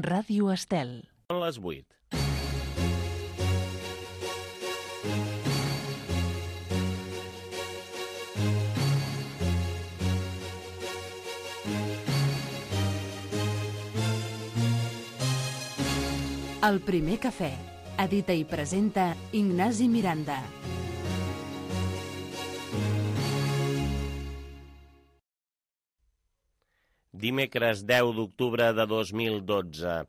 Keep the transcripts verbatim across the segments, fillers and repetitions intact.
Ràdio Estel. Són les vuit. El primer cafè. Edita i presenta Ignasi Miranda. Dimecres deu d'octubre de dos mil dotze.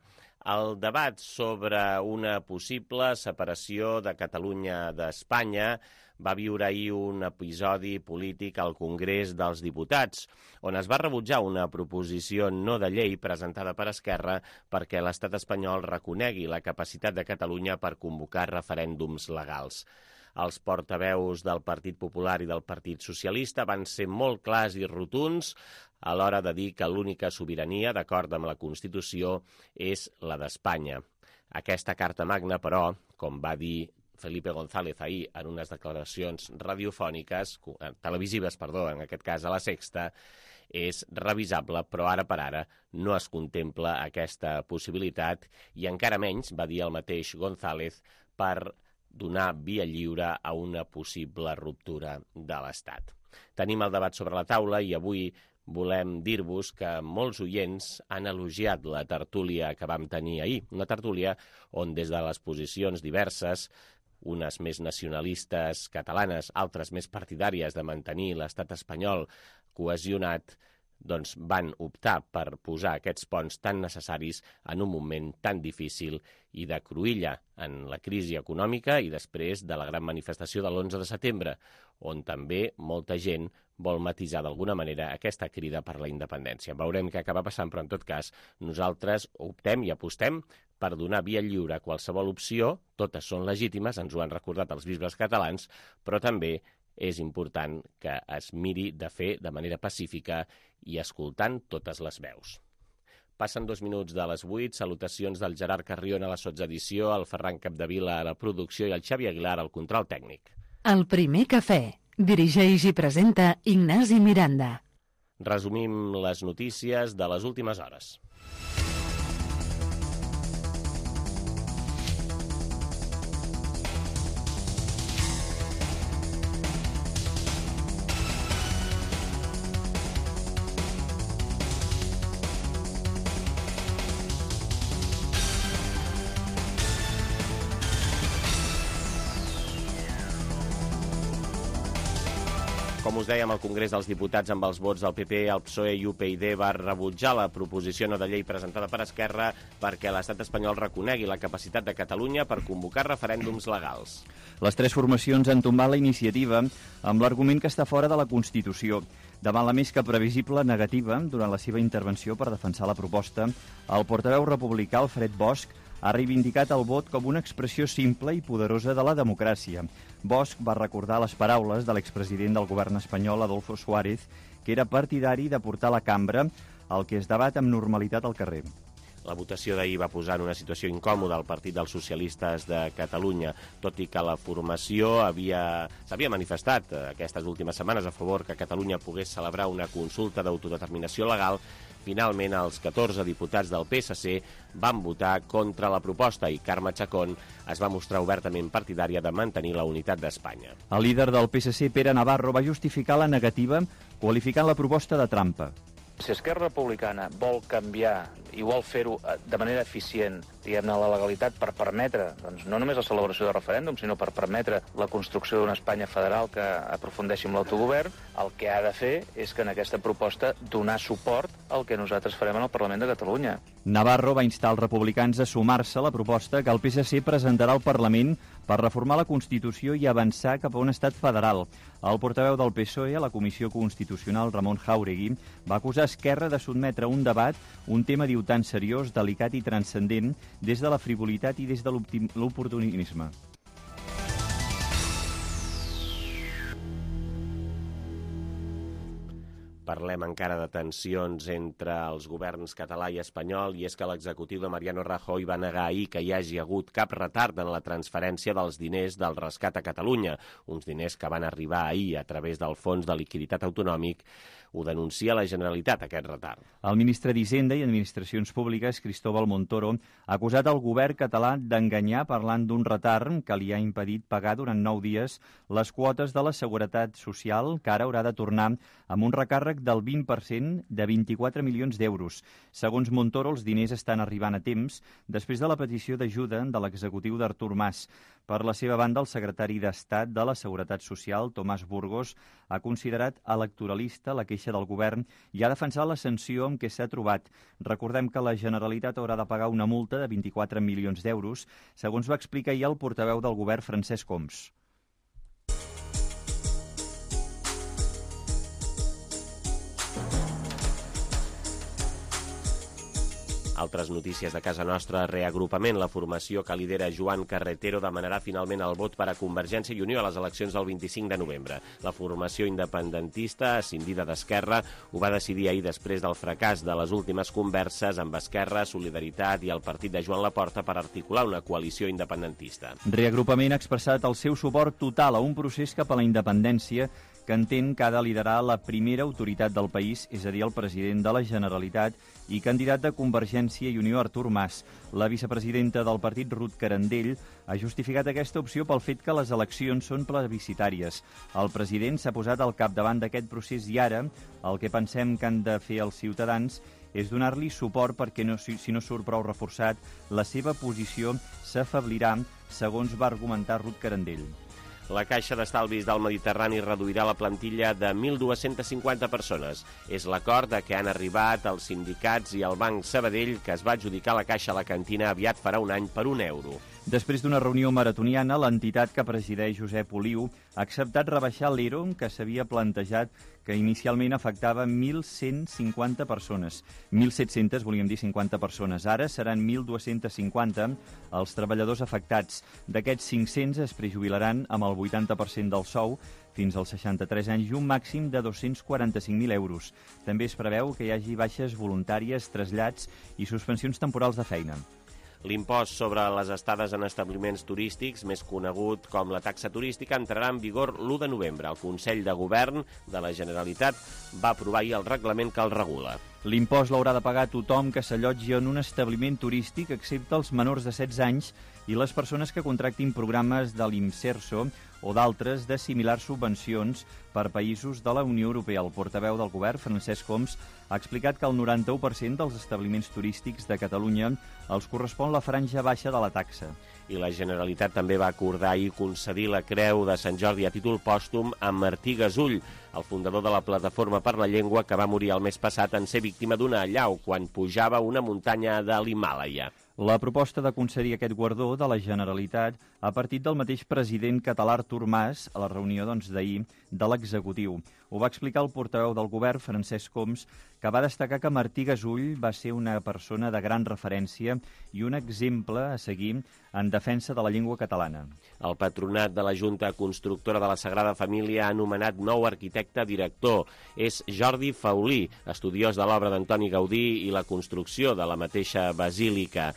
El debat sobre una possible separació de Catalunya d'Espanya va viure ahir un episodi polític al Congrés dels Diputats, on es va rebutjar una proposició no de llei presentada per Esquerra perquè l'estat espanyol reconegui la capacitat de Catalunya per convocar referèndums legals. Els portaveus del Partit Popular i del Partit Socialista van ser molt clars i rotunds a l'hora de dir que l'única sobirania, d'acord amb la Constitució, és la d'Espanya. Aquesta carta magna, però, com va dir Felipe González ahir en unes declaracions radiofòniques, televisives, perdó, en aquest cas a La Sexta, és revisable, però ara per ara no es contempla aquesta possibilitat i encara menys, va dir el mateix González, per donar via lliure a una possible ruptura de l'Estat. Tenim el debat sobre la taula i avui volem dir-vos que molts oients han elogiat la tertúlia que vam tenir ahir. Una tertúlia on des de les posicions diverses, unes més nacionalistes catalanes, altres més partidàries de mantenir l'estat espanyol cohesionat, doncs van optar per posar aquests ponts tan necessaris en un moment tan difícil i de cruïlla en la crisi econòmica i després de la gran manifestació de l'onze de setembre, on també molta gent vol matisar d'alguna manera aquesta crida per la independència. Veurem què acaba passant, però en tot cas nosaltres optem i apostem per donar via lliure a qualsevol opció, totes són legítimes, ens ho han recordat els bisbes catalans, però també és important que es miri de fer de manera pacífica i escoltant totes les veus. Passen dos minuts de les vuit, salutacions del Gerard Carrion a la sotsedició, el Ferran Capdevila a la producció i el Xavi Aguilar al control tècnic. El primer cafè. Dirigeix i presenta Ignasi Miranda. Resumim les notícies de les últimes hores. Com us dèiem, el Congrés dels Diputats amb els vots del P P, el P S O E i U P y D va rebutjar la proposició no de llei presentada per Esquerra perquè l'estat espanyol reconegui la capacitat de Catalunya per convocar referèndums legals. Les tres formacions han tombat la iniciativa amb l'argument que està fora de la Constitució. Davant la més que previsible negativa, durant la seva intervenció per defensar la proposta, el portaveu republicà Alfred Bosch ha reivindicat el vot com una expressió simple i poderosa de la democràcia. Bosch va recordar les paraules de l'expresident del govern espanyol, Adolfo Suárez, que era partidari de portar a la cambra el que es debat amb normalitat al carrer. La votació d'ahir va posar en una situació incòmoda el Partit dels Socialistes de Catalunya, tot i que la formació havia s'havia manifestat aquestes últimes setmanes a favor que Catalunya pogués celebrar una consulta d'autodeterminació legal. Finalment, els catorze diputats del P S C van votar contra la proposta i Carme Chacón es va mostrar obertament partidària de mantenir la unitat d'Espanya. El líder del P S C, Pere Navarro, va justificar la negativa qualificant la proposta de trampa. Si Esquerra Republicana vol canviar i vol fer-ho de manera eficient, diguem-ne, la legalitat per permetre, doncs, no només la celebració de referèndum, sinó per permetre la construcció d'una Espanya federal que aprofundeixi en l'autogovern, el que ha de fer és que en aquesta proposta donar suport al que nosaltres farem en el Parlament de Catalunya. Navarro va instar els republicans a sumar-se a la proposta que el P S C presentarà al Parlament per reformar la Constitució i avançar cap a un estat federal. El portaveu del P S O E a la Comissió Constitucional, Ramon Jáuregui, va acusar Esquerra de sotmetre a un debat un tema, diu, tan seriós, delicat i transcendent des de la frivolitat i des de l'oportunisme. Per Parlem encara de tensions entre els governs català i espanyol, i és que l'executiu de Mariano Rajoy va negar ahir que hi hagi hagut cap retard en la transferència dels diners del rescat a Catalunya, uns diners que van arribar ahir a través del Fons de Liquiditat Autonòmic. Ho denuncia la Generalitat, aquest retard. El ministre d'Hisenda i Administracions Públiques, Cristóbal Montoro, ha acusat el govern català d'enganyar parlant d'un retard que li ha impedit pagar durant nou dies les quotes de la Seguretat Social, que ara haurà de tornar amb un recàrrec del vint per cent de vint-i-quatre milions d'euros. Segons Montoro, els diners estan arribant a temps després de la petició d'ajuda de l'executiu d'Artur Mas. Per la seva banda, el secretari d'Estat de la Seguretat Social, Tomàs Burgos, ha considerat electoralista la queixa del govern i ha defensat la sanció amb què s'ha trobat. Recordem que la Generalitat haurà de pagar una multa de vint-i-quatre milions d'euros, segons va explicar ahir el portaveu del govern, Francesc Homs. Altres notícies de casa nostra: reagrupament. La formació que lidera Joan Carretero demanarà finalment el vot per a Convergència i Unió a les eleccions del vint-i-cinc de novembre. La formació independentista, escindida d'Esquerra, ho va decidir ahir després del fracàs de les últimes converses amb Esquerra, Solidaritat i el partit de Joan Laporta per articular una coalició independentista. Reagrupament ha expressat el seu suport total a un procés cap a la independència que entén que ha de liderar la primera autoritat del país, és a dir, el president de la Generalitat i candidat de Convergència i Unió, Artur Mas. La vicepresidenta del partit, Ruth Carandell, ha justificat aquesta opció pel fet que les eleccions són plebiscitàries. El president s'ha posat al capdavant d'aquest procés i ara el que pensem que han de fer els ciutadans és donar-li suport perquè, no, si, si no surt prou reforçat, la seva posició s'afeblirà, segons va argumentar Ruth Carandell. La Caixa d'Estalvis del Mediterrani reduirà la plantilla de mil dues-centes cinquanta persones. És l'acord a què han arribat els sindicats i el Banc Sabadell, que es va adjudicar la Caixa a la cantina aviat farà un any per un euro. Després d'una reunió maratoniana, l'entitat que presideix Josep Oliu ha acceptat rebaixar l'E R O que s'havia plantejat, que inicialment afectava mil cent cinquanta persones. mil set-centes, volíem dir cinquanta persones. Ara seran mil dues-centes cinquanta els treballadors afectats. D'aquests cinc-cents es prejubilaran amb el vuitanta per cent del sou fins als seixanta-tres anys i un màxim de dos-cents quaranta-cinc mil euros. També es preveu que hi hagi baixes voluntàries, trasllats i suspensions temporals de feina. L'impost sobre les estades en establiments turístics, més conegut com la taxa turística, entrarà en vigor l'u de novembre. El Consell de Govern de la Generalitat va aprovar ahir el reglament que el regula. L'impost l'haurà de pagar tothom que s'allotgi en un establiment turístic, excepte els menors de setze anys i les persones que contractin programes de l'Imserso o d'altres de similars subvencions per països de la Unió Europea. El portaveu del govern, Francesc Homs, ha explicat que el noranta-u per cent dels establiments turístics de Catalunya els correspon la franja baixa de la taxa. I la Generalitat també va acordar ahir concedir la Creu de Sant Jordi a títol pòstum a Martí Gasull, el fundador de la Plataforma per la Llengua, que va morir el mes passat en ser víctima d'una allau quan pujava una muntanya de l'Himàlaia. La proposta de concedir aquest guardó de la Generalitat ha partit del mateix president català Artur Mas a la reunió doncs, d'ahir de l'executiu. Ho va explicar el portaveu del govern, Francesc Homs, que va destacar que Martí Gasull va ser una persona de gran referència i un exemple a seguir en defensa de la llengua catalana. El patronat de la Junta Constructora de la Sagrada Família ha anomenat nou arquitecte director. És Jordi Faulí, estudiós de l'obra d'Antoni Gaudí i la construcció de la mateixa basílica.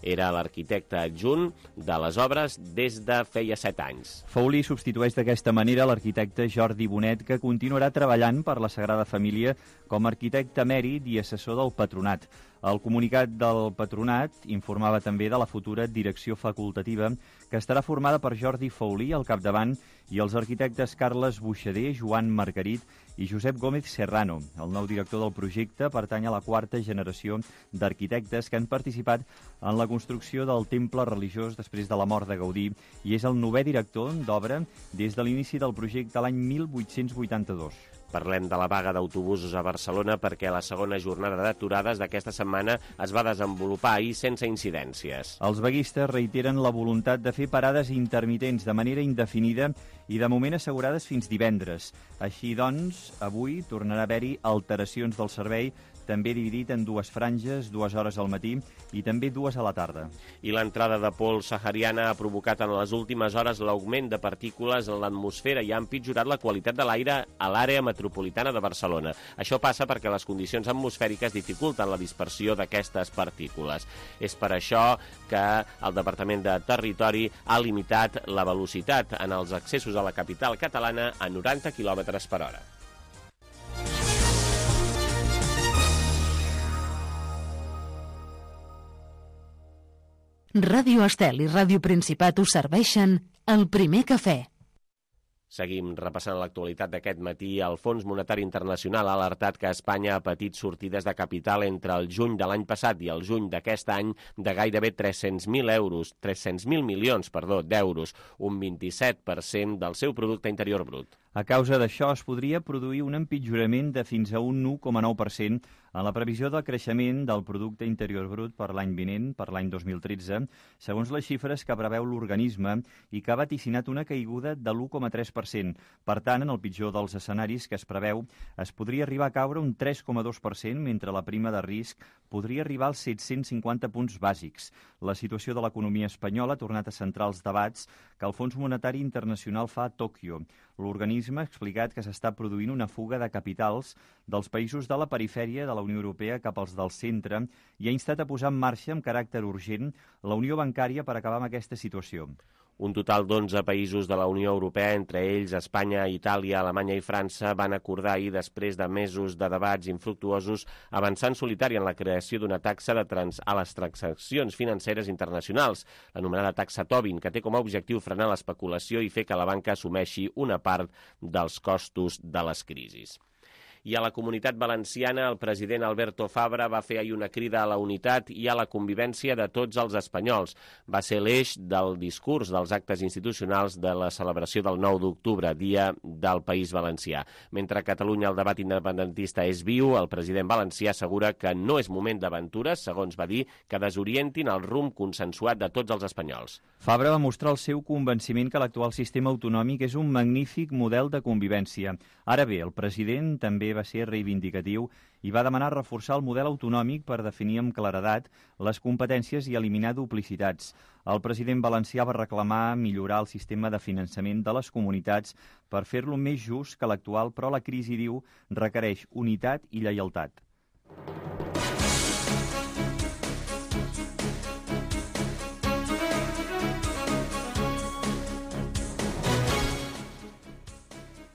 Era l'arquitecte adjunt de les obres des de feia set anys. Faulí substitueix d'aquesta manera l'arquitecte Jordi Bonet, que continuarà treballant per la Sagrada Família com a arquitecte emèrit i assessor del patronat. El comunicat del patronat informava també de la futura direcció facultativa, que estarà formada per Jordi Faulí al capdavant i els arquitectes Carles Buixader, Joan Margarit i Josep Gómez Serrano. El nou director del projecte pertany a la quarta generació d'arquitectes que han participat en la construcció del temple religiós després de la mort de Gaudí i és el novè director d'obra des de l'inici del projecte l'any mil vuit-cents vuitanta-dos. Parlem de la vaga d'autobusos a Barcelona perquè la segona jornada d'aturades d'aquesta setmana es va desenvolupar ahir sense incidències. Els vaguistes reiteren la voluntat de fer parades intermitents de manera indefinida i de moment assegurades fins divendres. Així doncs, avui tornarà a haver-hi alteracions del servei també dividit en dues franges, dues hores al matí i també dues a la tarda. I l'entrada de pols sahariana ha provocat en les últimes hores l'augment de partícules en l'atmosfera i ha empitjorat la qualitat de l'aire a l'àrea metropolitana de Barcelona. Això passa perquè les condicions atmosfèriques dificulten la dispersió d'aquestes partícules. És per això que el Departament de Territori ha limitat la velocitat en els accessos a la capital catalana a noranta quilòmetres per hora. Ràdio Estel i Ràdio Principat us serveixen El Primer Cafè. Seguim repassant l'actualitat d'aquest matí. El Fons Monetari Internacional ha alertat que Espanya ha patit sortides de capital entre el juny de l'any passat i el juny d'aquest any de gairebé tres-cents mil euros, tres-cents mil milions, perdó, d'euros, un vint-i-set per cent del seu producte interior brut. A causa d'això es podria produir un empitjorament de fins a un u coma nou per cent en la previsió del creixement del producte interior brut per l'any vinent, per l'any dos mil tretze, segons les xifres que preveu l'organisme i que ha vaticinat una caiguda de l'u coma tres per cent. Per tant, en el pitjor dels escenaris que es preveu, es podria arribar a caure un tres coma dos per cent, mentre la prima de risc podria arribar als set-cents cinquanta punts bàsics. La situació de l'economia espanyola ha tornat a centrar els debats que el Fons Monetari Internacional fa a Tòquio. L'organisme ha explicat que s'està produint una fuga de capitals dels països de la perifèria de la Unió Europea cap als del centre i ha instat a posar en marxa amb caràcter urgent la Unió Bancària per acabar amb aquesta situació. Un total d'onze països de la Unió Europea, entre ells Espanya, Itàlia, Alemanya i França, van acordar ahir, després de mesos de debats infructuosos, avançar en solitari en la creació d'una taxa de trans a les transaccions financeres internacionals, l'anomenada taxa Tobin, que té com a objectiu frenar l'especulació i fer que la banca assumeixi una part dels costos de les crisis. I a la Comunitat Valenciana, el president Alberto Fabra va fer ahir una crida a la unitat i a la convivència de tots els espanyols. Va ser l'eix del discurs dels actes institucionals de la celebració del nou d'octubre, dia del País Valencià. Mentre a Catalunya el debat independentista és viu, el president valencià assegura que no és moment d'aventures, segons va dir, que desorientin el rumb consensuat de tots els espanyols. Fabra va mostrar el seu convenciment que l'actual sistema autonòmic és un magnífic model de convivència. Ara bé, el president també va ser reivindicatiu i va demanar reforçar el model autonòmic per definir amb claredat les competències i eliminar duplicitats. El president valencià va reclamar millorar el sistema de finançament de les comunitats per fer-lo més just que l'actual, però la crisi, diu, requereix unitat i lleialtat.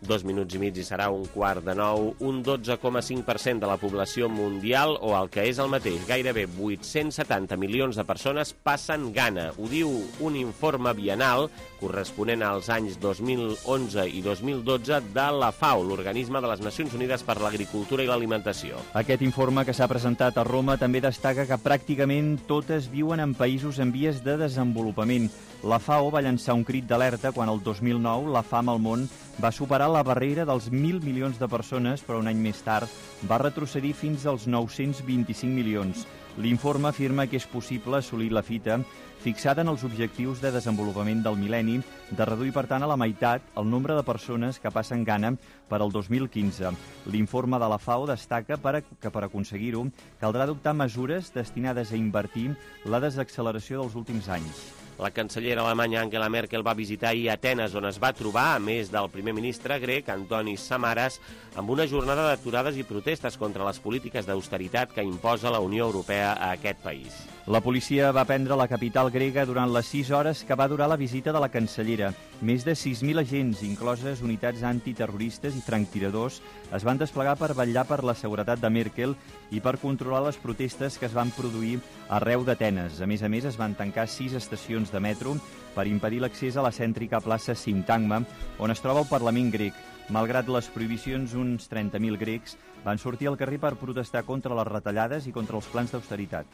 Dos minuts i mig i serà un quart de nou. Un dotze coma cinc per cent de la població mundial, o el que és el mateix, gairebé vuit-cents setanta milions de persones passen gana. Ho diu un informe biennal corresponent als anys dos mil onze i dos mil dotze de la FAO, l'Organisme de les Nacions Unides per l'Agricultura i l'Alimentació. Aquest informe, que s'ha presentat a Roma, també destaca que pràcticament totes viuen en països en vies de desenvolupament. La FAO va llançar un crit d'alerta quan el dos mil nou la fam al món va superar la barrera dels mil milions de persones, però un any més tard va retrocedir fins als nou-cents vint-i-cinc milions. L'informe afirma que és possible assolir la fita fixada en els objectius de desenvolupament del mil·lenni, de reduir, per tant, a la meitat el nombre de persones que passen gana per al dos mil quinze. L'informe de la FAO destaca que per aconseguir-ho caldrà adoptar mesures destinades a invertir la desacceleració dels últims anys. La cancellera alemanya Angela Merkel va visitar ahir Atenes, on es va trobar, a més del primer ministre grec, Antonis Samaras, amb una jornada d'aturades i protestes contra les polítiques d'austeritat que imposa la Unió Europea a aquest país. La policia va prendre la capital grega durant les sis hores que va durar la visita de la cancellera. Més de sis mil agents, incloses unitats antiterroristes i franctiradors, es van desplegar per vetllar per la seguretat de Merkel i per controlar les protestes que es van produir arreu d'Atenes. A més a més, es van tancar sis estacions de metro per impedir l'accés a la cèntrica plaça Sintagma, on es troba el Parlament grec. Malgrat les prohibicions, uns trenta mil grecs van sortir al carrer per protestar contra les retallades i contra els plans d'austeritat.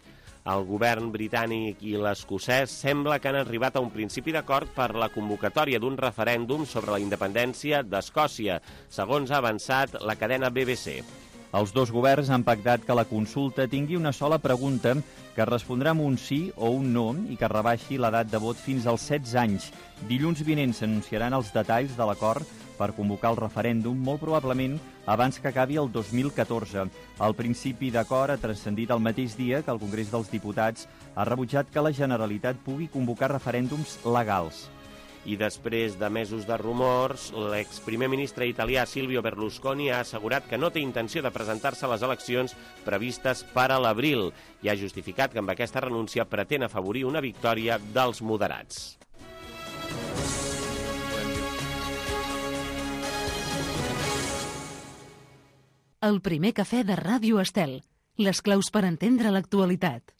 El govern britànic i l'escocès sembla que han arribat a un principi d'acord per la convocatòria d'un referèndum sobre la independència d'Escòcia, segons ha avançat la cadena B B C. Els dos governs han pactat que la consulta tingui una sola pregunta que respondrà amb un sí o un no i que rebaixi l'edat de vot fins als setze anys. Dilluns vinent s'anunciaran els detalls de l'acord per convocar el referèndum, molt probablement abans que acabi el dos mil catorze. El principi d'acord ha transcendit el mateix dia que el Congrés dels Diputats ha rebutjat que la Generalitat pugui convocar referèndums legals. I després de mesos de rumors, l'exprimer ministre italià Silvio Berlusconi ha assegurat que no té intenció de presentar-se a les eleccions previstes per a l'abril i ha justificat que amb aquesta renúncia pretén afavorir una victòria dels moderats. El primer cafè de Ràdio Estel. Les claus per entendre l'actualitat.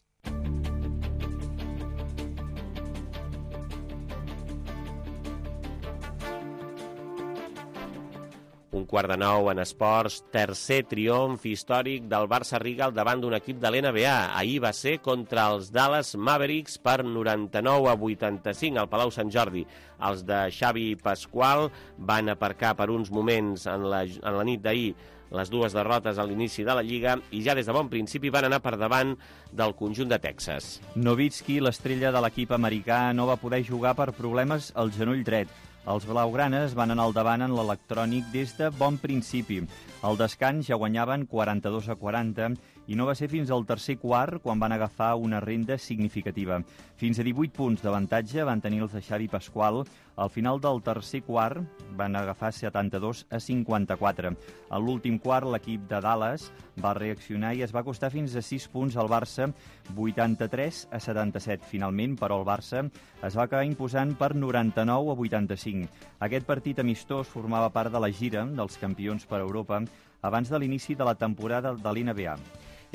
Un quart de nou en esports, tercer triomf històric del Barça Riga al davant d'un equip de l'N B A. Ahir va ser contra els Dallas Mavericks per noranta-nou a vuitanta-cinc al Palau Sant Jordi. Els de Xavi Pasqual van aparcar per uns moments en la, en la nit d'ahir les dues derrotes a l'inici de la Lliga i ja des de bon principi van anar per davant del conjunt de Texas. Nowitzki, l'estrella de l'equip americà, no va poder jugar per problemes al genoll dret. Els blaugranes van anar al davant en l'electrònic des de bon principi. Al descans ja guanyaven quaranta-dos a quaranta i no va ser fins al tercer quart quan van agafar una renda significativa. Fins a divuit punts d'avantatge van tenir els de Xavi Pasqual. Al final del tercer quart van agafar setanta-dos a cinquanta-quatre. A l'últim quart l'equip de Dallas va reaccionar i es va costar fins a sis punts al Barça, vuitanta-tres a setanta-set. Finalment, però, el Barça es va acabar imposant per noranta-nou a vuitanta-cinc. Aquest partit amistós formava part de la gira dels campions per Europa abans de l'inici de la temporada de l'N B A.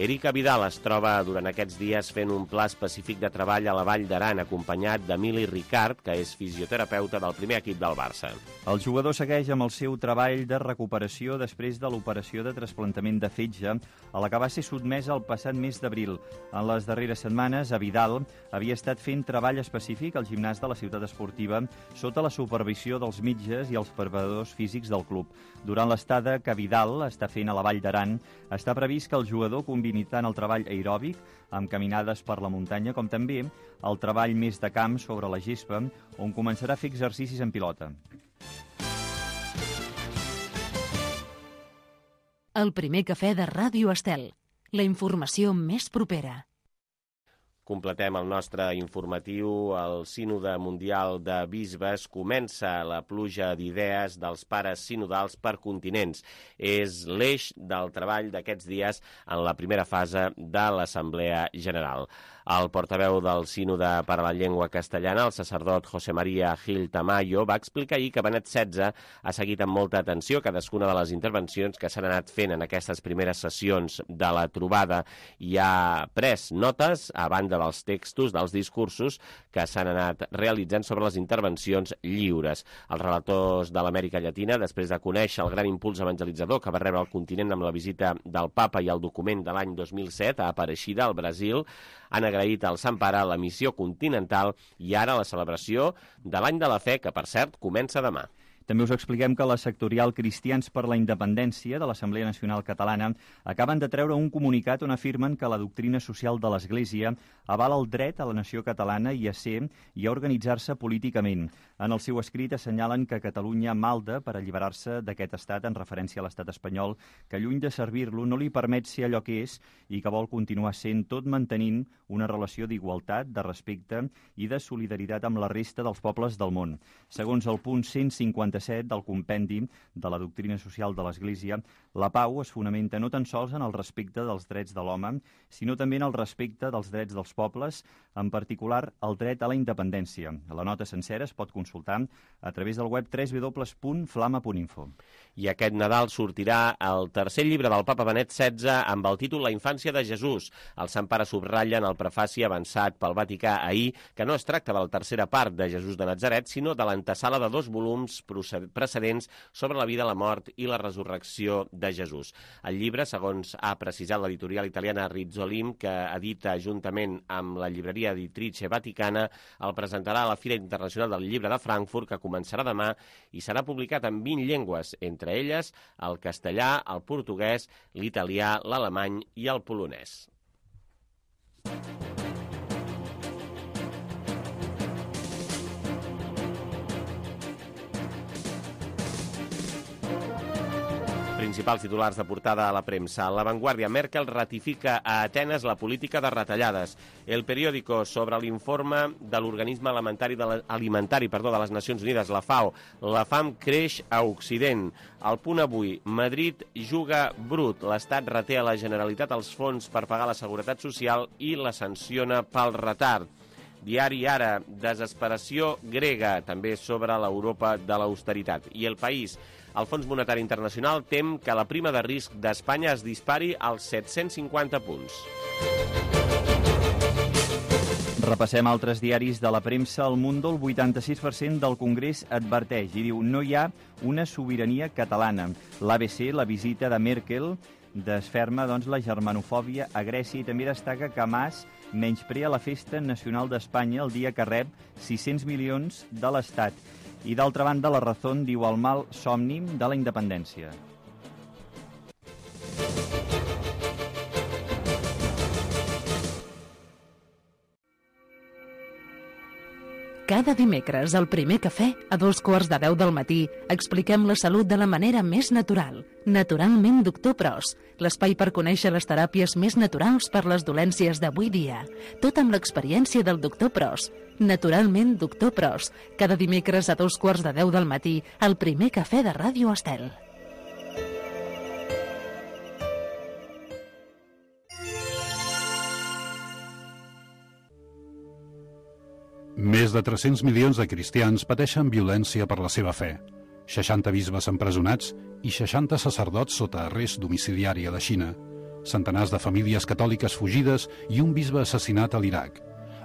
Erika Vidal es troba durant aquests dies fent un pla específic de treball a la Vall d'Aran, acompanyat d'Emili Ricard, que és fisioterapeuta del primer equip del Barça. El jugador segueix amb el seu treball de recuperació després de l'operació de trasplantament de fetge, a la que va ser sotmesa el passat mes d'abril. En les darreres setmanes, a Vidal havia estat fent treball específic al gimnàs de la ciutat esportiva sota la supervisió dels metges i els preparadors físics del club. Durant l'estada que Vidal està fent a la Vall d'Aran, està previst que el jugador combini tant el treball aeròbic, amb caminades per la muntanya, com també el treball més de camp sobre la gespa, on començarà a fer exercicis en pilota. El primer cafè de Ràdio Estel. La informació més propera. Completem el nostre informatiu. El Sínode Mundial de Bisbes comença la pluja d'idees dels pares sinodals per continents. És l'eix del treball d'aquests dies en la primera fase de l'Assemblea General. El portaveu del Sínode per a la Llengua Castellana, el sacerdot José María Gil Tamayo, va explicar ahir que Benet setze ha seguit amb molta atenció cadascuna de les intervencions que s'han anat fent en aquestes primeres sessions de la trobada i ha pres notes a banda dels textos, dels discursos que s'han anat realitzant sobre les intervencions lliures. Els relators de l'Amèrica Llatina, després de conèixer el gran impuls evangelitzador que va rebre el continent amb la visita del Papa i el document de l'any dos mil set a Apareixida, al Brasil, han agraït al Sant Pare la missió continental i ara la celebració de l'Any de la Fe, que, per cert, comença demà. També us expliquem que la sectorial Cristians per la Independència de l'Assemblea Nacional Catalana acaben de treure un comunicat on afirmen que la doctrina social de l'Església avala el dret a la nació catalana i a ser i a organitzar-se políticament. En el seu escrit assenyalen que Catalunya malda per alliberar-se d'aquest estat en referència a l'estat espanyol, que lluny de servir-lo no li permet ser allò que és i que vol continuar sent, tot mantenint una relació d'igualtat, de respecte i de solidaritat amb la resta dels pobles del món. Segons el punt cent cinquanta-set del compendi de la doctrina social de l'Església, la pau es fonamenta no tan sols en el respecte dels drets de l'home, sinó també en el respecte dels drets dels pobles, en particular el dret a la independència. La nota sencera es pot consultar a través del web w w w punt flama punt info. I aquest Nadal sortirà el tercer llibre del Papa Benet setze amb el títol La infància de Jesús. El Sant Pare subratlla en el prefaci avançat pel Vaticà ahir que no es tracta de la tercera part de Jesús de Natzaret, sinó de l'antesala de dos volums procedents precedents sobre la vida, la mort i la resurrecció de Jesús. El llibre, segons ha precisat l'editorial italiana Rizzolim, que edita juntament amb la llibreria Editrice Vaticana, el presentarà a la Fira Internacional del Llibre de Frankfurt, que començarà demà i serà publicat en vint llengües, entre elles el castellà, el portuguès, l'italià, l'alemany i el polonès. Principals titulars de portada a la premsa. La Vanguardia: Merkel ratifica a Atenes la política de retallades. El Periódico, sobre l'informe de l'Organisme Alimentari de, la, alimentari, perdó, de les Nacions Unides, la FAO. La fam creix a Occident. El Punt Avui: Madrid juga brut. L'Estat reté a la Generalitat els fons per pagar la Seguretat Social i la sanciona pel retard. Diari Ara: desesperació grega, també sobre l'Europa de l'austeritat. I El País: el Fons Monetari Internacional tem que la prima de risc d'Espanya es dispari als set-cents cinquanta punts. Repassem altres diaris de la premsa. El Mundo: el vuitanta-sis per cent del Congrés adverteix i diu no hi ha una sobirania catalana. L'A B C: la visita de Merkel desferma doncs, la germanofòbia a Grècia i també destaca que Mas menysprea la Festa Nacional d'Espanya el dia que rep sis-cents milions de l'Estat. I d'altra banda, La Razón diu el mal somni de la independència. Cada dimecres, al Primer Cafè, a dos quarts de deu del matí, expliquem la salut de la manera més natural. Naturalment Doctor Pros, l'espai per conèixer les teràpies més naturals per les dolències d'avui dia. Tot amb l'experiència del Doctor Pros. Naturalment Doctor Pros, cada dimecres a dos quarts de deu del matí, al Primer Cafè de Ràdio Estel. Més de tres-cents milions de cristians pateixen violència per la seva fe. seixanta bisbes empresonats i seixanta sacerdots sota arrest domiciliari a la Xina. Centenars de famílies catòliques fugides i un bisbe assassinat a l'Iraq.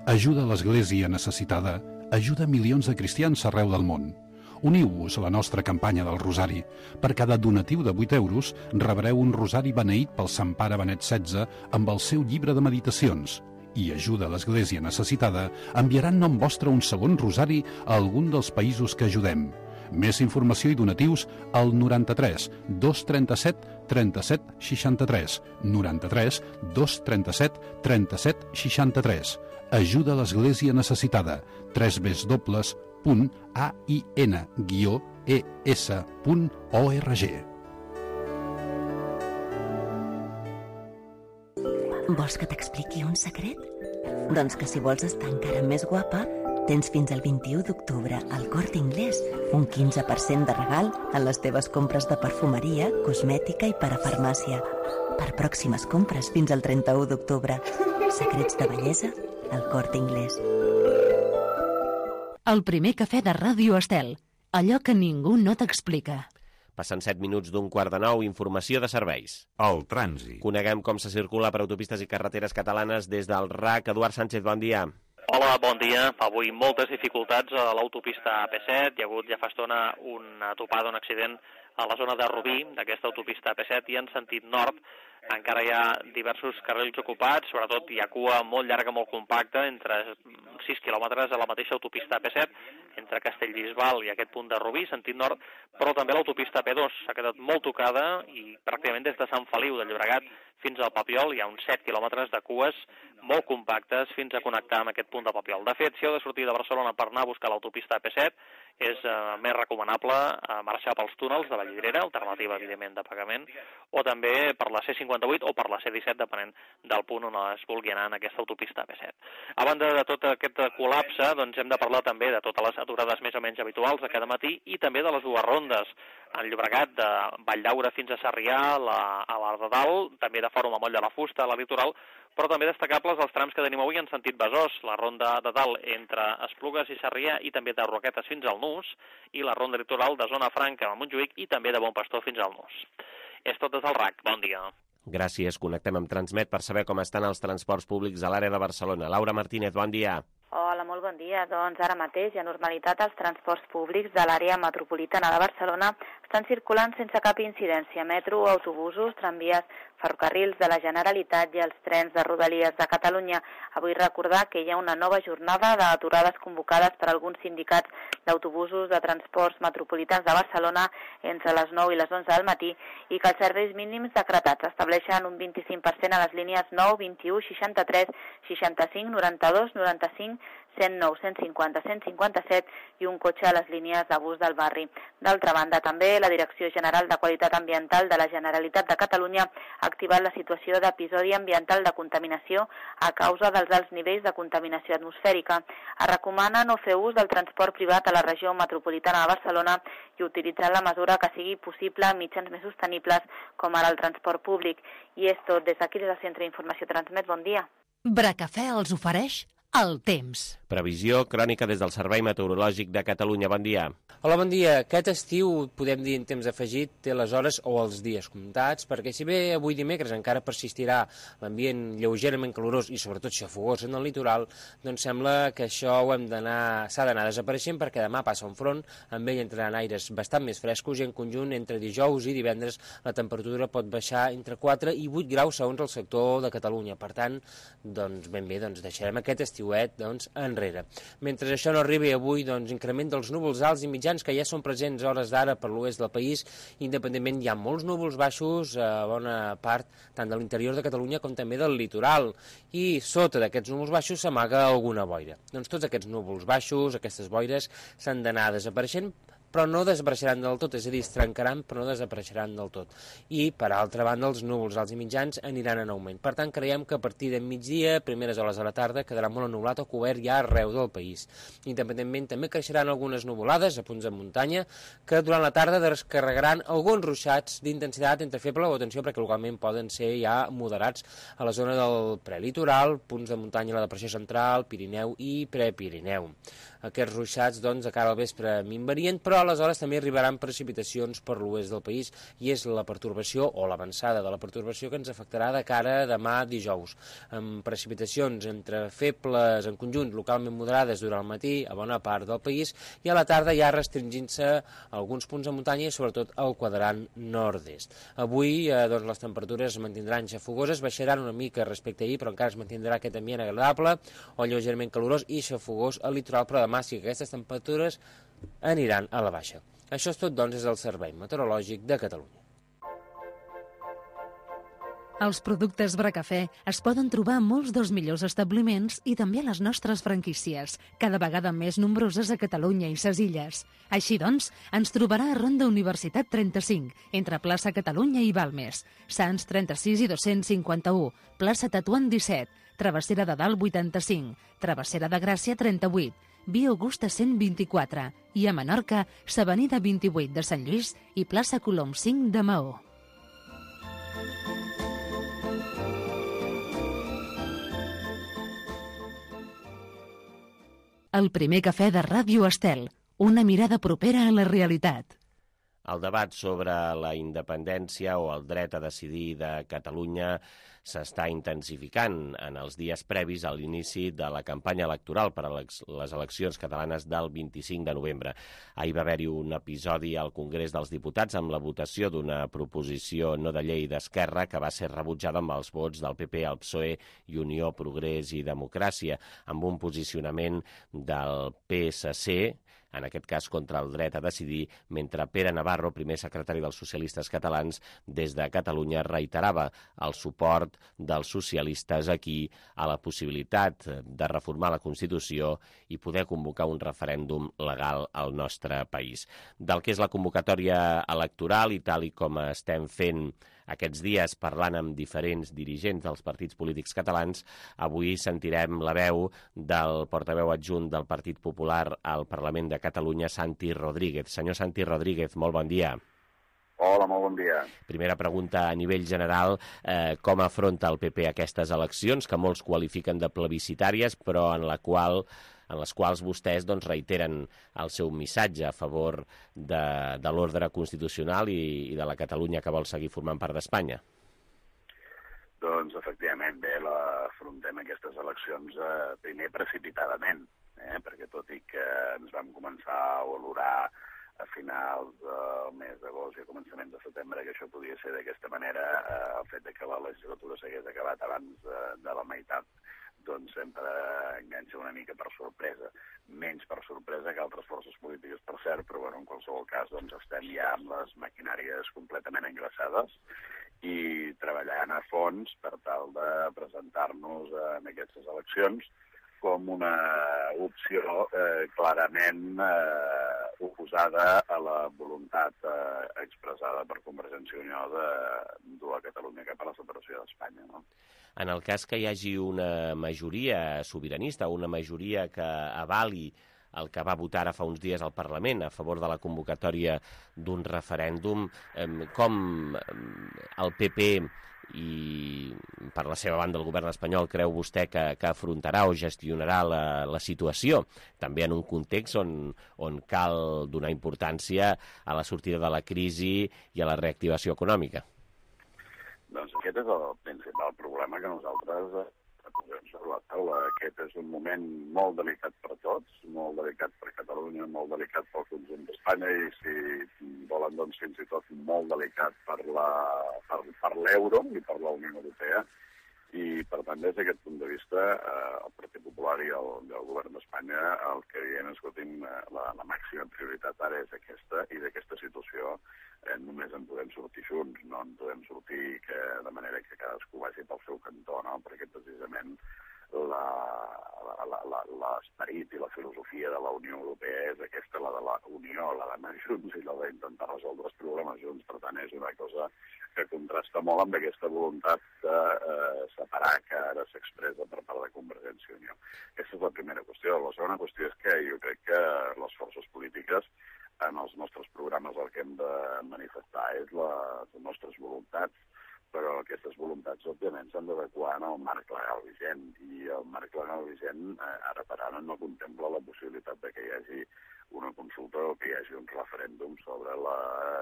Ajuda a l'Església necessitada, ajuda milions de cristians arreu del món. Uniu-vos a la nostra campanya del Rosari. Per cada donatiu de vuit euros rebreu un rosari beneït pel Sant Pare Benet setze amb el seu llibre de meditacions. I ajuda a l'Església necessitada enviarà en nom vostre un segon rosari a algun dels països que ajudem. Més informació i donatius al noranta-tres dos trenta-set trenta-set seixanta-tres, noranta-tres dos trenta-set trenta-set seixanta-tres. Ajuda a l'Església necessitada. tres w punt a i n guió e s punt org. Vols que t'expliqui un secret? Doncs que si vols estar encara més guapa, tens fins al vint-i-u d'octubre al Corte Inglés un quinze per cent de regal en les teves compres de perfumeria, cosmètica i parafarmàcia. Per pròximes compres fins al trenta-u d'octubre. Secrets de bellesa al Corte Inglés. El Primer Cafè de Ràdio Estel. Allò que ningú no t'explica. Passen set minuts d'un quart de nou, informació de serveis. El trànsit. Coneguem com se circula per autopistes i carreteres catalanes des del R A C. Eduard Sánchez, bon dia. Hola, bon dia. Avui moltes dificultats a l'autopista A P set. Hi ha hagut ja fa estona una topada, un accident a la zona de Rubí, d'aquesta autopista A P set, i en sentit nord encara hi ha diversos carrils ocupats, sobretot hi ha cua molt llarga, molt compacta, entre sis quilòmetres a la mateixa autopista A P set, entre Castellbisbal i aquest punt de Rubí, sentit nord, però també l'autopista A P dos s'ha quedat molt tocada i pràcticament des de Sant Feliu de Llobregat fins al Papiol hi ha uns set quilòmetres de cues molt compactes fins a connectar amb aquest punt de Papiol. De fet, si heu de sortir de Barcelona per anar a buscar l'autopista A P set, és eh, més recomanable eh, marxar pels túnels de Vallvidrera, alternativa, evidentment, de pagament, o també per la C cinquanta-vuit o per la C disset, depenent del punt on es vulgui anar en aquesta autopista A P set. A banda de tot aquest col·lapse, doncs hem de parlar també de totes les aturades més o menys habituals de cada matí i també de les dues rondes en Llobregat, de Valldaura fins a Sarrià, la, a la de Dalt, també de Fòrum a Moll de la Fusta, a la Litoral, però també destacables els trams que tenim avui en sentit Besòs, la ronda de Dalt entre Esplugues i Sarrià i també de Roquetes fins al Nus, i la ronda litoral de Zona Franca a Montjuïc i també de Bon Pastor fins al Nus. És tot des del R A C. Bon dia. Gràcies. Connectem amb Transmet per saber com estan els transports públics a l'àrea de Barcelona. Laura Martínez, bon dia. Hola, molt bon bon dia. Doncs ara mateix hi ha normalitat als transports públics de l'àrea metropolitana de Barcelona. Estan circulant sense cap incidència metro, autobusos, tramvies, ferrocarrils de la Generalitat i els trens de Rodalies de Catalunya. Avui recordar que hi ha una nova jornada d'aturades convocades per alguns sindicats d'autobusos de transports metropolitans de Barcelona entre les nou i les onze del matí i que els serveis mínims decretats estableixen un vint-i-cinc per cent a les línies nou, vint-i-u, seixanta-tres, seixanta-cinc, noranta-dos, noranta-cinc, cent nou, cent cinquanta, cent cinquanta-set i un cotxe a les línies de bus del barri. D'altra banda, també la Direcció General de Qualitat Ambiental de la Generalitat de Catalunya ha activat la situació d'episodi ambiental de contaminació a causa dels alts nivells de contaminació atmosfèrica. Es recomana no fer ús del transport privat a la regió metropolitana de Barcelona i utilitzar la mesura que sigui possible amb mitjans més sostenibles com ara el transport públic. I és tot. Des d'aquí, des del Centre d'Informació Transmet, bon dia. Bracafè els ofereix el temps. Previsió crònica des del Servei Meteorològic de Catalunya. Bon dia. Hola, bon dia. Aquest estiu, podem dir en temps afegit, té les hores o els dies comptats, perquè si bé avui dimecres encara persistirà l'ambient lleugerament calorós i sobretot xafogós en el litoral, doncs sembla que això ho hem d'anar, s'ha d'anar desapareixent perquè demà passa un front, amb ell entraran aires bastant més frescos i en conjunt entre dijous i divendres la temperatura pot baixar entre quatre i vuit graus segons el sector de Catalunya. Per tant, doncs ben bé, doncs deixarem aquest estiuet doncs, enrere. Mentre això no arribi avui, doncs increment dels núvols alts i mitjans que ja són presents a hores d'ara per l'oest del país. Independentment hi ha molts núvols baixos a bona part tant de l'interior de Catalunya com també del litoral i sota d'aquests núvols baixos s'amaga alguna boira. Doncs tots aquests núvols baixos, aquestes boires s'han d'anar desapareixent, però no desapareixeran del tot, és a dir, es trencaran però no desapareixeran del tot. I, per altra banda, els núvols alts i mitjans aniran en augment. Per tant, creiem que a partir de migdia, primeres hores de la tarda, quedarà molt ennublat o cobert ja arreu del país. Independentment, també creixeran algunes nuvolades a punts de muntanya que durant la tarda descarregaran alguns ruixats d'intensitat entre feble o atenció perquè localment poden ser ja moderats a la zona del prelitoral, punts de muntanya a la depressió central, Pirineu i Prepirineu. Aquests ruixats, doncs, a cara al vespre minvarien, però aleshores també arribaran precipitacions per l'oest del país i és la pertorbació o l'avançada de la pertorbació que ens afectarà de cara a demà dijous, amb precipitacions entre febles en conjunt localment moderades durant el matí a bona part del país i a la tarda ja restringint-se alguns punts de muntanya i sobretot al quadrant nord-est. Avui eh, doncs, les temperatures es mantindran xafogoses, baixaran una mica respecte a ahir, però encara es mantindrà aquest ambient agradable o lleugerament calorós i xafogós al litoral, però demà sí que aquestes temperatures aniran a la baixa. Això és tot, doncs, és el Servei Meteorològic de Catalunya. Els productes Bracafè es poden trobar a molts dels millors establiments i també a les nostres franquícies, cada vegada més nombroses a Catalunya i ses Illes. Així doncs, ens trobarà a Ronda Universitat trenta-cinc, entre plaça Catalunya i Balmes, Sants trenta-sis i dos-cents cinquanta-u, plaça Tetuan disset, Travessera de Dalt vuitanta-cinc, Travessera de Gràcia trenta-vuit, Via Augusta cent vint-i-quatre i a Menorca, s'Avenida vint-i-vuit de Sant Lluís i plaça Colom cinc de Maó. El primer cafè de Ràdio Estel, una mirada propera a la realitat. El debat sobre la independència o el dret a decidir de Catalunya s'està intensificant en els dies previs a l'inici de la campanya electoral per a les eleccions catalanes del vint-i-cinc de novembre. Ahir va haver-hi un episodi al Congrés dels Diputats amb la votació d'una proposició no de llei d'Esquerra que va ser rebutjada amb els vots del P P, el P S O E i Unió, Progrés i Democràcia, amb un posicionament del P S C, en aquest cas contra el dret a decidir, mentre Pere Navarro, primer secretari dels socialistes catalans, des de Catalunya reiterava el suport dels socialistes aquí a la possibilitat de reformar la Constitució i poder convocar un referèndum legal al nostre país. Del que és la convocatòria electoral i tal i com estem fent aquests dies parlant amb diferents dirigents dels partits polítics catalans, avui sentirem la veu del portaveu adjunt del Partit Popular al Parlament de Catalunya, Santi Rodríguez. Senyor Santi Rodríguez, molt bon dia. Hola, molt bon dia. Primera pregunta a nivell general, eh, com afronta el P P aquestes eleccions, que molts qualifiquen de plebiscitàries, però en la qual... en les quals vostès doncs, reiteren el seu missatge a favor de, de l'ordre constitucional i, i de la Catalunya que vol seguir formant part d'Espanya? Doncs, efectivament, bé, la, afrontem aquestes eleccions eh, primer precipitadament, eh, perquè ens vam començar a valorar a finals del mes d'agost i a començaments de setembre que això podia ser d'aquesta manera. Eh, el fet de que la legislatura s'hagués acabat abans de, de la meitat doncs sempre enganxa una mica per sorpresa, menys per sorpresa que altres forces polítiques, per cert, però bueno, en qualsevol cas doncs estem ja amb les maquinàries completament engraçades i treballant a fons per tal de presentar-nos en aquestes eleccions com una opció eh, clarament eh, oposada a la voluntat eh, expressada per Convergència i Unió de dur a Catalunya cap a la separació d'Espanya, no? En el cas que hi hagi una majoria sobiranista, una majoria que avali el que va votar ara fa uns dies al Parlament a favor de la convocatòria d'un referèndum, eh, com el P P i per la seva banda el govern espanyol creu vostè que, que afrontarà o gestionarà la, la situació, també en un context on, on cal donar importància a la sortida de la crisi i a la reactivació econòmica? Doncs aquest és el principal problema que nosaltres posem sobre la taula. Aquest és un moment molt delicat per tots, molt delicat per Catalunya, molt delicat pel conjunt d'Espanya i, si volen, doncs fins i tot molt delicat per la, per, per l'euro i per la Unió Europea. I, per tant, des d'aquest punt de vista, eh, el Partit Popular i el, i el govern d'Espanya el que diem, escolti'm, la, la màxima prioritat ara és aquesta, i d'aquesta situació eh, només en podem sortir junts, no en podem sortir que, de manera que cadascú vagi pel seu cantó, no? Perquè precisament l'esperit i la filosofia de la Unió Europea és aquesta, la de la Unió, la d'anar junts i la d'intentar resoldre els problemes junts. Per tant, és una cosa que contrasta molt amb aquesta voluntat de eh, separar que ara s'expressa per part de Convergència i Unió. Aquesta és la primera qüestió. La segona qüestió és que jo crec que les forces polítiques en els nostres programes el que hem de manifestar és la, les nostres voluntats, però aquestes voluntats, òbviament, s'han d'adequar en el marc legal vigent, i el marc legal vigent, eh, ara per ara, no contempla la possibilitat de que hi hagi una consulta o que hi hagi un referèndum sobre la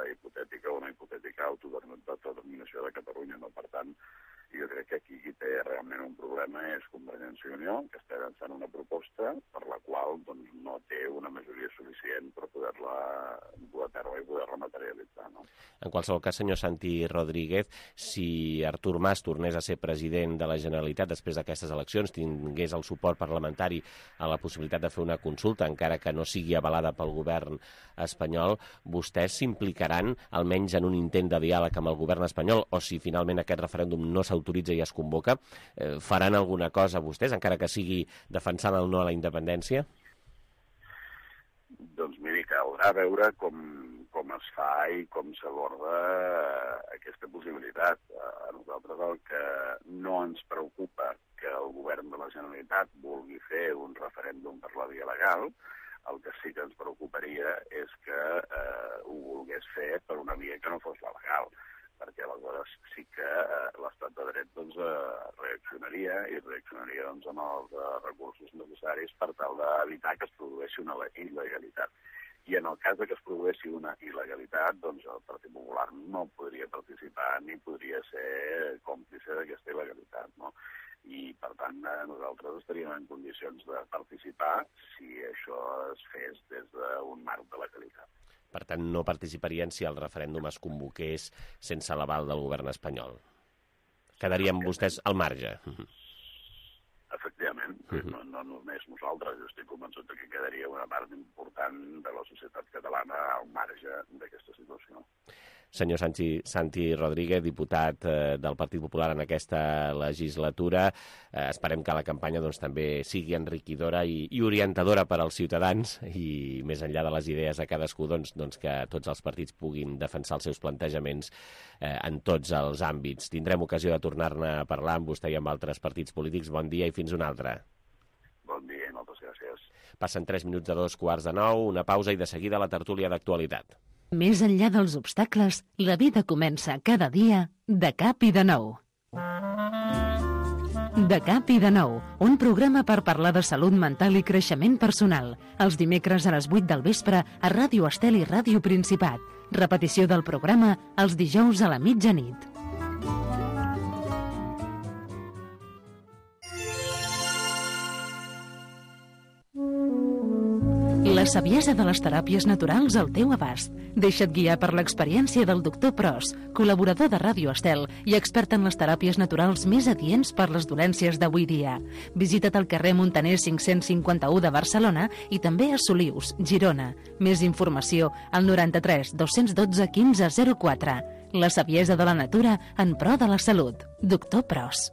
hipotètica o una hipotètica autodeterminació de Catalunya. No? Per tant, jo crec que aquí qui té realment un problema és Convergència i Unió, que està avançant una proposta per la qual doncs, no té una majoria suficient per poder-la dur a terme i poder-la materialitzar. No? En qualsevol cas, senyor Santi Rodríguez, si Artur Mas tornés a ser president de la Generalitat després d'aquestes eleccions, tingués el suport parlamentari a la possibilitat de fer una consulta, encara que no sigui avalada pel govern espanyol, vostès s'implicaran almenys en un intent de diàleg amb el govern espanyol, o si finalment aquest referèndum no s'autoritza i es convoca, eh, faran alguna cosa vostès, encara que sigui defensant el no a la independència? Doncs miri, caldrà veure com, com es fa i com s'aborda aquesta possibilitat. A nosaltres el que no ens preocupa que el govern de la Generalitat vulgui fer un referèndum per la via legal. El que sí que ens preocuparia és que eh, ho volgués fer per una via que no fos la legal, perquè aleshores sí que eh, l'estat de dret doncs, eh, reaccionaria i reaccionaria doncs, amb els eh, recursos necessaris per tal d'evitar que es produeixi una il·legalitat. I en el cas de que es produeixi una il·legalitat, doncs el Partit Popular no podria participar ni podria ser còmplice d'aquesta il·legalitat, no? I, per tant, nosaltres estaríem en condicions de participar si això es fes des d'un marc de legalitat. Per tant, no participarien si el referèndum es convoqués sense l'aval del govern espanyol. Quedarien vostès al marge. Efectivament, uh-huh. no, no només nosaltres, jo estic convençut que quedaria una part important de la societat catalana al marge d'aquesta situació. Senyor Santi, Santi Rodríguez, diputat eh, del Partit Popular en aquesta legislatura, eh, esperem que la campanya doncs, també sigui enriquidora i, i orientadora per als ciutadans i més enllà de les idees de cadascú, doncs, doncs que tots els partits puguin defensar els seus plantejaments eh, en tots els àmbits. Tindrem ocasió de tornar-ne a parlar amb vostè i amb altres partits polítics. Bon dia i fins una altra. Bon dia i moltes gràcies. Passen tres minuts de dos quarts de nou, una pausa i de seguida la tertúlia d'actualitat. Més enllà dels obstacles, la vida comença cada dia de cap i de nou. De cap i de nou, un programa per parlar de salut mental i creixement personal. Els dimecres a les vuit del vespre a Ràdio Estel i Ràdio Principat. Repetició del programa els dijous a la mitjanit. La La saviesa de les teràpies naturals al teu abast. Deixa't guiar per l'experiència del doctor Pros, col·laborador de Ràdio Estel i expert en les teràpies naturals més adients per les dolències d'avui dia. Visita't al carrer Montaner cinc-cents cinquanta-u de Barcelona i també a Solius, Girona. Més informació al noranta-tres dos-cents dotze quinze zero quatre. La saviesa de la natura en pro de la salut. Doctor Pros.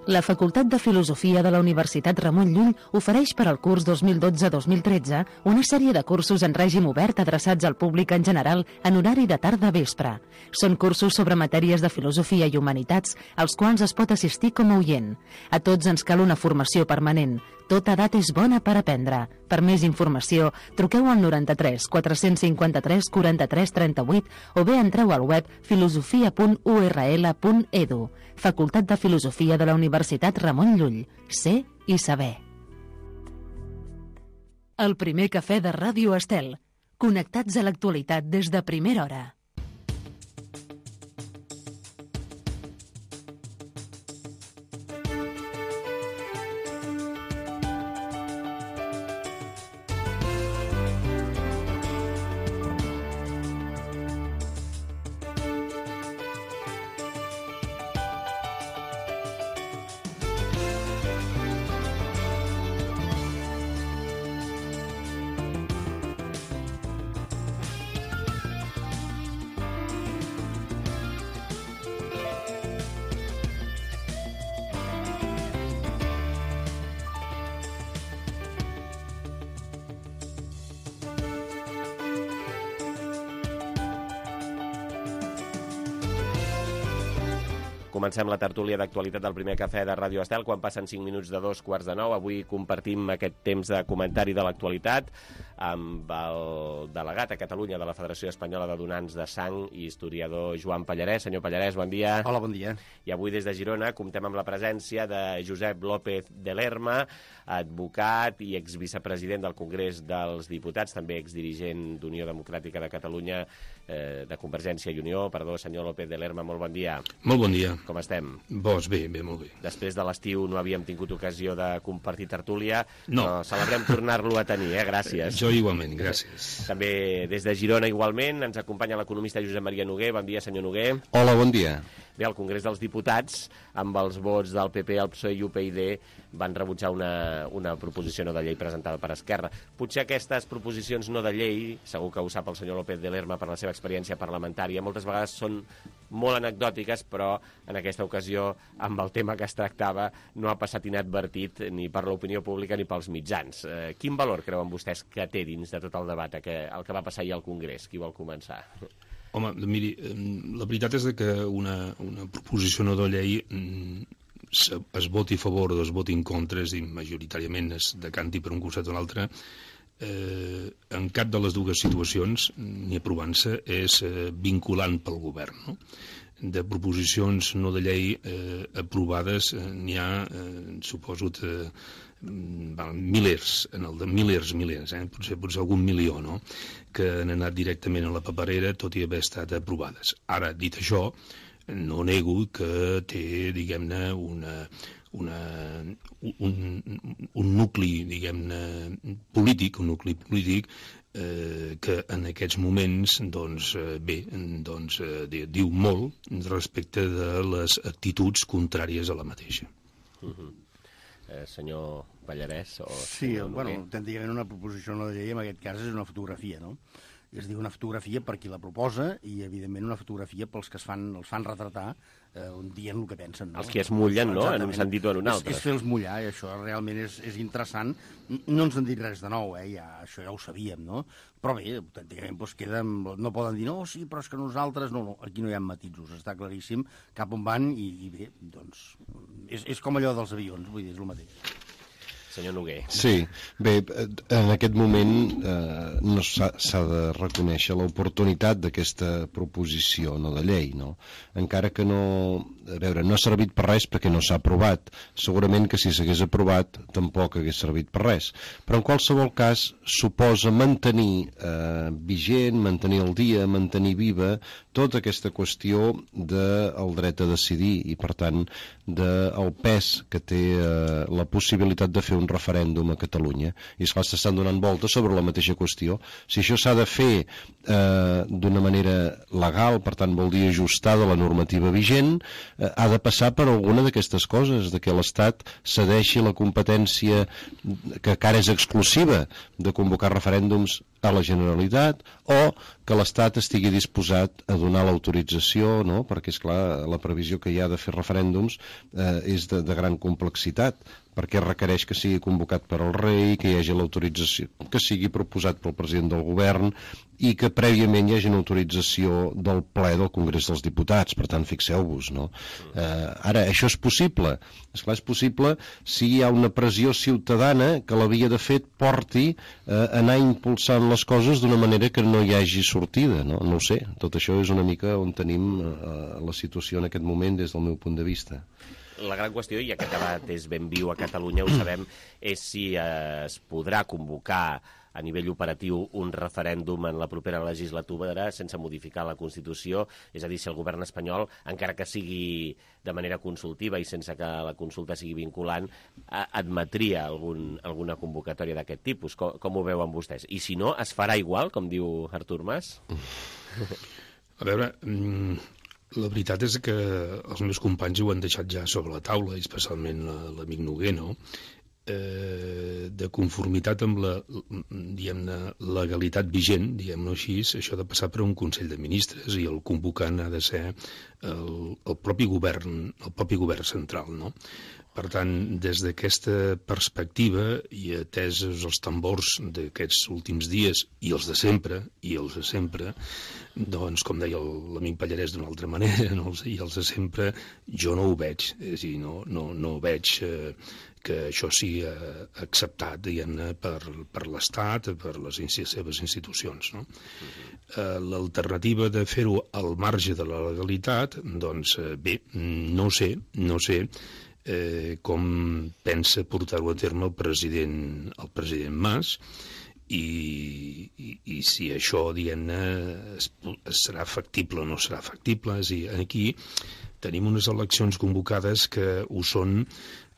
La Facultat de Filosofia de la Universitat Ramon Llull ofereix per al curs dos mil dotze dos mil tretze una sèrie de cursos en règim obert adreçats al públic en general en horari de tarda-vespre. Són cursos sobre matèries de filosofia i humanitats als quals es pot assistir com a oient. A tots ens cal una formació permanent. Tota edat és bona per aprendre. Per més informació, truqueu al noranta-tres quatre-cents cinquanta-tres quaranta-tres trenta-vuit o bé entreu al web filosofia punt u erra ele punt edu. Facultat de Filosofia de la Universitat Ramon Llull. Ser i saber. El primer cafè de Ràdio Estel. Connectats a l'actualitat des de primera hora. Comencem la tertúlia d'actualitat del primer cafè de Ràdio Estel quan passen cinc minuts de dos quarts de nou. Avui compartim aquest temps de comentari de l'actualitat amb el delegat a Catalunya de la Federació Espanyola de Donants de Sang i historiador Joan Pallarès. Senyor Pallarès, bon dia. Hola, bon dia. I avui des de Girona comptem amb la presència de Josep López de Lerma, advocat i exvicepresident del Congrés dels Diputats, també exdirigent d'Unió Democràtica de Catalunya, eh, de Convergència i Unió. Perdó, senyor López de Lerma, molt bon dia. Molt bon dia. Com estem? Doncs bé, bé, molt bé. Després de l'estiu no havíem tingut ocasió de compartir tertúlia, no. però celebrem tornar-lo a tenir, eh? Gràcies. Jo igualment, gràcies. També des de Girona igualment ens acompanya l'economista Josep Maria Noguer. Bon dia, senyor Noguer. Hola, bon dia. Bé, al Congrés dels Diputats, amb els vots del P P, el P S O E i U P y D, van rebutjar una, una proposició no de llei presentada per Esquerra. Potser aquestes proposicions no de llei, segur que ho sap el senyor López de Lerma per la seva experiència parlamentària, moltes vegades són molt anecdòtiques, però en aquesta ocasió, amb el tema que es tractava, no ha passat inadvertit ni per l'opinió pública ni pels mitjans. Eh, quin valor creuen vostès que té dins de tot el debat que, el que va passar ahir al Congrés? Qui vol començar? Home, miri, la veritat és que una, una proposició no de llei es, es voti a favor o es voti en contra, és a dir, majoritàriament es decanti per un costat o l'altre, eh, en cap de les dues situacions, ni aprovant-se, és eh, vinculant pel govern, no? De proposicions no de llei eh, aprovades eh, n'hi ha, eh, suposo, eh, milers, en el de milers, milers, eh? potser, potser algun milió, no?, que han anat directament a la paperera, tot i haver estat aprovades. Ara, dit això, no nego que té, diguem-ne, una, una, un, un nucli, diguem-ne, polític, un nucli polític eh, que en aquests moments, doncs, eh, bé, doncs, eh, diu molt respecte de les actituds contràries a la mateixa. Uh-huh. Eh, senyor Pallarès? O sí, bueno, tècnicament una proposició no de llei en aquest cas és una fotografia, no? És dir, una fotografia per qui la proposa i, evidentment, una fotografia pels que es fan, els fan retratar eh, dient el que pensen. No? Els que es mullen, no?, en un sentit o en un altre. És, és fer-los mullar, i això realment és, és interessant. No ens han dit res de nou, eh? Ja, això ja ho sabíem, no? Però bé, autènticament, doncs queda, no poden dir, no, sí, però és que nosaltres... No, no, aquí no hi ha matisos, està claríssim cap on van i, i bé, doncs, és, és com allò dels avions, vull dir, és el mateix. Senyor Noguer. Sí, bé, en aquest moment eh, no s'ha de reconèixer l'oportunitat d'aquesta proposició no de llei, no? Encara que no... A veure, no ha servit per res perquè no s'ha aprovat. Segurament que si s'hagués aprovat tampoc hagués servit per res. Però en qualsevol cas suposa mantenir eh, vigent, mantenir el dia, mantenir viva tota aquesta qüestió del dret a decidir i, per tant, del pes que té eh, la possibilitat de fer un referèndum a Catalunya. I, esclar, s'estan donant voltes sobre la mateixa qüestió. Si això s'ha de fer eh, d'una manera legal, per tant, vol dir ajustada a la normativa vigent, eh, ha de passar per alguna d'aquestes coses, de que l'Estat cedeixi la competència que encara és exclusiva de convocar referèndums a la Generalitat, o que l'Estat estigui disposat a donar l'autorització, no? Perquè, és clar, la previsió que hi ha de fer referèndums eh, és de, de gran complexitat, perquè requereix que sigui convocat per al rei, que hi hagi l'autorització, que sigui proposat pel president del govern i que prèviament hi hagi una autorització del ple del Congrés dels Diputats. Per tant, fixeu-vos, no? Eh, ara, això és possible. Esclar, és possible si hi ha una pressió ciutadana que la via de fet porti a eh, anar impulsant les coses d'una manera que no hi hagi sortida, no? No ho sé. Tot això és una mica on tenim eh, la situació en aquest moment des del meu punt de vista. La gran qüestió, i aquest debat és ben viu a Catalunya, ho sabem, és si eh, es podrà convocar a nivell operatiu un referèndum en la propera legislatura sense modificar la Constitució, és a dir, si el govern espanyol, encara que sigui de manera consultiva i sense que la consulta sigui vinculant, admetria algun, alguna convocatòria d'aquest tipus. Com, com ho veuen vostès? I si no, es farà igual, com diu Artur Mas? A veure, la veritat és que els meus companys ho han deixat ja sobre la taula, especialment l'amic Noguer, no? Eh, de conformitat amb la, diguem-ne, legalitat vigent, diguem-ho així, això ha de passar per un Consell de Ministres i el convocant ha de ser el, el propi govern, el propi govern central, no? Per tant, des d'aquesta perspectiva i atesos els tambors d'aquests últims dies i els de sempre, i els de sempre, doncs, com deia l'amic Pallarès d'una altra manera, no? I els de sempre, jo no ho veig, és a dir, no, no, no veig eh, que això sigui acceptat, diguem-ne, per, per l'Estat, per les seves institucions, no? Uh, L'alternativa de fer-ho al marge de la legalitat, doncs, bé, no sé, no sé eh, com pensa portar-ho a terme el president, el president Mas, i, i, i si això, diguem-ne, serà factible o no serà factible. És a dir, aquí tenim unes eleccions convocades que ho són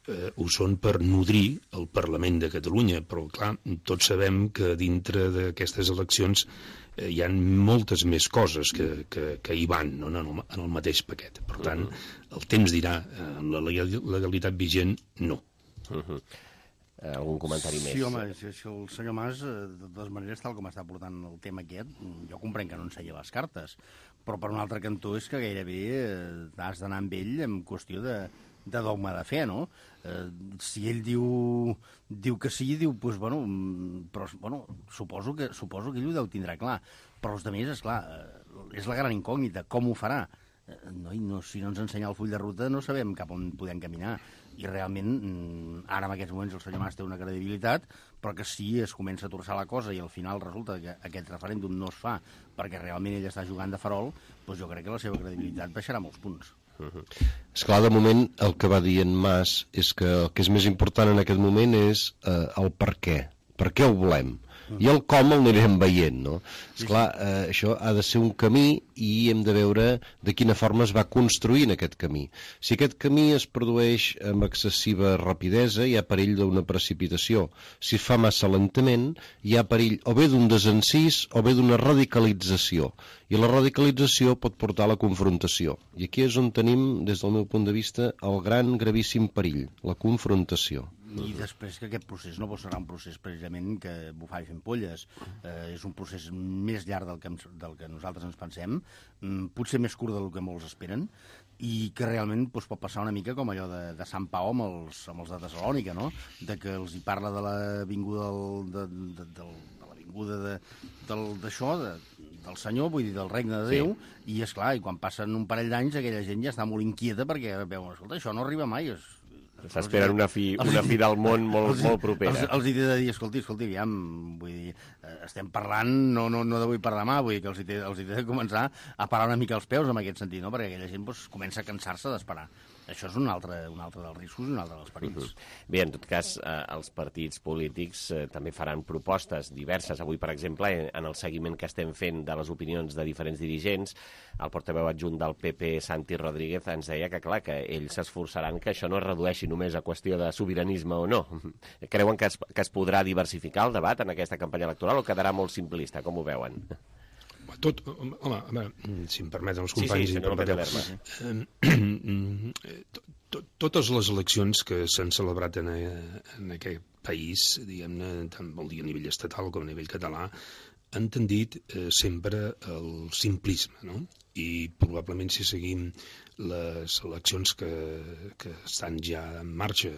Eh, ho són per nodrir el Parlament de Catalunya, però clar, tots sabem que dintre d'aquestes eleccions eh, hi ha moltes més coses que, que, que hi van, no? en, el, en el mateix paquet. Per tant, uh-huh. el temps dirà, eh, amb la legalitat vigent, no. Uh-huh. Eh, algun comentari sí, més? Sí, home, si, si el senyor Mas, de totes maneres, tal com està portant el tema aquest, jo comprenc que no enseia les cartes, però per un altre cantó és que gairebé eh, has d'anar amb ell en qüestió de de dogma de fe, no? Eh, si ell diu, diu que sí, diu, doncs, bueno, però, bueno, suposo que, suposo que ell ho deu tindrà clar. Però els altres, esclar, és la gran incògnita, com ho farà? Eh, no, no, si no ens ensenya el full de ruta no sabem cap on podem caminar. I realment, ara en aquests moments el senyor Mas té una credibilitat, però que si es comença a torçar la cosa i al final resulta que aquest referèndum no es fa perquè realment ell està jugant de farol, doncs jo crec que la seva credibilitat baixarà molts punts. Uh-huh. Esclar, de moment el que va dir en Mas és que el que és més important en aquest moment és eh, el per què, per què ho volem, i el com el anirem veient, no? Esclar, eh, això ha de ser un camí i hem de veure de quina forma es va construint aquest camí. Si aquest camí es produeix amb excessiva rapidesa, hi ha perill d'una precipitació. Si es fa massa lentament, hi ha perill o bé d'un desencís o bé d'una radicalització. I la radicalització pot portar a la confrontació. I aquí és on tenim, des del meu punt de vista, el gran gravíssim perill, la confrontació. I després que aquest procés no serà un procés precisament que bufar i fent polles. Eh, és un procés més llarg del que, del que nosaltres ens pensem, potser més curt del que molts esperen, i que realment doncs, pot passar una mica com allò de, de Sant Pau amb els, amb els de Tessalònica, no? De que els hi parla de l'avinguda del, de, de, de, de l'avinguda de, d'això, de, del Senyor, vull dir, del regne de Déu, sí. I, esclar, i quan passen un parell d'anys aquella gent ja està molt inquieta perquè veuen, escolta, això no arriba mai, és... S'esperen una fi, una fi del món molt, els, molt propera. Els, els hi he de dir, escolti, escolti, aviam, vull dir, estem parlant, no, no, no d'avui per demà, vull dir que els hi, té, els hi he de començar a parar una mica els peus en aquest sentit, no? Perquè aquella gent doncs, comença a cansar-se d'esperar. això és un altre, un altre dels riscos i un altre dels perills. Uh -huh. Bé, en tot cas, eh, els partits polítics eh, també faran propostes diverses. Avui, per exemple, en el seguiment que estem fent de les opinions de diferents dirigents, el portaveu adjunt del P P, Santi Rodríguez, ens deia que, clar, que ells s'esforçaran que això no es redueixi només a qüestió de sobiranisme o no. Creuen que es, que es podrà diversificar el debat en aquesta campanya electoral o quedarà molt simplista? Com ho veuen? Tot, home, a veure, si em permeten els companys... Sí, sí, si em permeteu, eh, to, totes les eleccions que s'han celebrat en, en aquest país, diguem-ne, tant vol dir a nivell estatal com a nivell català, han tendit eh, sempre al simplisme, no? I probablement si seguim les eleccions que, que estan ja en marxa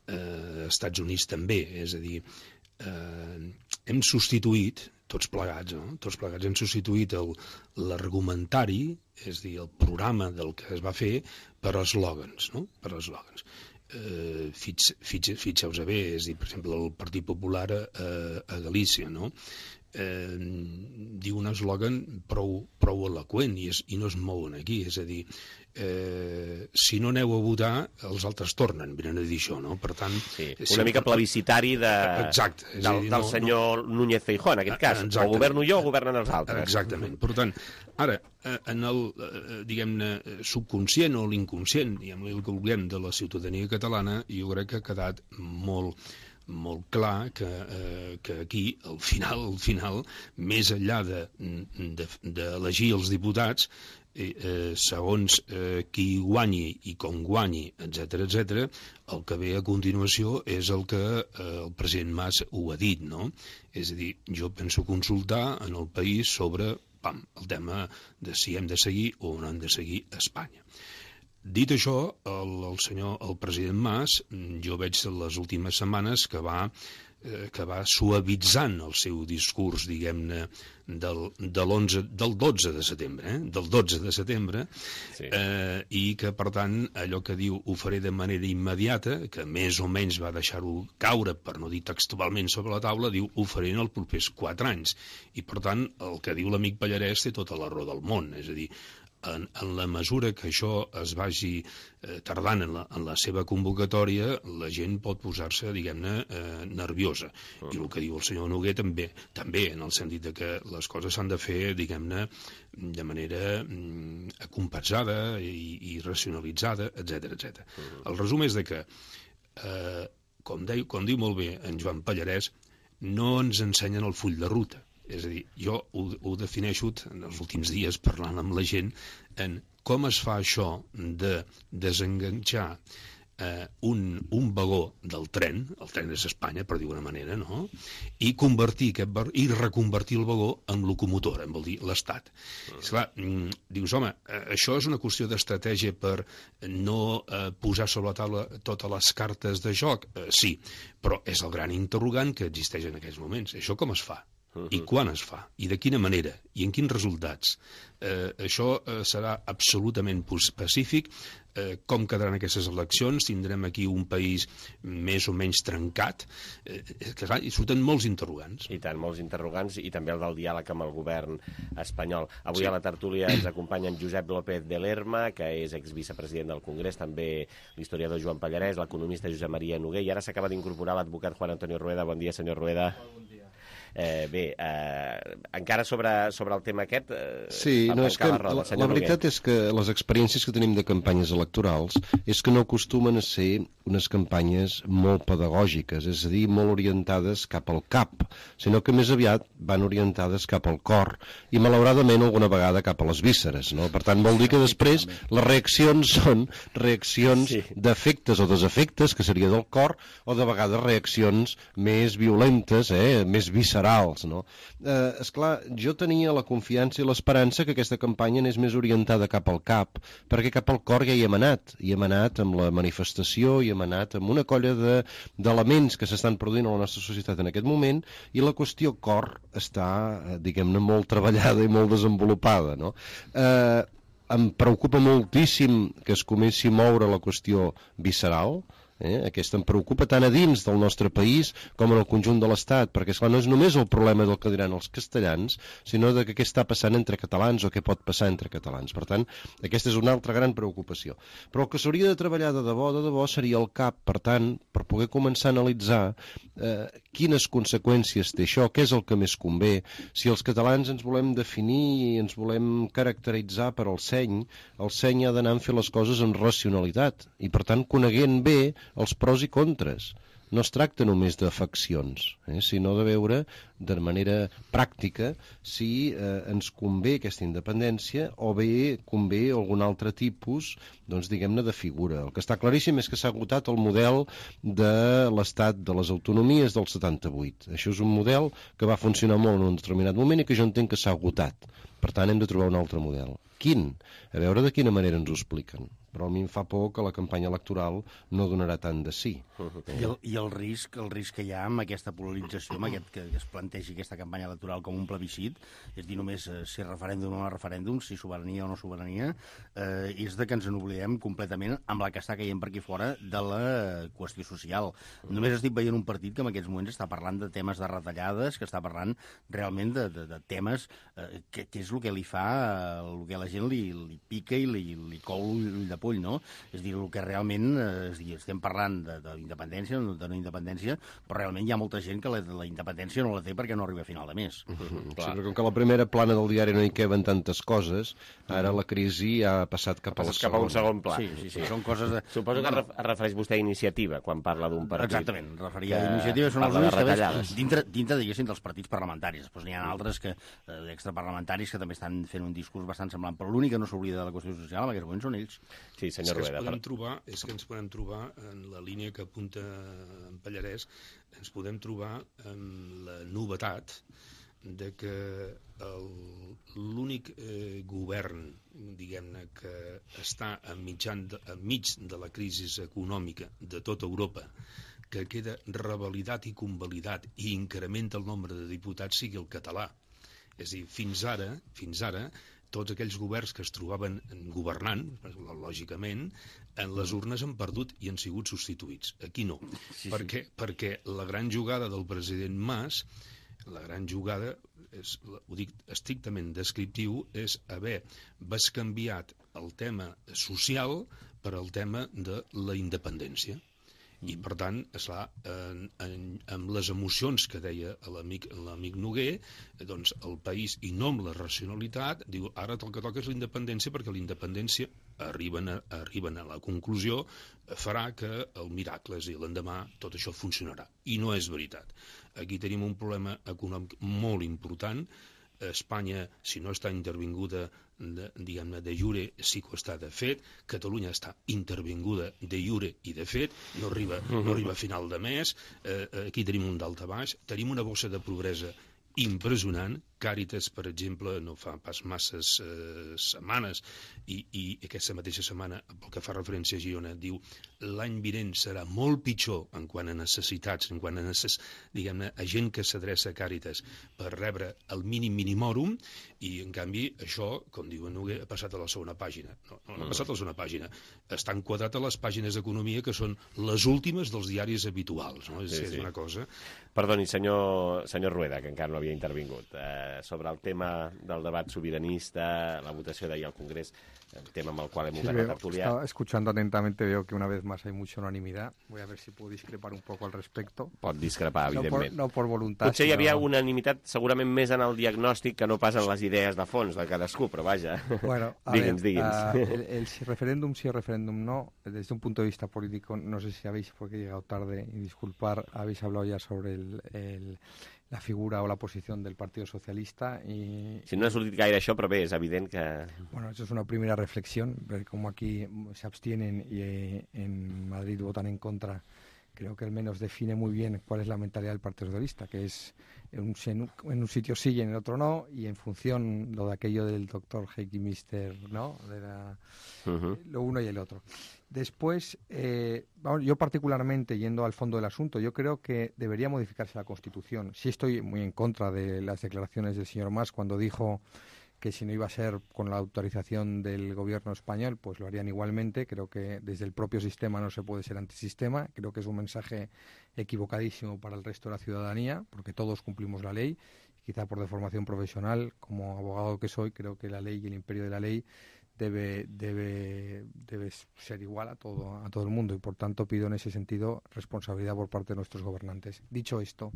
eh, als Estats Units també, és a dir, eh, hem substituït tots plegats, no? Tots plegats hem substituït l'argumentari, és a dir, el programa del que es va fer, per eslògans, no? Per eslògans. Eh, fix, fix, fixeu-vos bé, és a dir, per exemple, el Partit Popular a, a Galícia, no? Eh, diu un eslògan prou, prou eloqüent i, és, i no es mouen aquí, és a dir, eh, si no aneu a votar, els altres tornen, venen a dir això, no? Per tant... Sí, una sempre... mica plebiscitari de... Exacte. Del, del no, senyor no... Núñez Feijóo, en aquest cas. Exactament. O governo jo o governen els altres. Exactament. Per tant, ara, en el, diguem-ne, subconscient o l'inconscient, diguem-ne, el que vulguem, de la ciutadania catalana, jo crec que ha quedat molt... molt clar que, eh, que aquí, al final, al final, més enllà d'elegir de, de, els diputats, eh, eh, segons eh, qui guanyi i com guanyi, etcètera, etcètera, el que ve a continuació és el que eh, el president Mas ho ha dit, no? És a dir, jo penso consultar en el país sobre pam, el tema de si hem de seguir o no hem de seguir a Espanya. Dit això, el, el senyor, el president Mas, jo veig les últimes setmanes que va, eh, que va suavitzant el seu discurs, diguem-ne, del, de l'onze, del dotze de setembre, eh? del dotze de setembre, sí. eh, i que, per tant, allò que diu ho faré de manera immediata, que més o menys va deixar-ho caure, per no dir textualment sobre la taula, diu ho faré en els propers quatre anys. I, per tant, el que diu l'amic Pallarès té tota la raó del món, és a dir, En, en la mesura que això es vagi eh, tardant en la, en la seva convocatòria, la gent pot posar-se, diguem-ne, eh, nerviosa. Uh -huh. I el que diu el senyor Noguer també, també en el sentit de que les coses s'han de fer, diguem-ne, de manera mm, acompassada i, i racionalitzada, etcètera, etcètera. Uh -huh. El resum és de que, eh, com, deu, com diu molt bé en Joan Pallarès, no ens ensenyen el full de ruta. És a dir, jo ho, ho defineixo en els últims dies parlant amb la gent en com es fa això de desenganxar eh, un, un vagó del tren, el tren és Espanya, per dir-ho d'una manera, no? I convertir aquest bar, i reconvertir el vagó en locomotora, vol dir l'Estat. Mm. Esclar, dius, home, això és una qüestió d'estratègia per no eh, posar sobre la taula totes les cartes de joc? Eh, sí, però és el gran interrogant que existeix en aquests moments. Això com es fa? Uh-huh. I quan es fa? I de quina manera? I en quins resultats? Eh, això eh, serà absolutament pacífic. Eh, com quedaran aquestes eleccions? Tindrem aquí un país més o menys trencat. Eh, que, clar, hi surten molts interrogants. I tant, molts interrogants, i també el del diàleg amb el govern espanyol. Avui sí. A la tertúlia ens acompanya en Josep López de Lerma, que és exvicepresident del Congrés, també l'historiador Joan Pallarès, l'economista Josep Maria Noguer, i ara s'acaba d'incorporar l'advocat Juan Antonio Rueda. Bon dia, senyor Rueda. Bon dia. Eh, bé, eh, encara sobre, sobre el tema aquest... Eh, sí, no, és que la, roda, la, la veritat és que les experiències que tenim de campanyes electorals és que no acostumen a ser unes campanyes molt pedagògiques, és a dir, molt orientades cap al cap, sinó que més aviat van orientades cap al cor i malauradament alguna vegada cap a les vísceres, no? Per tant, vol dir que després les reaccions són reaccions sí. d'efectes o desefectes, que seria del cor, o de vegades reaccions més violentes, eh? més viscerals. No? Eh, esclar, jo tenia la confiança i l'esperança que aquesta campanya anés més orientada cap al cap, perquè cap al cor ja hi hem anat, hi hem anat amb la manifestació, hi hem anat amb una colla d'elements de, que s'estan produint a la nostra societat en aquest moment, i la qüestió cor està, diguem-ne, molt treballada i molt desenvolupada, no? Eh, em preocupa moltíssim que es comenci a moure la qüestió visceral, Eh? Aquesta em preocupa tant a dins del nostre país com en el conjunt de l'Estat, perquè esclar, no és només el problema del que diran els castellans, sinó de què està passant entre catalans o què pot passar entre catalans. Per tant, aquesta és una altra gran preocupació. Però el que s'hauria de treballar de debò, de debò, seria el cap, per tant, per poder començar a analitzar eh, quines conseqüències té això, què és el que més convé, si els catalans ens volem definir i ens volem caracteritzar per al seny, el seny ha d'anar a fer les coses amb racionalitat i, per tant, coneguent bé els pros i contres. No es tracta només d'afeccions, eh, sinó de veure de manera pràctica si eh, ens convé aquesta independència o bé convé algun altre tipus, doncs diguem-ne, de figura. El que està claríssim és que s'ha agotat el model de l'estat de les autonomies del setanta-vuit. Això és un model que va funcionar molt en un determinat moment i que jo entenc que s'ha agotat. Per tant, hem de trobar un altre model. Quin? A veure de quina manera ens ho expliquen. Però a mi em fa por que la campanya electoral no donarà tant de sí. I el, i el risc el risc que hi ha amb aquesta polarització, amb aquest, que es plantegi aquesta campanya electoral com un plebiscit, és dir, només eh, si referèndum o no referèndum, si sobirania o no sobirania, eh, és de que ens n'oblidem completament amb la que està caient per aquí fora de la qüestió social. Només estic veient un partit que en aquests moments està parlant de temes de retallades, que està parlant realment de, de, de temes eh, que, que és el que li fa, eh, el que a la gent li, li pica i li, li cou l'ull de pull, no? És dir, el que realment, eh, és dir, estem parlant de, de independència, de no independència, però realment hi ha molta gent que la, la independència no la té perquè no arriba a final de mes. Mm-hmm. Sí, però com que a la primera plana del diari no hi queben tantes coses, ara la crisi ha passat cap, ha passat cap a un segon pla. Sí, sí, sí, sí. Són coses de... Suposo que es refereix vostè a iniciativa quan parla d'un partit. Exactament, referia a iniciativa, són els únics que ves dintre, dintre, diguéssim, dels partits parlamentaris. Després n'hi ha altres que, eh, extraparlamentaris que també estan fent un discurs bastant semblant, però l'únic que no s'oblida de la qüestió social en aquests moments són ells. Sí, senyor Rueda. És que, trobar, és que ens podem trobar en la línia que apunta en Pallarès, ens podem trobar en la novetat de que l'únic eh, govern, diguem-ne, que està enmig de, enmig de la crisi econòmica de tota Europa, que queda revalidat i convalidat i incrementa el nombre de diputats, sigui el català. És a dir, fins ara, fins ara, tots aquells governs que es trobaven governant, lògicament, en les urnes han perdut i han sigut substituïts. Aquí no. Sí, per què? Sí. Perquè la gran jugada del president Mas, la gran jugada, és, ho dic estrictament descriptiu, és haver bescanviat el tema social per al tema de la independència. I, per tant, esclar, en, en, amb les emocions que deia l'amic l'amic Noguer, doncs el país, i no amb la racionalitat, diu, ara el que toca és la independència, perquè la independència, arriben a, arriben a la conclusió, farà que el miracle, és a dir, l'endemà, tot això funcionarà. I no és veritat. Aquí tenim un problema econòmic molt important. Espanya, si no està intervinguda de, diguem-ne, de jure, sí que ho està de fet. Catalunya està intervinguda de jure i de fet, no arriba, no arriba a final de mes. Eh, aquí tenim un daltabaix, tenim una bossa de pobresa impressionant. Càritas, per exemple, no fa pas masses eh, setmanes, i, i aquesta mateixa setmana, pel que fa referència a Girona, diu l'any vinent serà molt pitjor en quant a necessitats, en quant a, necess... diguem-ne, a gent que s'adreça a Càritas per rebre el mínim minimòrum, i en canvi això, com diu Noguer, ha passat a la segona pàgina. No, no, no ha passat a la segona pàgina. Està enquadrat a les pàgines d'economia, que són les últimes dels diaris habituals. No? És, sí, sí. És una cosa... Perdoni, senyor, senyor Rueda, que encara no havia intervingut. Eh, sobre el tema del debat sobiranista, la votació d'ahir al Congrés, el tema amb el cual hemos ganado tertulia. Estaba escuchando atentamente, veo que una vez más hay mucha unanimidad. Voy a ver si puedo discrepar un poco al respecto. Pot discrepar, evidentment. No por, no por voluntat. Potser hi havia unanimitat segurament més en el diagnòstic que no pas en les idees de fons de cadascú, però vaja, bueno, digui'ns, ver, digui'ns. Uh, el, el si referéndum sí o referéndum no, desde un punto de vista político, no sé si habéis, porque he llegado tarde, y disculpar, habéis hablado ya sobre el... el la figura o la posición del Partido Socialista y... Si no ha sortit gaire això, però bé, és evident que... Bueno, eso es una primera reflexión, como aquí se abstienen y eh, en Madrid votan en contra, creo que al menos define muy bien cuál es la mentalidad del Partido Socialista, que es en un, en un sitio sí y en el otro no, y en función lo de aquello del doctor Heikki Mister, ¿no? De la, uh-huh. Lo uno y el otro. Después, eh, vamos, yo particularmente, yendo al fondo del asunto, yo creo que debería modificarse la Constitución. Sí estoy muy en contra de las declaraciones del señor Mas cuando dijo que si no iba a ser con la autorización del gobierno español, pues lo harían igualmente. Creo que desde el propio sistema no se puede ser antisistema. Creo que es un mensaje equivocadísimo para el resto de la ciudadanía, porque todos cumplimos la ley. Quizá por deformación profesional, como abogado que soy, creo que la ley y el imperio de la ley debe, debe, debe ser igual a todo, a todo el mundo, y por tanto pido en ese sentido responsabilidad por parte de nuestros gobernantes. Dicho esto,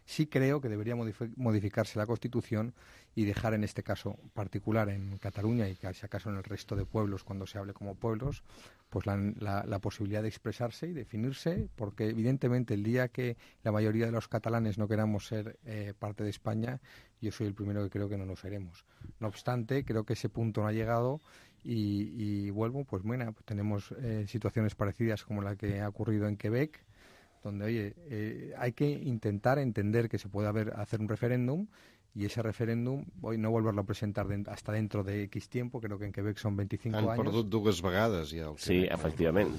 sí creo que debería modificarse la Constitución y dejar en este caso particular en Cataluña, y que si acaso en el resto de pueblos, cuando se hable como pueblos, pues la, la, la posibilidad de expresarse y definirse, porque evidentemente el día que la mayoría de los catalanes no queramos ser eh, parte de España, yo soy el primero que creo que no lo seremos. No obstante, creo que ese punto no ha llegado y, y vuelvo, pues bueno, pues tenemos eh, situaciones parecidas como la que ha ocurrido en Quebec, donde, oye, eh, hay que intentar entender que se puede haber, hacer un referéndum, y ese referéndum, hoy no volverlo a presentar de, hasta dentro de X tiempo, creo que en Quebec son veinticinco años. Han perdut dues vegades ja. El sí, efectivament.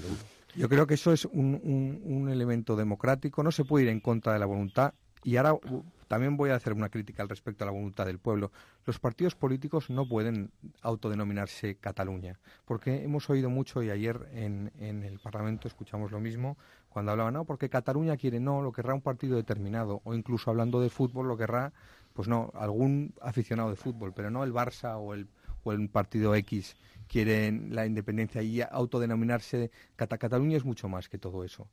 Yo creo que eso es un, un, un elemento democrático, no se puede ir en contra de la voluntad, y ahora uh, también voy a hacer una crítica al respecto a la voluntad del pueblo. Los partidos políticos no pueden autodenominarse Cataluña, porque hemos oído mucho, y ayer en, en el Parlamento escuchamos lo mismo, cuando hablaban, no, porque Cataluña quiere, no, lo querrá un partido determinado, o incluso hablando de fútbol, lo querrá, pues no, algún aficionado de fútbol, pero no el Barça o el, o el partido X quieren la independencia, y autodenominarse Cata Cataluña es mucho más que todo eso.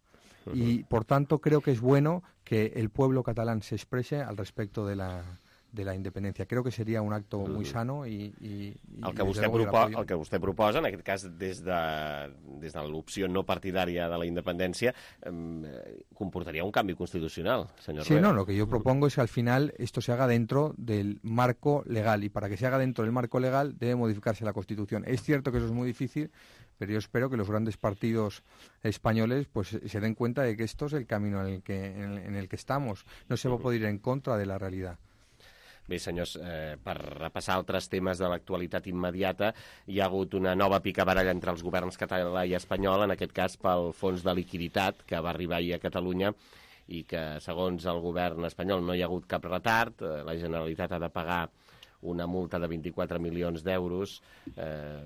Uh-huh. Y por tanto creo que es bueno que el pueblo catalán se exprese al respecto de la de la independencia. Creo que seria un acte mm. muy sano i... i el, que vostè propo el que vostè proposa, en aquest cas des de, des de l'opció no partidària de la independència, eh, comportaria un canvi constitucional, senyor Sí, Rueda. no, lo que yo propongo es que al final esto se haga dentro del marco legal, y para que se haga dentro del marco legal debe modificarse la Constitución. Es cierto que eso es muy difícil, pero yo espero que los grandes partidos españoles pues se den cuenta de que esto es el camino en el que, en, en el que estamos. No se va a poder ir en contra de la realidad. Bé, senyors, eh, per repassar altres temes de l'actualitat immediata, hi ha hagut una nova picabaralla entre els governs català i espanyol, en aquest cas pel fons de liquiditat que va arribar ahir a Catalunya, i que, segons el govern espanyol, no hi ha hagut cap retard. Eh, la Generalitat ha de pagar una multa de vint-i-quatre milions d'euros eh,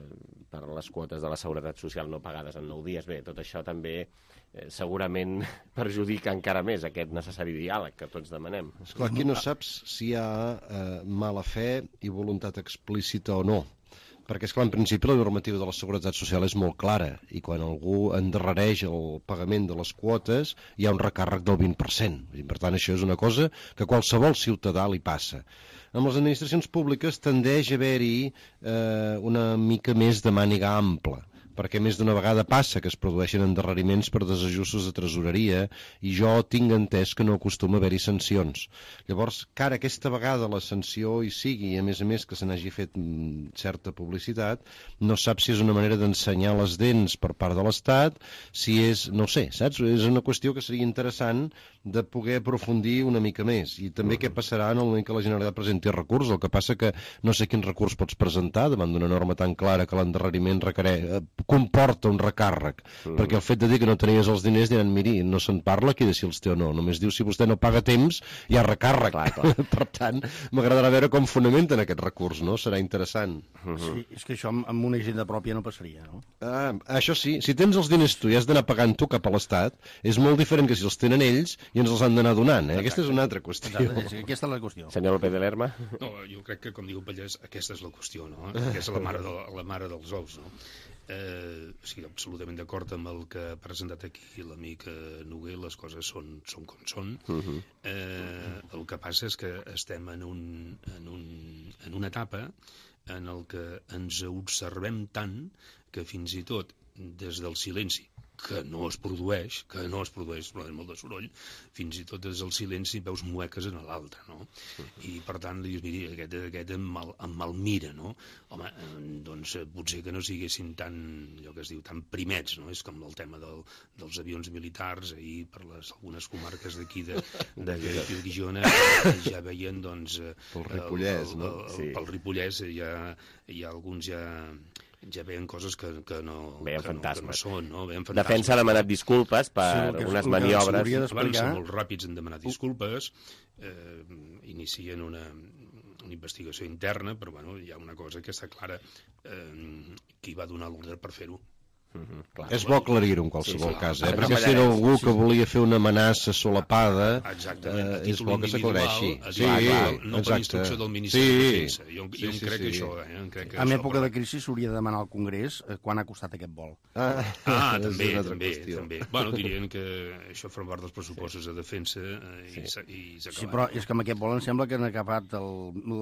per les quotes de la Seguretat Social no pagades en nou dies. Bé, tot això també eh, segurament perjudica encara més aquest necessari diàleg que tots demanem. Esclar, aquí no saps si hi ha eh, mala fe i voluntat explícita o no. Perquè, esclar, en principi la normativa de la Seguretat Social és molt clara, i quan algú endarrereix el pagament de les quotes hi ha un recàrrec del vint per cent. I, per tant, això és una cosa que a qualsevol ciutadà li passa. Amb les administracions públiques tendeix a haver-hi eh, una mica més de màniga ampla, perquè més d'una vegada passa que es produeixen endarreriments per desajustos de tresoreria, i jo tinc entès que no acostuma a haver-hi sancions. Llavors, que ara aquesta vegada la sanció hi sigui, i a més a més que se n'hagi fet mm, certa publicitat, no sap si és una manera d'ensenyar les dents per part de l'Estat, si és, no sé, saps? És una qüestió que seria interessant de poder aprofundir una mica més. I també què passarà en el moment que la Generalitat presenti recurs. El que passa que no sé quin recurs pots presentar davant d'una norma tan clara que l'endarreriment requereix, comporta un recàrrec, mm. perquè el fet de dir que no tenies els diners diran, miri, no se'n parla aquí de si els té o no, només diu si vostè no paga temps hi ha recàrrec. Clar, clar. Per tant, m'agradarà veure com fonamenten aquest recurs, no? Serà interessant. Mm-hmm. Sí, és que això amb, amb una hisenda pròpia no passaria, no? Ah, això sí, si tens els diners tu i has d'anar pagant tu cap a l'Estat, és molt diferent que si els tenen ells i ens els han d'anar donant, eh? Aquesta és una altra qüestió. Exacte, aquesta és la qüestió. Senyor López de Lerma? No, jo crec que, com diu Pallès, aquesta és la qüestió, no? Aquesta és la mare, de, la mare dels ous, no? Eh, sí, absolutament d'acord amb el que ha presentat aquí l'amic Noguer, les coses són, són com són. Uh-huh. eh, el que passa és que estem en, un, en, un, en una etapa en el que ens observem tant que fins i tot des del silenci, que no es produeix, que no es produeix, però és molt de soroll, fins i tot des del silenci veus mueques en l'altre, no? I per tant dius, miri, aquest, aquest em, mal, em malmira, no? Home, doncs potser que no siguessin tan, allò que es diu, tan primets, no? És com el tema del, dels avions militars, ahir per les, algunes comarques d'aquí de, de, de, de Guixona ja veien, doncs... Pel Ripollès, el, el, no? El, el, pel Ripollès hi ha, hi ha alguns ja... ja veien coses que, que, no, veien que, no, que no són, no? Veien fantasmes. Defensa ha demanat disculpes per sí, unes maniobres. Van ser molt ràpids en demanar disculpes, eh, inicien una, una investigació interna, però bueno, hi ha una cosa que està clara, eh, qui va donar l'ordre per fer-ho. Mm-hmm, clar. És bo aclarir-ho en qualsevol sí, sí, cas, eh? Perquè si era algú sí, que volia fer una amenaça solapada, exactament, eh, és bo que s'aclareixi. Sí, no per instrucció del Ministeri sí, de Defensa. Jo, jo sí, sí, crec sí, això. Eh? Crec que en època de crisi s'hauria de demanar al Congrés eh, quan ha costat aquest vol. Ah, ah també, també, també. Bueno, dirien que això forma part dels pressupostos sí. de defensa eh, i s'ha acabat. Sí, però és que amb aquest vol em sembla que han acabat el,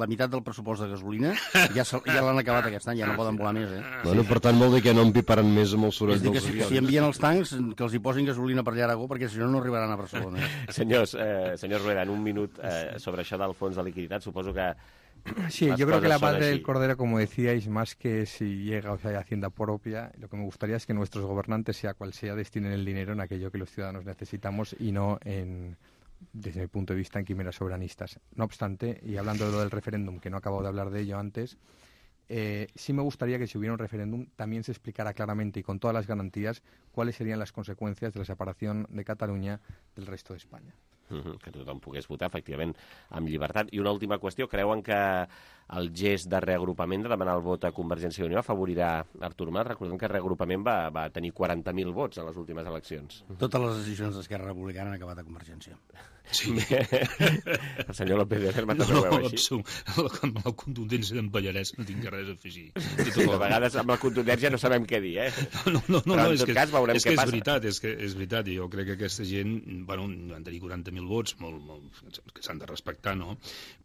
la meitat del pressupost de gasolina, ja, ja l'han acabat aquest any, ja no poden volar més. Eh? Bueno, per tant, vol dir que no empiparan més amb el soroll dels avions. Si envien els tancs, que els hi posin gasolina per allà a Aragó, perquè si no, no arribaran a Barcelona. Senyors, eh, senyor Rueda, en un minut eh, sobre això del fons de liquiditat, suposo que... Sí, yo creo que la madre del cordero, como decíais, más que si llega o sea, hay hacienda propia, lo que me gustaría es que nuestros gobernantes, sea cual sea, destinen el dinero en aquello que los ciudadanos necesitamos y no en... desde mi punto de vista, en quimeras soberanistas. No obstante, y hablando de lo del referéndum, que no acabo de hablar de ello antes, eh, sí me gustaría que si hubiera un referéndum también se explicara claramente y con todas las garantías cuáles serían las consecuencias de la separación de Cataluña del resto de España. Mm-hmm, que tothom pogués votar, efectivament, amb llibertat. I una última qüestió, creuen que el gest de reagrupament, de demanar el vot a Convergència i Unió, afavorirà Artur Mas? Recordem que reagrupament va, va tenir quaranta mil vots en les últimes eleccions. Totes les decisions d'Esquerra Republicana han acabat a Convergència. Sí. El senyor López de Lerma també no, ho veu així. No, amb la contundència d'en Pallarès no tinc res a afegir. Sí, a vegades amb la contundència no sabem què dir, eh? No, no, no, Però en no, tot que, cas veurem és què que passa. És veritat, és que és veritat, i jo crec que aquesta gent, bueno, van tenir quaranta mil vots, molt, molt, que s'han de respectar, no?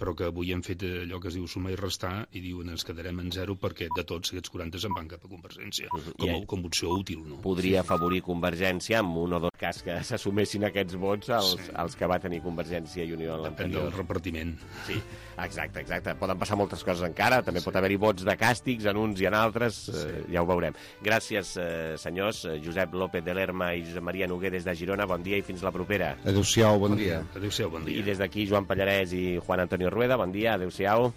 Però que avui hem fet allò que es diu sumar i restar i diuen ens quedarem en zero perquè de tots aquests quaranta se'n van cap a Convergència, com, a, com opció útil, no? Podria afavorir Convergència amb un o dos cas que s'assumessin aquests vots als, sí. als que va tenir Convergència i Unió en l'anterior. Depèn del repartiment. Sí, exacte, exacte. Poden passar moltes coses encara, també sí. pot haver-hi vots de càstigs en uns i en altres, sí. eh, ja ho veurem. Gràcies, eh, senyors. Josep López de Lerma i Josep Maria Noguer des de Girona, bon dia i fins la propera. Adéu-siau, bon dia. Adéu-siau, bon dia. I des d'aquí Joan Pallarès i Juan Antonio Rueda, bon dia, adéu-siau.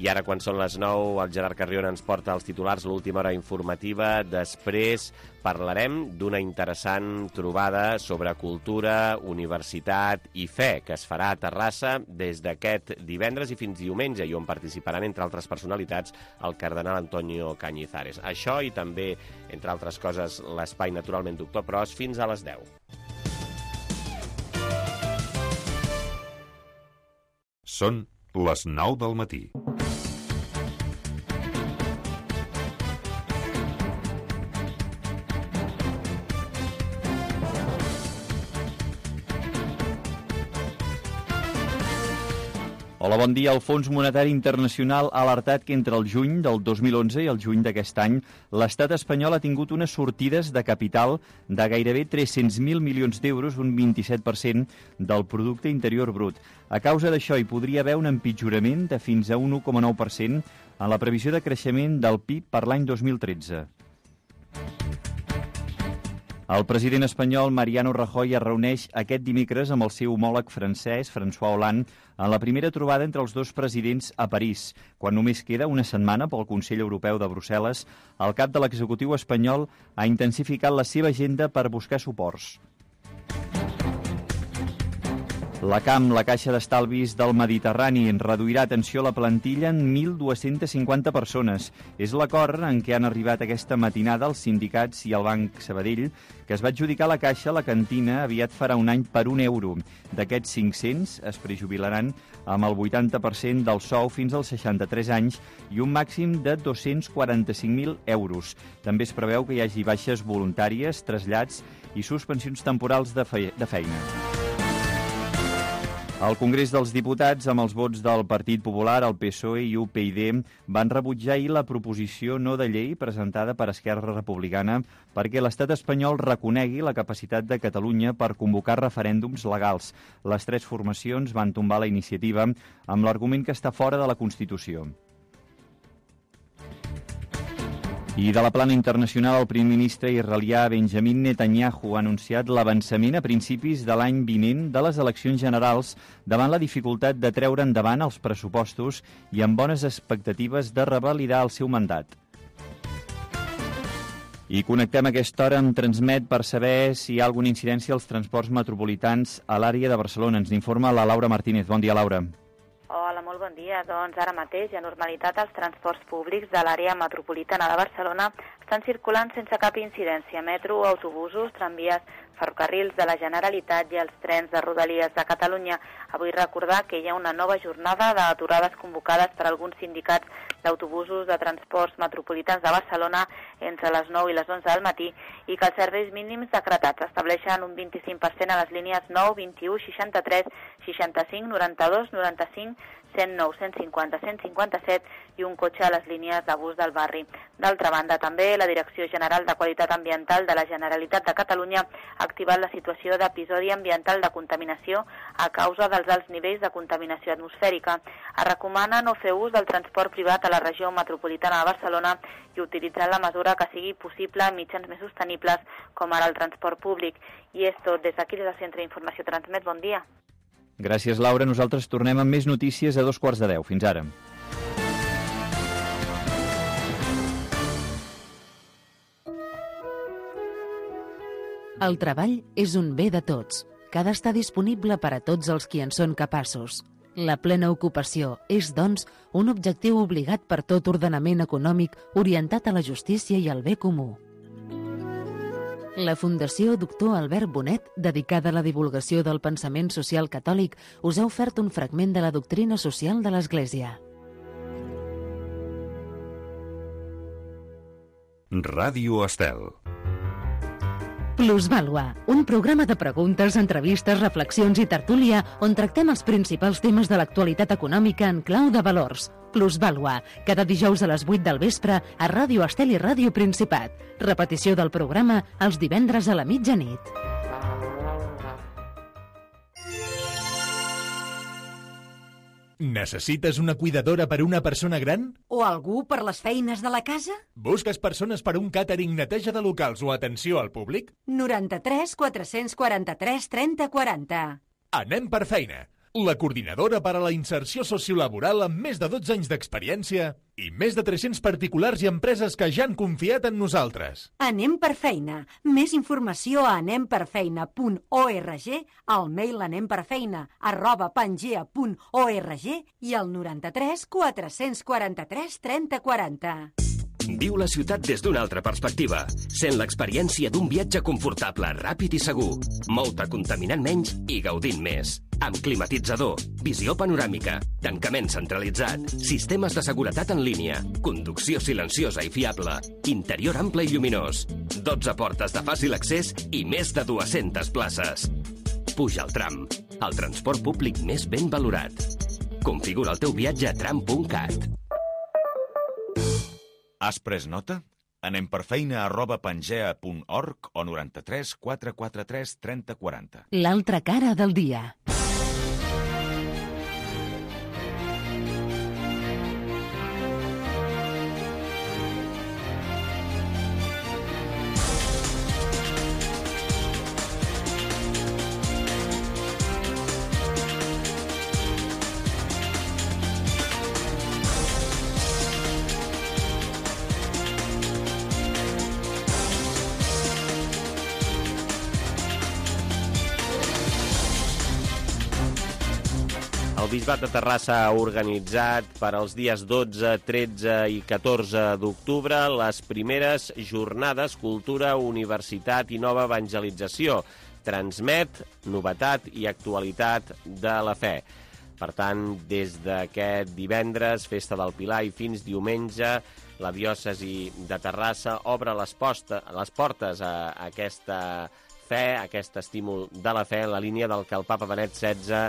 I ara, quan són les nou, el Gerard Carrion ens porta els titulars, l'última hora informativa. Després parlarem d'una interessant trobada sobre cultura, universitat i fe, que es farà a Terrassa des d'aquest divendres i fins diumenge, i on participaran, entre altres personalitats, el cardenal Antonio Cañizares. Això i també, entre altres coses, l'espai Naturalment Doctor Pros, fins a les deu. Són les nou del matí. Hola, bon dia. El Fons Monetari Internacional ha alertat que entre el juny del dos mil onze i el juny d'aquest any l'estat espanyol ha tingut unes sortides de capital de gairebé tres-cents mil milions d'euros, un vint-i-set per cent del producte interior brut. A causa d'això hi podria haver un empitjorament de fins a un u coma nou per cent en la previsió de creixement del P I B per l'any dos mil tretze. El president espanyol Mariano Rajoy es reuneix aquest dimecres amb el seu homòleg francès, François Hollande, en la primera trobada entre els dos presidents a París. Quan només queda una setmana pel Consell Europeu de Brussel·les, el cap de l'executiu espanyol ha intensificat la seva agenda per buscar suports. La C A M, la Caixa d'Estalvis del Mediterrani, reduirà, atenció, la plantilla en mil dues-centes cinquanta persones. És l'acord en què han arribat aquesta matinada els sindicats i el Banc Sabadell, que es va adjudicar a la Caixa la cantina aviat farà un any per un euro. D'aquests cinc-cents es prejubilaran amb el vuitanta per cent del sou fins als seixanta-tres anys i un màxim de dos-cents quaranta-cinc mil euros. També es preveu que hi hagi baixes voluntàries, trasllats i suspensions temporals de, fe de feina. El Congrés dels Diputats, amb els vots del Partit Popular, el P S O E i U P y D, van rebutjar ahir la proposició no de llei presentada per Esquerra Republicana perquè l'estat espanyol reconegui la capacitat de Catalunya per convocar referèndums legals. Les tres formacions van tombar la iniciativa amb l'argument que està fora de la Constitució. I de la plana internacional, el primer ministre israelià Benjamin Netanyahu ha anunciat l'avançament a principis de l'any vinent de les eleccions generals davant la dificultat de treure endavant els pressupostos i amb bones expectatives de revalidar el seu mandat. I connectem a aquesta hora amb Transmet per saber si hi ha alguna incidència als transports metropolitans a l'àrea de Barcelona. Ens informa la Laura Martínez. Bon dia, Laura. Hola, molt bon bon dia. Doncs ara mateix hi ha normalitat als transports públics de l'àrea metropolitana de Barcelona. Estan circulant sense cap incidència metro, autobusos, tramvies, ferrocarrils de la Generalitat i els trens de Rodalies de Catalunya. Avui recordar que hi ha una nova jornada d'aturades convocades per alguns sindicats d'autobusos de transports metropolitans de Barcelona entre les nou i les onze del matí i que els serveis mínims decretats estableixen un vint-i-cinc per cent a les línies nou, vint-i-u, seixanta-tres, seixanta-cinc, noranta-dos, noranta-cinc, cent nou, cent cinquanta, cent cinquanta-set i un cotxe a les línies de bus del barri. D'altra banda, també la Direcció General de Qualitat Ambiental de la Generalitat de Catalunya ha activat la situació d'episodi ambiental de contaminació a causa dels alts nivells de contaminació atmosfèrica. Es recomana no fer ús del transport privat a la regió metropolitana de Barcelona i utilitzar la mesura que sigui possible en mitjans més sostenibles com ara el transport públic. I és tot des d'aquí, des del Centre d'Informació Transmet. Bon dia. Gràcies, Laura. Nosaltres tornem amb més notícies a dos quarts de deu. Fins ara. El treball és un bé de tots, que ha d'estar disponible per a tots els qui en són capaços. La plena ocupació és, doncs, un objectiu obligat per tot ordenament econòmic orientat a la justícia i al bé comú. La Fundació Doctor Albert Bonet, dedicada a la divulgació del pensament social catòlic, us ha ofert un fragment de la doctrina social de l'Església. Ràdio Estel. Plusvàlua, un programa de preguntes, entrevistes, reflexions i tertúlia on tractem els principals temes de l'actualitat econòmica en clau de valors. Plusvàlua, cada dijous a les vuit del vespre a Ràdio Estel i Ràdio Principat. Repetició del programa els divendres a la mitjanit. Necessites una cuidadora per a una persona gran? O algú per les feines de la casa? Busques persones per un càtering, neteja de locals o atenció al públic? noranta-tres quatre-cents quaranta-tres trenta quaranta. Anem per feina. La coordinadora per a la inserció sociolaboral amb més de dotze anys d'experiència i més de tres-cents particulars i empreses que ja han confiat en nosaltres. Anem per feina. Més informació a anem per feina punt org, al mail anemperfeina arroba pangea punt org i al noranta-tres quatre-cents quaranta-tres trenta quaranta. Viu la ciutat des d'una altra perspectiva. Sent l'experiència d'un viatge confortable, ràpid i segur. Mou-te contaminant menys i gaudint més. Amb climatitzador, visió panoràmica, tancament centralitzat, sistemes de seguretat en línia, conducció silenciosa i fiable, interior ample i lluminós, dotze portes de fàcil accés i més de dues-centes places. Puja al tram, el transport públic més ben valorat. Configura el teu viatge a tram punt cat. Has pres nota? Anem per feina arroba pangea punt org o noranta-tres quatre quaranta-tres trenta quaranta. L'altra cara del dia. El Bisbat de Terrassa ha organitzat per als dies dotze, tretze i catorze d'octubre les primeres jornades Cultura, Universitat i Nova Evangelització. Transmet novetat i actualitat de la fe. Per tant, des d'aquest divendres, Festa del Pilar, i fins diumenge, la diòcesi de Terrassa obre les, posta, les portes a aquesta fe, a aquest estímul de la fe, en la línia del que el papa Benet setze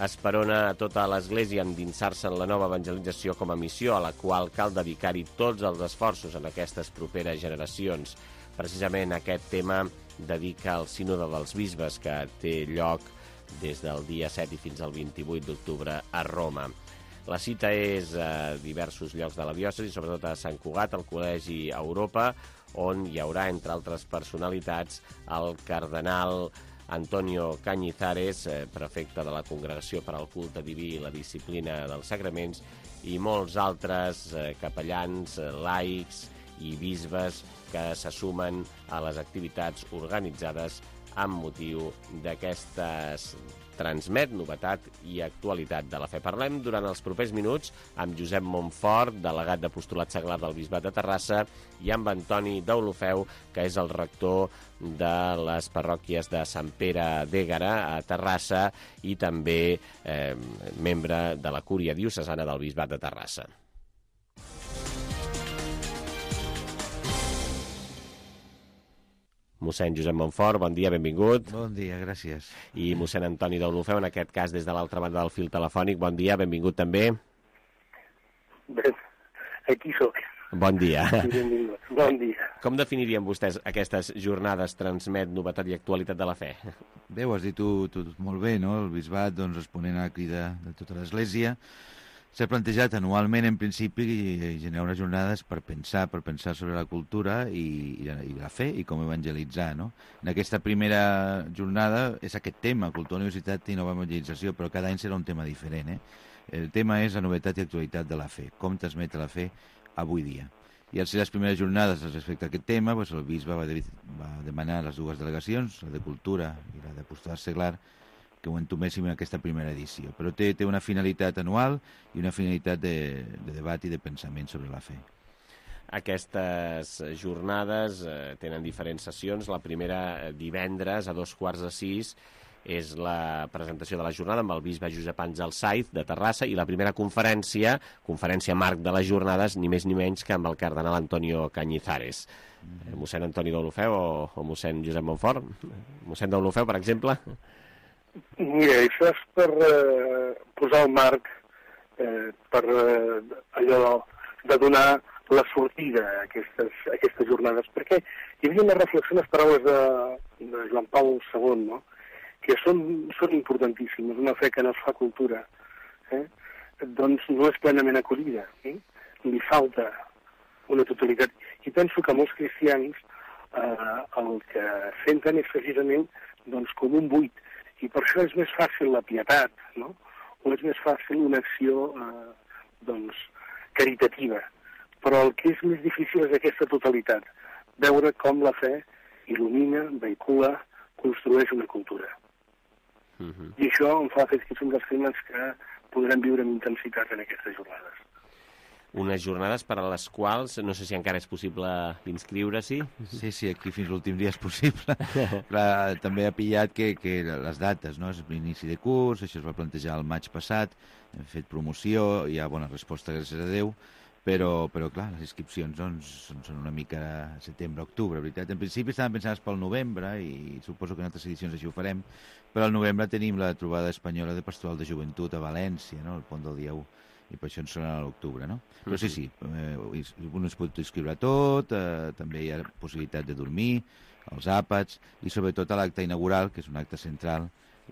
esperona a tota l'Església endinsar-se en la nova evangelització com a missió, a la qual cal dedicar-hi tots els esforços en aquestes properes generacions. Precisament aquest tema dedica al Sínode dels Bisbes, que té lloc des del dia set i fins al vint-i-vuit d'octubre a Roma. La cita és a diversos llocs de la diòcesi, sobretot a Sant Cugat, al Col·legi Europa, on hi haurà, entre altres personalitats, el cardenal Antonio Cañizares, prefecte de la Congregació per al Culte Diví i la Disciplina dels Sagraments, i molts altres capellans, laics i bisbes que se sumen a les activitats organitzades amb motiu d'aquestes Transmet, novetat i actualitat de la fe. Parlem durant els propers minuts amb Josep Montfort, delegat d'apostolat seglar del Bisbat de Terrassa, i amb Antoni Deulofeu, que és el rector de les parròquies de Sant Pere d'Ègara a Terrassa i també eh, membre de la Cúria Diocesana del Bisbat de Terrassa. Mossèn Josep Montfort, bon dia, benvingut. Bon dia, gràcies. I mossèn Antoni Deulofeu, en aquest cas des de l'altra banda del fil telefònic, bon dia, benvingut també. Bé, aquí sóc. Bon dia. Benvingut, bon dia. Com definirien vostès aquestes jornades Transmet, novetat i actualitat de la fe? Bé, ho has dit tu, tu molt bé, no? El bisbat, doncs, responent a la crida de tota l'Església, s'ha plantejat anualment, en principi, generar unes jornades per pensar, per pensar sobre la cultura i, i, la, i la fe i com evangelitzar, no? En aquesta primera jornada és aquest tema, cultura, universitat i nova evangelització, però cada any serà un tema diferent, eh? El tema és la novetat i actualitat de la fe, com transmetre la fe avui dia. I al ser les primeres jornades respecte a aquest tema, doncs el bisbe va, de, va demanar les dues delegacions, la de Cultura i la d'apostolat seglar, que ho entoméssim en aquesta primera edició. Però té, té una finalitat anual i una finalitat de, de debat i de pensament sobre la fe. Aquestes jornades eh, tenen diferents sessions. La primera, divendres, a dos quarts de sis, és la presentació de la jornada amb el bisbe Josep Àngel Saiz, de Terrassa, i la primera conferència, conferència marc de les jornades, ni més ni menys que amb el cardenal Antonio Cañizares. Mm. Mossèn Antoni Deulofeu o, o mossèn Josep Montfort? Mossèn Deulofeu, per exemple? Mira, això és per eh, posar el marc, eh, per eh, allò de donar la sortida a aquestes, a aquestes jornades, perquè hi havia una reflexió en les paraules de, de Joan Pau segon, no? Que són, són importantíssimes. Una fe que no es fa cultura, eh? doncs no és plenament acollida, eh? Li falta una totalitat. I penso que molts cristians eh, el que senten és precisament doncs, com un buit. I per això és més fàcil la pietat, no? O és més fàcil una acció eh, doncs, caritativa. Però el que és més difícil és aquesta totalitat, veure com la fe il·lumina, vehicula, construeix una cultura. Uh-huh. I això em fa fer que són dels temes que podrem viure amb intensitat en aquestes jornades. Unes jornades per a les quals no sé si encara és possible inscriure-s'hi. Sí, sí, aquí fins l'últim dia és possible. Clar, també ha pillat que, que les dates, no? És l'inici de curs, això es va plantejar el maig passat, hem fet promoció, hi ha bona resposta, gràcies a Déu, però, però clar, les inscripcions doncs, són una mica setembre-octubre, veritat. En principi estaven pensades pel novembre i suposo que en altres edicions així ho farem, però al novembre tenim la trobada espanyola de Pastoral de Joventut a València, no? El pont del dia u. I per això ens serà a l'octubre, no? Però sí, sí, eh, un es pot inscriure tot, eh, també hi ha possibilitat de dormir, els àpats, i sobretot a l'acte inaugural, que és un acte central,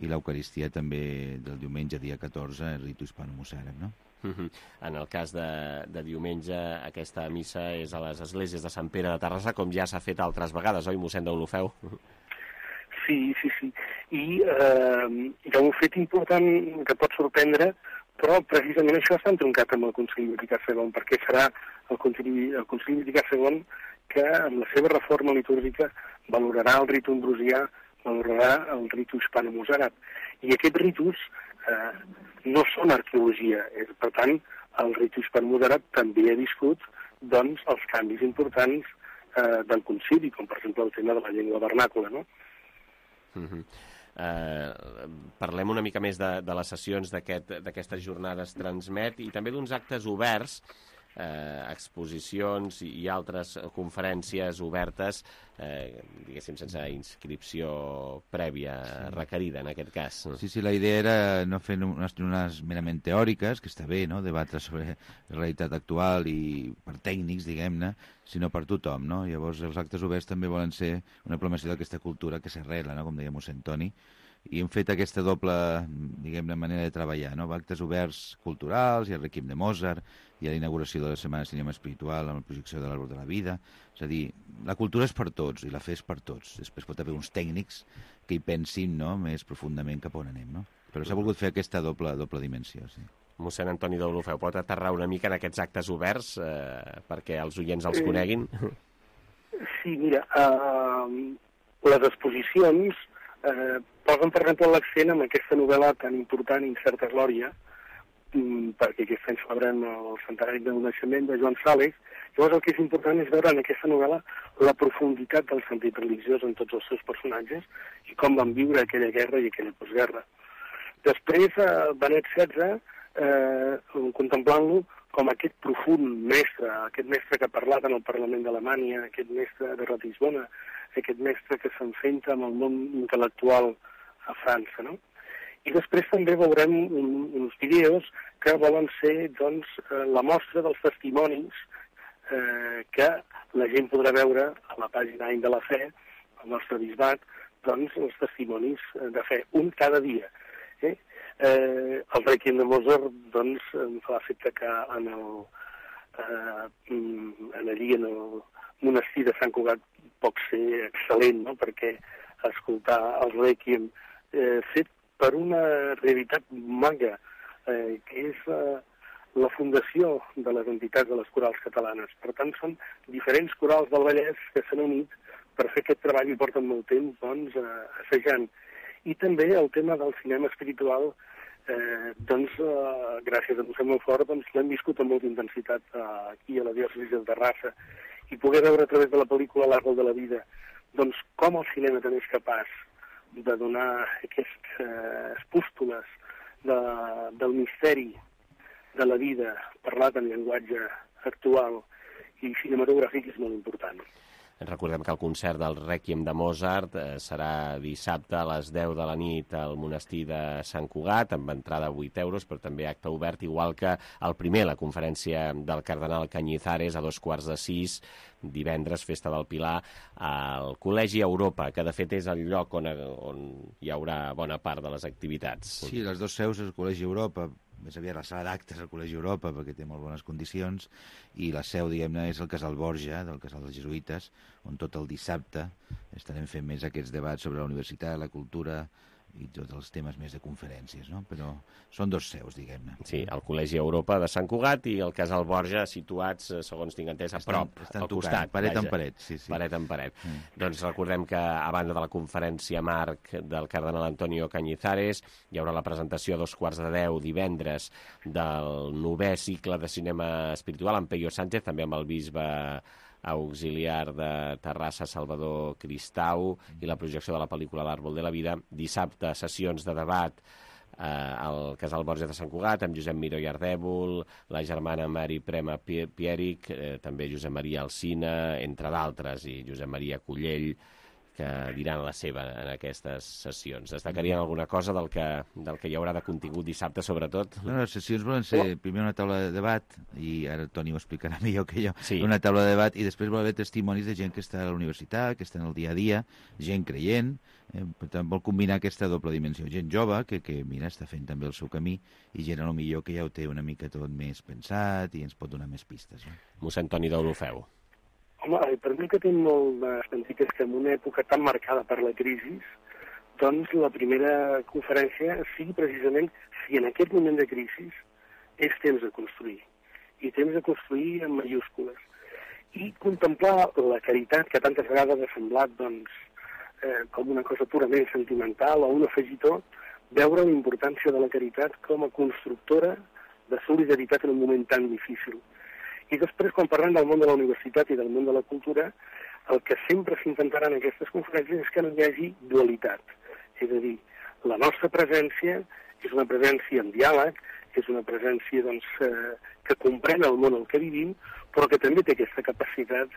i l'Eucaristia també del diumenge, dia catorze, el ritu hispano-mossàrab, no? Uh-huh. En el cas de, de diumenge, aquesta missa és a les esglésies de Sant Pere de Terrassa, com ja s'ha fet altres vegades, oi, mossèn Deulofeu? Sí, sí, sí. I eh, hi ha un fet important que pot sorprendre, però precisament això està entroncat amb el Concili Vaticà segon, perquè serà el Concili, el Concili Vaticà segon que amb la seva reforma litúrgica valorarà el ritu ambrosià, valorarà el ritu hispano-mossàrab. I aquests ritus eh, no són arqueologia, és, per tant, el ritu hispano-mossàrab també ha viscut doncs, els canvis importants eh, del concili, com per exemple el tema de la llengua vernàcula, no? Uh-huh. Uh, parlem una mica més de, de les sessions d'aquestes aquest, jornades Transmet i també d'uns actes oberts, eh, exposicions i, i altres conferències obertes, eh, diguéssim, sense inscripció prèvia requerida, en aquest cas. Sí, sí, la idea era no fer unes jornades merament teòriques, que està bé, no?, debatre sobre la realitat actual i per tècnics, diguem-ne, sinó per tothom, no? Llavors, els actes oberts també volen ser una proclamació d'aquesta cultura que s'arrela, no?, com deia mossèn Toni, i hem fet aquesta doble, diguem-ne, manera de treballar, no? Actes oberts culturals, i el Requiem de Mozart, i la inauguració de la Setmana de Cinema Espiritual amb la projecció de l'Arbre de la Vida. És a dir, la cultura és per tots i la fe és per tots. Després pot haver uns tècnics que hi pensin, no?, més profundament cap on anem, no? Però s'ha volgut fer aquesta doble, doble dimensió, sí. Mossèn Antoni Deulofeu, pot aterrar una mica en aquests actes oberts eh, perquè els oients els coneguin? Sí, mira, uh, les exposicions eh, posen, per exemple, l'accent en aquesta novel·la tan important, Incerta Glòria, mm, perquè aquest any celebrem el centenari del naixement de Joan Sales. Llavors el que és important és veure en aquesta novel·la la profunditat del sentit religiós en tots els seus personatges i com van viure aquella guerra i aquella postguerra. Després, eh, Benet setze, eh, contemplant-lo com aquest profund mestre, aquest mestre que ha parlat en el Parlament d'Alemanya, aquest mestre de Ratisbona, aquest mestre que s'enfronta amb el món intel·lectual a França, no? I després també veurem un, uns vídeos que volen ser, doncs, eh, la mostra dels testimonis eh, que la gent podrà veure a la pàgina any de la fe, al nostre bisbat, doncs, els testimonis de fe, un cada dia. Eh? Eh, el Requiem de Mozart, doncs, em fa l'efecte que en el, eh, en allí, en el monestir de Sant Cugat, pot ser excel·lent, no?, perquè escoltar el Requiem eh, fet per una realitat maga, eh, que és eh, la fundació de les entitats de les corals catalanes. Per tant, són diferents corals del Vallès que s'han unit per fer aquest treball i porten molt temps, doncs, eh, assajant. I també el tema del cinema espiritual, eh, doncs, eh, gràcies a Mossèn Montfort, doncs, l'hem viscut amb molta intensitat eh, aquí a la diòcesi de Terrassa, i poder veure a través de la pel·lícula L'Àrbol de la Vida, doncs, com el cinema també és capaç de donar aquestes eh, espústules de, del misteri de la vida parlat en llenguatge actual i cinematogràfic és molt important. Recordem que el concert del Rèquiem de Mozart eh, serà dissabte a les deu de la nit al monestir de Sant Cugat, amb entrada a vuit euros, però també acte obert, igual que el primer, la conferència del cardenal Cañizares, a dos quarts de sis, divendres, Festa del Pilar, al Col·legi Europa, que de fet és el lloc on, on hi haurà bona part de les activitats. Sí, les dues seus és el Col·legi Europa, més aviat la sala d'actes al Col·legi Europa, perquè té molt bones condicions, i la seu, diguem-ne, és el Casal Borja, del Casal dels Jesuïtes, on tot el dissabte estarem fent més aquests debats sobre la universitat, la cultura i tots els temes més de conferències, no? Però són dos seus, diguem-ne. Sí, el Col·legi Europa de Sant Cugat i el Casal Borja, situats, segons tinc entès, a prop, estan, estan al costat. Paret vaja, en paret, sí, sí. Paret en paret. Mm. Doncs recordem que, a banda de la conferència marc del cardenal Antonio Cañizares, hi haurà la presentació a dos quarts de deu divendres del novè cicle de cinema espiritual amb Peyo Sánchez, també amb el bisbe auxiliar de Terrassa, Salvador Cristau, i la projecció de la pel·lícula L'Àrbol de la Vida. Dissabte, sessions de debat eh, al Casal Borja de Sant Cugat, amb Josep Miró i Ardèvol, la germana Mari Prema Pieric, eh, també Josep Maria Alsina, entre d'altres, i Josep Maria Cullell, que diran la seva en aquestes sessions. Destacarien alguna cosa del que, del que hi haurà de contingut dissabte, sobretot? No, les sessions volen ser oh. primer una taula de debat, i ara Toni ho explicarà millor que jo, sí. Una taula de debat, i després vol haver testimonis de gent que està a la universitat, que està en el dia a dia, gent creient, eh, per tant vol combinar aquesta doble dimensió. Gent jove, que, que mira, està fent també el seu camí, i gent a lo millor que ja ho té una mica tot més pensat i ens pot donar més pistes. Eh? Mossèn Toni Deulofeu. Home, per mi que tinc molt de sentit és que en una època tan marcada per la crisi, doncs la primera conferència sigui precisament si en aquest moment de crisi és temps de construir, i temps de construir en mayúscules, i contemplar la caritat que tantes vegades ha semblat doncs, eh, com una cosa purament sentimental o un afegitó, veure la importància de la caritat com a constructora de solidaritat en un moment tan difícil. I després, quan parlem del món de la universitat i del món de la cultura, el que sempre s'intentarà en aquestes conferències és que no hi hagi dualitat. És a dir, la nostra presència és una presència en diàleg, és una presència doncs, eh, que comprèn el món en què vivim, però que també té aquesta capacitat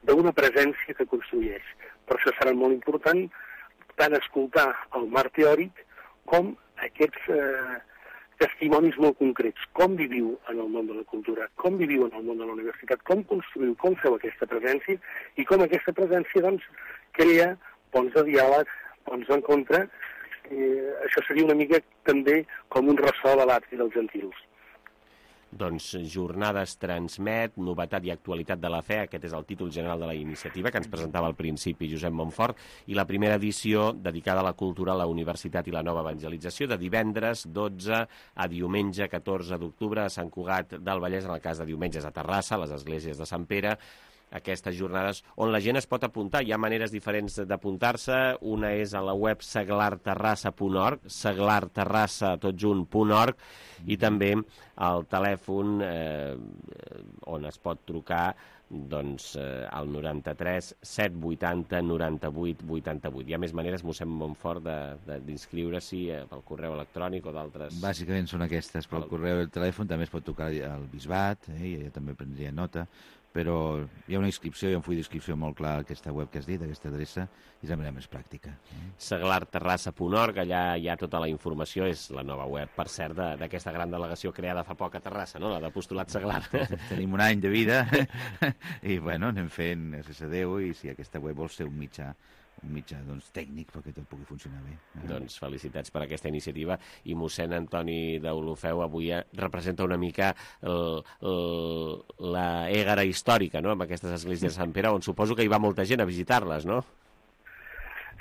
d'una presència que construeix. Per això serà molt important tant escoltar el marc teòric com aquests eh, testimonis molt concrets. Com viviu en el món de la cultura, com viviu en el món de la universitat, com construïu, com feu aquesta presència i com aquesta presència doncs, crea ponts de diàleg, ponts d'encontre. Eh, això seria una mica també com un ressò de l'atri dels gentils. Doncs Jornades Transmet, novetat i actualitat de la fe, aquest és el títol general de la iniciativa que ens presentava al principi Josep Montfort, i la primera edició dedicada a la cultura, a la universitat i la nova evangelització, de divendres dotze a diumenge catorze d'octubre a Sant Cugat del Vallès, en el cas de diumenges a Terrassa, a les esglésies de Sant Pere, aquestes jornades on la gent es pot apuntar. Hi ha maneres diferents d'apuntar-se. Una és a la web seglarterrassa punt org, seglarterrassa tot junt punt org, i també al telèfon eh, on es pot trucar doncs eh, al noranta-tres set vuitanta noranta-vuit vuitanta-vuit. Hi ha més maneres, mossèn Montfort, d'inscriure-s'hi pel correu electrònic o d'altres. Bàsicament són aquestes, pel correu i el telèfon. També es pot trucar al Bisbat, eh, i jo també prendria nota, però hi ha una inscripció, hi ha un full d'inscripció molt clar a aquesta web que has dit, aquesta adreça, i és la manera més pràctica. seglarterrassa punt org, allà hi ha tota la informació, és la nova web, per cert, d'aquesta gran delegació creada fa poc a Terrassa, no?, la d'Apostolat Seglar. Tenim un any de vida i, bueno, anem fent, gràcies a Déu, i si aquesta web vol ser un mitjà un mitjà doncs, tècnic perquè tot pugui funcionar bé. Doncs felicitats per aquesta iniciativa, i mossèn Antoni d'Olofeu avui representa una mica el, el, la égara històrica, no?, amb aquestes esglésies de Sant Pere, on suposo que hi va molta gent a visitar-les, no?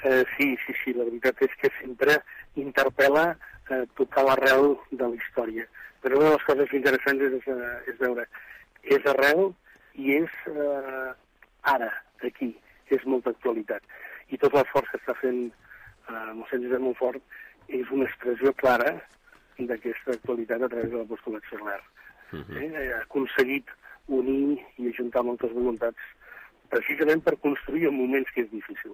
Eh, sí, sí, sí, la veritat és que sempre interpel·la eh, tocar l'arrel de la història. Però una de les coses interessants és, eh, és veure, és arrel i és eh, ara, aquí, és molta actualitat. I tot l'esforç que està fent eh, mossèn Josep Montfort és una expressió clara d'aquesta actualitat a través de l'apostolat seglar. Uh-huh. eh, ha aconseguit unir i ajuntar moltes voluntats precisament per construir en moments que és difícil.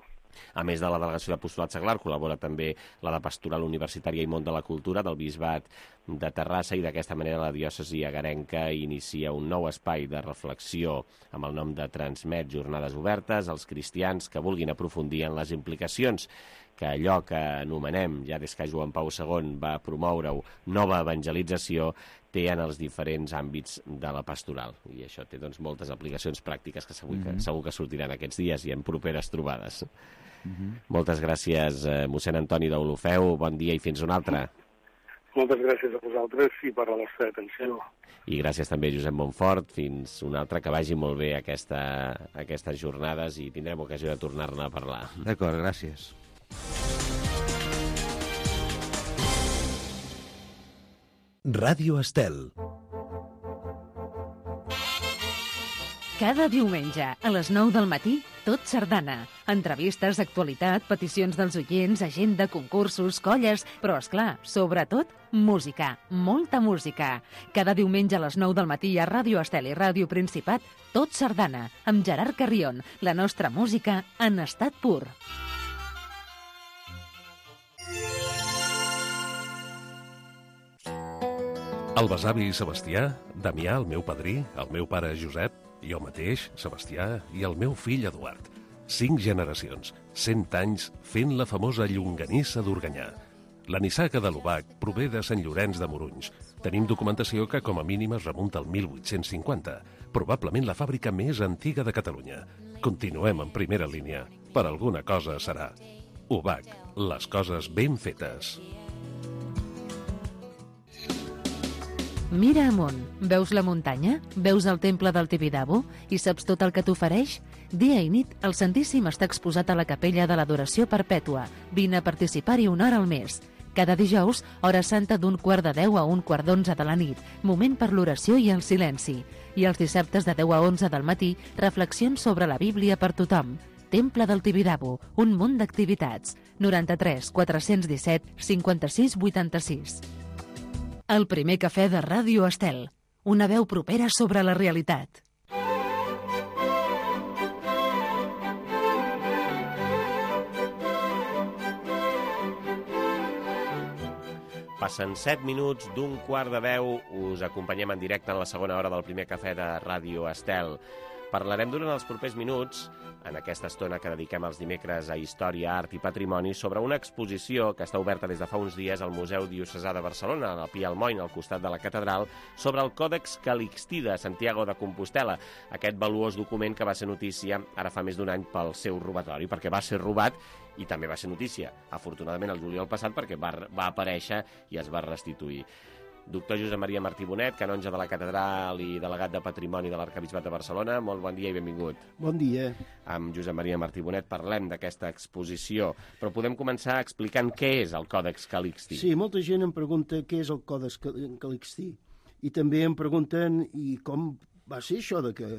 A més de la delegació d'Apostolat Seglar, col·labora també la de Pastoral Universitària i Món de la Cultura del Bisbat de Terrassa, i d'aquesta manera la diòcesi agarenca inicia un nou espai de reflexió amb el nom de Transmet Jornades Obertes als cristians que vulguin aprofundir en les implicacions que allò que anomenem, ja des que Joan Pau segon va promoure-ho, nova evangelització, té en els diferents àmbits de la pastoral. I això té doncs, moltes aplicacions pràctiques que segur, mm-hmm. que segur que sortiran aquests dies i en properes trobades. Mm-hmm. Moltes gràcies, eh, mossèn Antoni d'Olofeu. Bon dia i fins una altra. Moltes gràcies a vosaltres i per la vostra atenció. I gràcies també a Josep Montfort. Fins una altra, que vagi molt bé aquesta, aquestes jornades i tindrem ocasió de tornar-ne a parlar. D'acord, gràcies. Ràdio Estel. Cada diumenge, a les nou del matí, Tot Sardana. Entrevistes, actualitat, peticions dels oients, agenda, concursos, colles, però, esclar, sobretot, música, molta música. Cada diumenge a les nou del matí a Ràdio Estel i Ràdio Principat, Tot Sardana, amb Gerard Carrion, la nostra música en estat pur. El besavi Sebastià, Damià, el meu padrí, el meu pare Josep, jo mateix, Sebastià, i el meu fill Eduard. Cinc generacions, cent anys, fent la famosa llonganissa d'Organyà. La nissaga de l'Obac prové de Sant Llorenç de Morunys. Tenim documentació que com a mínim es remunta al mil vuit-cents cinquanta, probablement la fàbrica més antiga de Catalunya. Continuem en primera línia. Per alguna cosa serà. Obac, les coses ben fetes. Mira amunt, veus la muntanya? Veus el temple del Tibidabo? I saps tot el que t'ofereix? Dia i nit, el Santíssim està exposat a la capella de l'Adoració Perpètua. Vine a participar-hi una hora al mes. Cada dijous, hora santa d'un quart de deu a un quart d'onze de la nit, moment per l'oració i el silenci. I els dissabtes de deu a onze del matí, reflexions sobre la Bíblia per tothom. Temple del Tibidabo, un munt d'activitats. noranta-tres quatre-cents disset cinquanta-sis vuitanta-sis. El primer cafè de Ràdio Estel. Una veu propera sobre la realitat. Passen set minuts d'un quart de deu. Us acompanyem en directe en la segona hora del primer cafè de Ràdio Estel. Parlarem durant els propers minuts, en aquesta estona que dediquem els dimecres a Història, Art i Patrimoni, sobre una exposició que està oberta des de fa uns dies al Museu Diocesà de Barcelona, al Pi Almoin, al costat de la catedral, sobre el Còdex Calixtí de Santiago de Compostela, aquest valuós document que va ser notícia ara fa més d'un any pel seu robatori, perquè va ser robat i també va ser notícia, afortunadament el juliol passat, perquè va, va aparèixer i es va restituir. Doctor Josep Maria Martí Bonet, canonge de la catedral i delegat de Patrimoni de l'Arquebisbat de Barcelona, molt bon dia i benvingut. Bon dia. Amb Josep Maria Martí Bonet parlem d'aquesta exposició, però podem començar explicant què és el Còdex Calixtí. Sí, molta gent em pregunta què és el Còdex Calixtí, i també em pregunten i com va ser això de que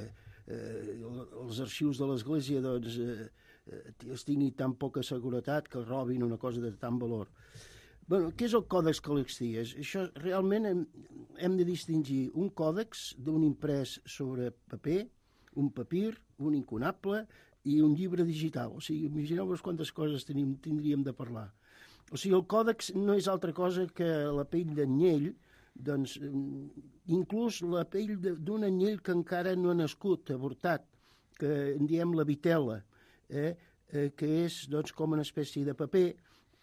eh, els arxius de l'Església doncs, eh, es tingui tan poca seguretat que robin una cosa de tant valor. Bueno, què és el còdex Calixtí? Això realment hem, hem de distingir un còdex d'un imprès sobre paper, un papir, un incunable i un llibre digital. O sigui, imagineu-vos quantes coses tenim, tindríem de parlar. O sigui, el còdex no és altra cosa que la pell d'anyell, doncs, inclús la pell d'un anyell que encara no ha nascut, avortat, que en diem la vitela, eh? Eh, que és doncs, com una espècie de paper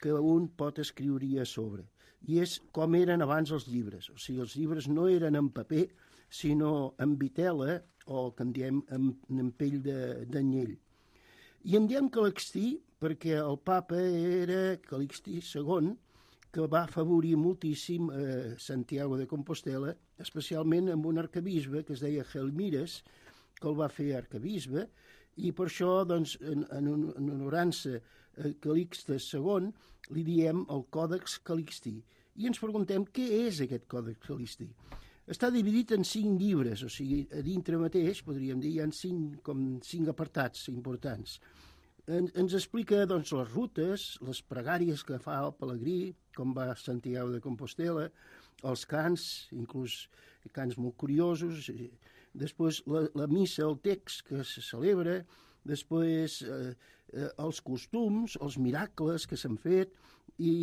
que un pot escriure a sobre. I és com eren abans els llibres. O sigui, els llibres no eren en paper, sinó en vitela, o que en diem en, en pell d'anyell. I en diem Calixtí perquè el papa era Calixtí segon, que va afavorir moltíssim eh, Santiago de Compostela, especialment amb un arcabisbe que es deia Gelmires, que el va fer arcabisbe, i per això, doncs, en, en, en honorança a Calixte segon, li diem el Còdex Calixtí. I ens preguntem què és aquest Còdex Calixtí. Està dividit en cinc llibres, o sigui, a dintre mateix, podríem dir, hi ha cinc, com cinc apartats importants. En, ens explica doncs, les rutes, les pregàries que fa el pelegrí, com va Santiago de Compostela, els cants, inclús cants molt curiosos, després la, la missa, el text que se celebra, després eh, eh, els costums, els miracles que s'han fet i,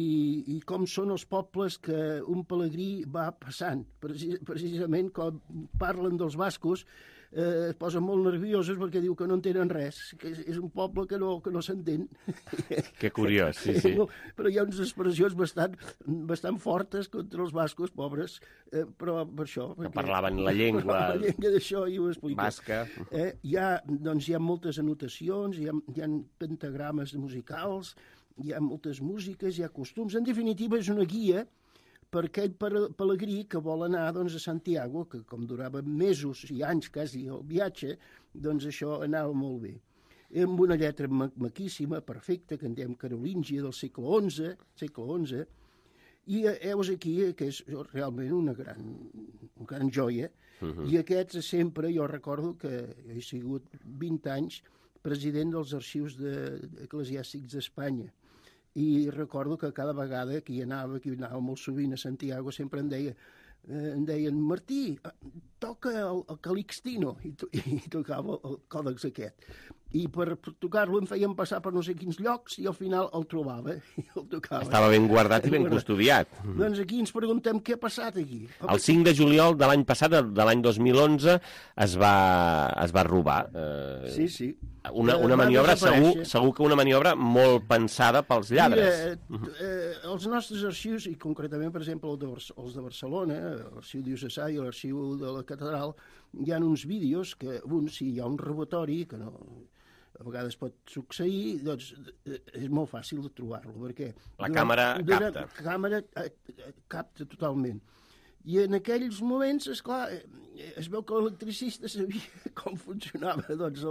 i com són els pobles que un pelegrí va passant. Precis, precisament quan parlen dels bascos eh, es posen molt nerviosos perquè diu que no entenen res, que és, és un poble que no, que no s'entén. Que curiós, sí, sí. Però hi ha unes expressions bastant, bastant fortes contra els bascos, pobres, eh, però per això... Que parlaven la llengua... La llengua d'això i ho explico. Basca. Eh, hi, ha, doncs, hi ha moltes anotacions, hi ha, hi ha pentagrames musicals, hi ha moltes músiques, hi ha costums. En definitiva, és una guia per aquell pelegrí que vol anar doncs, a Santiago, que com durava mesos i anys quasi el viatge, doncs això anava molt bé. Amb una lletra ma maquíssima, perfecta, que en diem carolíngia del segle onze, segle onze, i heus aquí que és realment una gran, una gran joia, uh-huh. I aquests sempre, jo recordo que he sigut vint anys president dels arxius de, eclesiàstics d'Espanya, i recordo que cada vegada que hi anava, que hi anava molt sovint a Santiago, sempre em deia, eh, em deien, Martí, toca el, el Calixtino, i, to, i tocava el còdex aquest. I per, per tocar-lo em feien passar per no sé quins llocs i al final el trobava i el tocava. Estava ben guardat i ben custodiat. Doncs aquí ens preguntem què ha passat aquí. El cinc de juliol de l'any passat, de l'any dos mil onze, es va, es va robar. Eh, sí, sí. Una, una maniobra, segur, segur que una maniobra molt pensada pels lladres. Mira, eh, els nostres arxius, i concretament, per exemple, el de, els de Barcelona, l'arxiu diocesà i l'arxiu de la catedral, hi ha uns vídeos que, un, si hi ha un robatori, que no, a vegades pot succeir, doncs és molt fàcil de trobar-lo, perquè... La càmera capta. La càmera capta totalment. I en aquells moments, esclar, es veu que l'electricista sabia com funcionava doncs,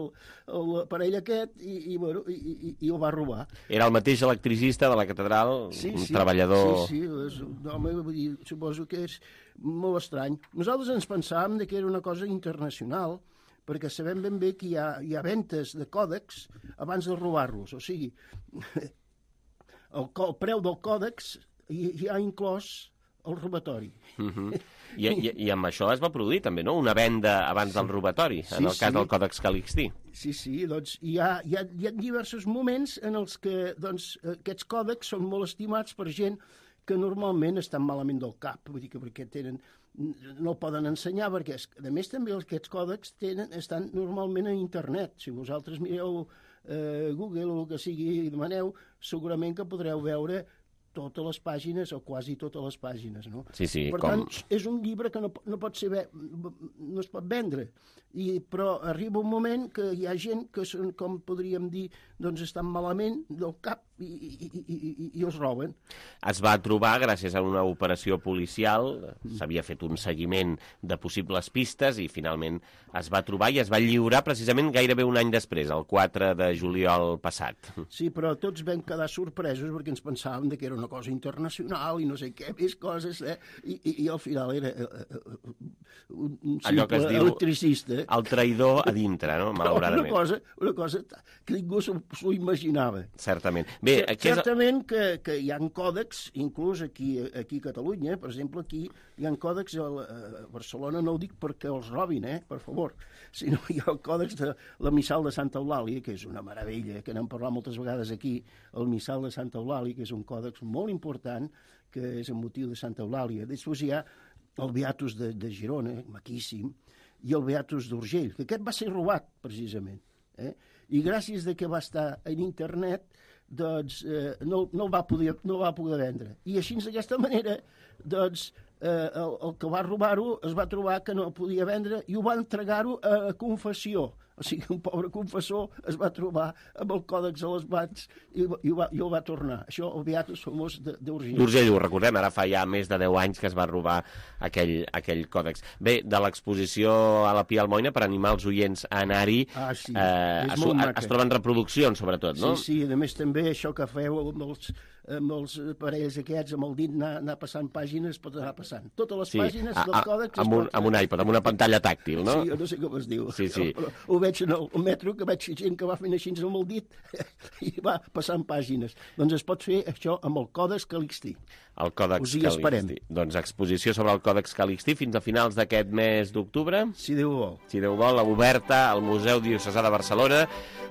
l'aparell aquest i, i, bueno, i, i, i el va robar. Era el mateix electricista de la catedral, sí, un sí, treballador... Sí, sí, és un home, vull dir, suposo que és molt estrany. Nosaltres ens pensàvem que era una cosa internacional, perquè sabem ben bé que hi ha, hi ha ventes de còdex abans de robar-los. O sigui, el, el preu del còdex hi, hi ha inclòs el robatori. Uh-huh. I, i, I amb això es va produir també, no?, una venda abans sí. del robatori, en sí, el cas sí. del Còdex Calixtí. Sí, sí, doncs hi ha, hi ha, hi ha diversos moments en els que doncs, aquests còdecs són molt estimats per gent que normalment estan malament del cap, vull dir que perquè tenen, no el poden ensenyar, perquè a més també aquests còdecs tenen, estan normalment a internet. Si vosaltres mireu eh, Google o el que sigui i demaneu, segurament que podreu veure totes les pàgines, o quasi totes les pàgines, no? Sí, sí, per com... tant, és un llibre que no, no pot ser, no es pot vendre, I, però arriba un moment que hi ha gent que són, com podríem dir, doncs estan malament del cap i, i, i, i, i els roben. es va trobar, gràcies a una operació policial, s'havia fet un seguiment de possibles pistes i finalment es va trobar i es va lliurar precisament gairebé un any després, el quatre de juliol passat. Sí, però tots vam quedar sorpresos perquè ens pensàvem que era una cosa internacional i no sé què, més coses, eh? I, i, i al final era uh, un, un simple electricista. El traïdor a dintre, no? Malauradament. Una cosa, una cosa que ningú s'ho imaginava. Certament. Bé, aquí Certament és... que, que hi ha còdecs, inclús aquí, aquí a Catalunya, per exemple, aquí hi ha còdecs a, a Barcelona, no ho dic perquè els robin, eh, per favor, sinó hi ha el còdex de la Missal de Santa Eulàlia, que és una meravella, que n'hem parlat moltes vegades aquí, el Missal de Santa Eulàlia, que és un còdex molt important, que és en motiu de Santa Eulàlia. Després hi ha el Beatus de, de Girona, maquíssim, i el Beatus d'Urgell, que aquest va ser robat, precisament. Eh? I gràcies de que va estar en internet, doncs eh, no, no, va poder, no va poder vendre. I així, d'aquesta manera, doncs, eh, el, el que va robar-ho es va trobar que no podia vendre i ho va entregar-ho a confessió. O sigui, un pobre confessor es va trobar amb el còdex a les mans i, i, ho va, i ho va tornar. Això, el Beatus famós d'Urgell. D'Urgell, ho recordem, ara fa ja més de deu anys que es va robar aquell, aquell còdex. Bé, de l'exposició a la Pia Almoina, per animar els oients a anar-hi, ah, sí. eh, es, es troben reproduccions, sobretot, no? Sí, sí, a més també això que feu amb els, amb els parells aquests, amb el dit anar, anar passant pàgines, pot anar passant. Totes les sí. pàgines a, del còdex... Amb un, amb un iPad, amb una pantalla tàctil, no? Sí, jo no sé com es diu. Sí, sí. Però, però ho veig en el metro, que veig gent que va fent així amb el dit i va passant pàgines. Doncs es pot fer això amb el Còdex Calixtí. El Còdex Us hi esperem. Calixtí. Doncs exposició sobre el Còdex Calixtí fins a finals d'aquest mes d'octubre. Si Déu vol. Si Déu vol, oberta al Museu Diocesà de Barcelona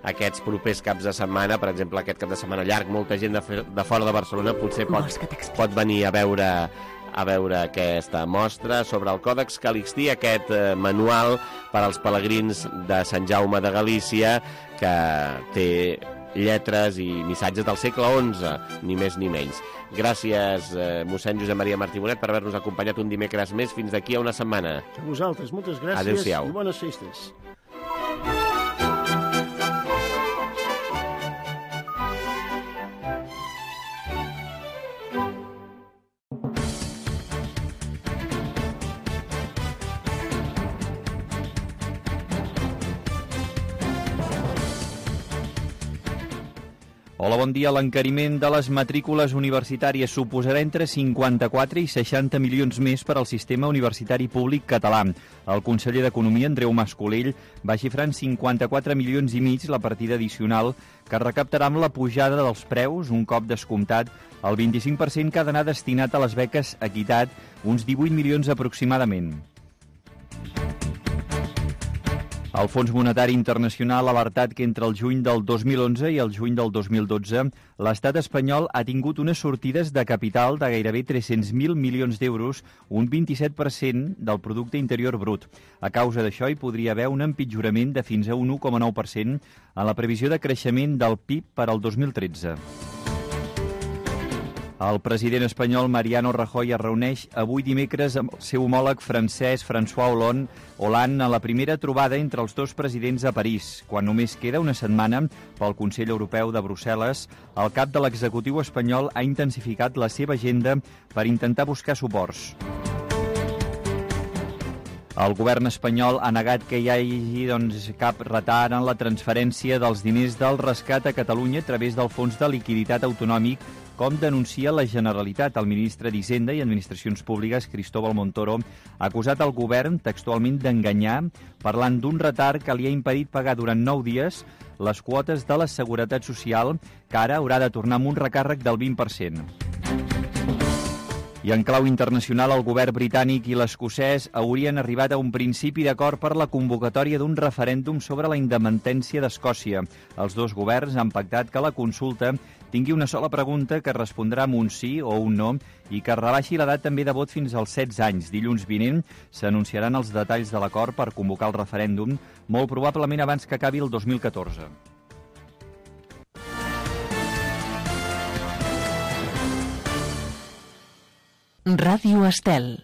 aquests propers caps de setmana, per exemple, aquest cap de setmana llarg, molta gent de, de fora de Barcelona potser pot, pot venir a veure a veure aquesta mostra sobre el Còdex Calixtí, aquest eh, manual per als pelegrins de Sant Jaume de Galícia, que té lletres i missatges del segle onze, ni més ni menys. Gràcies, eh, mossèn Josep Maria Martí Bonet, per haver-nos acompanyat un dimecres més fins d'aquí a una setmana. A vosaltres, moltes gràcies. Adéu-siau. I bones festes. Hola, bon dia. L'encariment de les matrícules universitàries suposarà entre cinquanta-quatre i seixanta milions més per al sistema universitari públic català. El conseller d'Economia, Andreu Mas-Colell, va xifrar en cinquanta-quatre milions i mig la partida addicional que recaptarà amb la pujada dels preus, un cop descomptat el vint-i-cinc per cent que ha d'anar destinat a les beques Equitat, uns divuit milions aproximadament. El Fons Monetari Internacional ha alertat que entre el juny del dos mil onze i el juny del dos mil dotze l'estat espanyol ha tingut unes sortides de capital de gairebé tres-cents mil milions d'euros, un vint-i-set per cent del producte interior brut. A causa d'això hi podria haver un empitjorament de fins a un u coma nou per cent en la previsió de creixement del P I B per al dos mil tretze. El president espanyol Mariano Rajoy es reuneix avui dimecres amb el seu homòleg francès François Hollande, Hollande a la primera trobada entre els dos presidents a París. Quan només queda una setmana pel Consell Europeu de Brussel·les, el cap de l'executiu espanyol ha intensificat la seva agenda per intentar buscar suports. El govern espanyol ha negat que hi hagi doncs, cap retard en la transferència dels diners del rescat a Catalunya a través del Fons de Liquiditat Autonòmic, com denuncia la Generalitat. El ministre d'Hisenda i Administracions Públiques, Cristóbal Montoro, ha acusat el govern textualment d'enganyar, parlant d'un retard que li ha impedit pagar durant nou dies les quotes de la Seguretat Social, que ara haurà de tornar amb un recàrrec del vint per cent. I en clau internacional, el govern britànic i l'escocès haurien arribat a un principi d'acord per la convocatòria d'un referèndum sobre la independència d'Escòcia. Els dos governs han pactat que la consulta tingui una sola pregunta que respondrà amb un sí o un no i que rebaixi l'edat també de vot fins als setze anys. Dilluns vinent s'anunciaran els detalls de l'acord per convocar el referèndum, molt probablement abans que acabi el dos mil catorze. Ràdio Estel.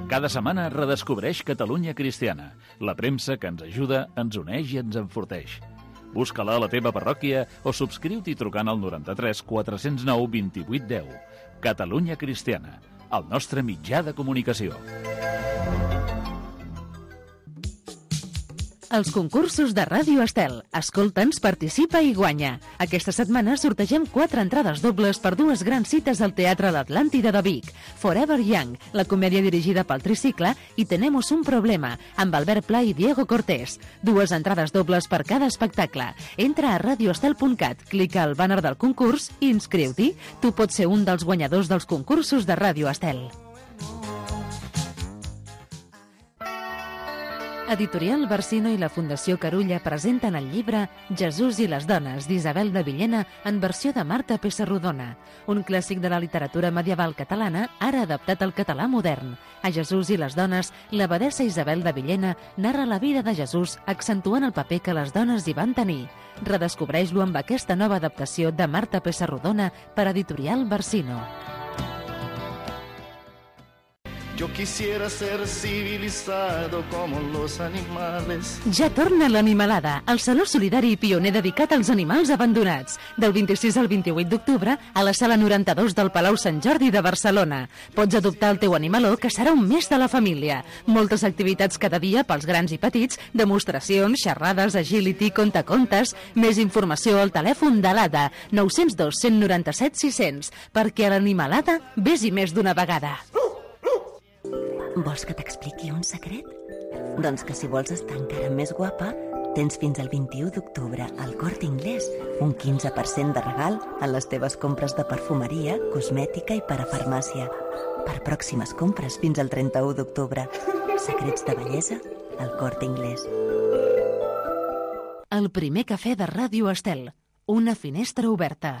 Cada setmana redescobreix Catalunya Cristiana, la premsa que ens ajuda, ens uneix i ens enforteix. Busca-la a la teva parròquia o subscriu-t'hi trucant al noranta-tres quatre cents nou vint-i-vuit deu. Catalunya Cristiana, el nostre mitjà de comunicació. Els concursos de Ràdio Estel. Escolta'ns, participa i guanya. Aquesta setmana sortegem quatre entrades dobles per dues grans cites al Teatre L'Atlàntida de Vic. Forever Young, la comèdia dirigida pel Tricicle, i Tenemos un problema, amb Albert Pla i Diego Cortés. Dues entrades dobles per cada espectacle. Entra a radioestel punt cat, clica al bàner del concurs i inscriu-t'hi. Tu pots ser un dels guanyadors dels concursos de Ràdio Estel. Editorial Barsino i la Fundació Carulla presenten el llibre Jesús i les dones, d'Isabel de Villena, en versió de Marta Pessarrodona, un clàssic de la literatura medieval catalana, ara adaptat al català modern. A Jesús i les dones, l'abadessa Isabel de Villena narra la vida de Jesús, accentuant el paper que les dones hi van tenir. Redescobreix-lo amb aquesta nova adaptació de Marta Pessarrodona per Editorial Barsino. Yo quisiera ser civilizado como los animales. Ja torna l'Animalada, el saló solidari i pioner dedicat als animals abandonats. Del vint-i-sis al vint-i-vuit d'octubre a la sala noranta-dos del Palau Sant Jordi de Barcelona. Pots adoptar el teu animaló, que serà un més de la família. Moltes activitats cada dia pels grans i petits, demostracions, xerrades, agility, contacontes. Més informació al telèfon de l'A D A, nou zero dos, cent noranta-set, sis cents, perquè a l'Animalada vés-hi més d'una vegada. Vols que t'expliqui un secret? Doncs que si vols estar encara més guapa, tens fins al vint-i-u d'octubre al Corte Inglés un quinze per cent de regal en les teves compres de perfumeria, cosmètica i parafarmàcia. Per pròximes compres fins al trenta-u d'octubre. Secrets de bellesa al Corte Inglés. El primer cafè de Ràdio Estel. Una finestra oberta.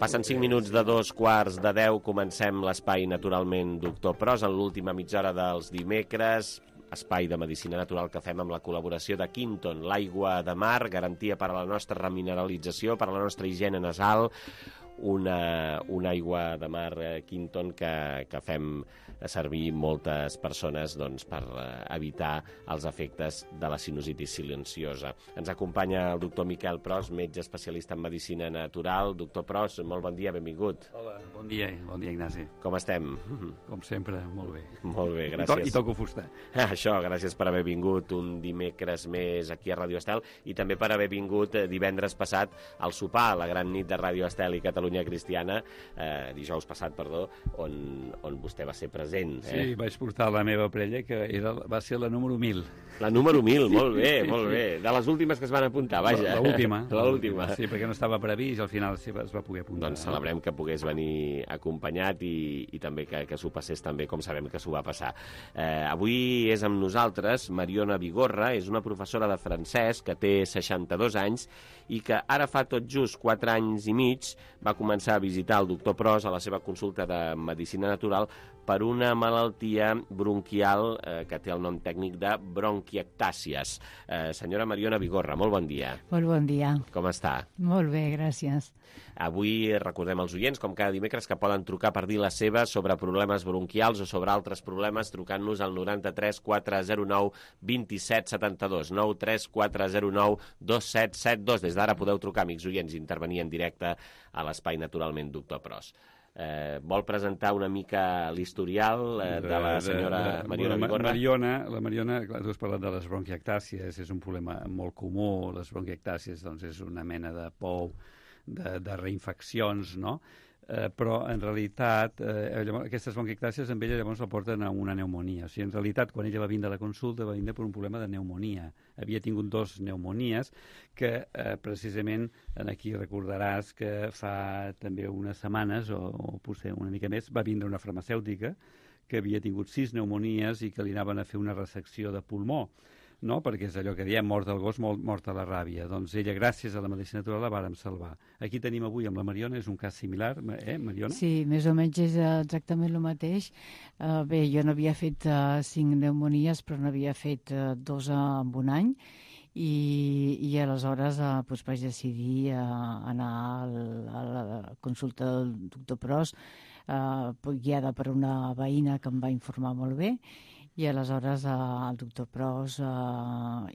Passen cinc minuts de dos quarts de deu, comencem l'espai Naturalment Doctor Pros, en l'última mitja hora dels dimecres, espai de medicina natural que fem amb la col·laboració de Quinton, l'aigua de mar, garantia per a la nostra remineralització, per a la nostra higiene nasal, una, una aigua de mar Quinton que, que fem servir moltes persones doncs, per evitar els efectes de la sinusitis silenciosa. Ens acompanya el doctor Miquel Pros, metge especialista en medicina natural. Doctor Pros, molt bon dia, benvingut. Hola, bon dia, bon dia, Ignasi. Com estem? Com sempre, molt bé. Molt bé, gràcies. I, to I toco fusta. Ah, això, gràcies per haver vingut un dimecres més aquí a Ràdio Estel i també per haver vingut divendres passat al sopar, a la gran nit de Ràdio Estel i Catalunya Cristiana, eh, dijous passat, perdó, on, on vostè va ser present. Eh? Sí, vaig portar la meva parella, que era, va ser la número mil. La número mil, molt bé, molt bé. De les últimes que es van apuntar, vaja. L'última. L'última. Sí, perquè no estava previst i al final sí, es va poder apuntar. Doncs celebrem que pogués venir acompanyat i, i també que, que s'ho passés també com sabem que s'ho va passar. Eh, avui és amb nosaltres Mariona Vigorra, és una professora de francès que té seixanta-dos anys i que ara fa tot just quatre anys i mig va començar a visitar el doctor Pros a la seva consulta de medicina natural per una malaltia bronquial eh, que té el nom tècnic de bronquiectàcies. Eh, senyora Mariona Vigorra, molt bon dia. Molt bon dia. Com està? Molt bé, gràcies. Avui recordem als oients, com cada dimecres, que poden trucar per dir la seva sobre problemes bronquials o sobre altres problemes trucant-nos al noranta-tres quatre zero nou vint-i-set setanta-dos, nou tres quatre zero nou dos set set dos. Des d'ara podeu trucar, amics oients, i intervenir en directe a l'espai Naturalment Doctor Pros. Eh, vol presentar una mica l'historial eh, de la senyora de, de, Mariona la, Vigorra? Mariona, la Mariona, clar, tu has parlat de les bronquiectàcies, és un problema molt comú. Les bronquiectàcies doncs, és una mena de pou, de, de reinfeccions, no? Eh, però en realitat eh, llavors, aquestes bronquiectàcies amb ella llavors la porten a una pneumonia. O sigui, en realitat quan ella va vindre a la consulta va vindre per un problema de pneumonia. Havia tingut dos pneumonies que eh, precisament aquí recordaràs que fa també unes setmanes o, o potser una mica més va vindre una farmacèutica que havia tingut sis pneumonies i que li anaven a fer una resecció de pulmó, no? Perquè és allò que diem, mort del gos, mort a la ràbia. Doncs ella, gràcies a la medicina natural, la vàrem salvar. Aquí tenim avui amb la Mariona, és un cas similar, eh, Mariona? Sí, més o menys és exactament el mateix. Uh, bé, jo n'havia fet uh, cinc pneumonies, però n'havia fet uh, dos uh, en un any, i, i aleshores uh, doncs vaig decidir uh, anar al, a la consulta del doctor Pros, uh, guiada per una veïna que em va informar molt bé, i aleshores eh, el doctor Pros eh,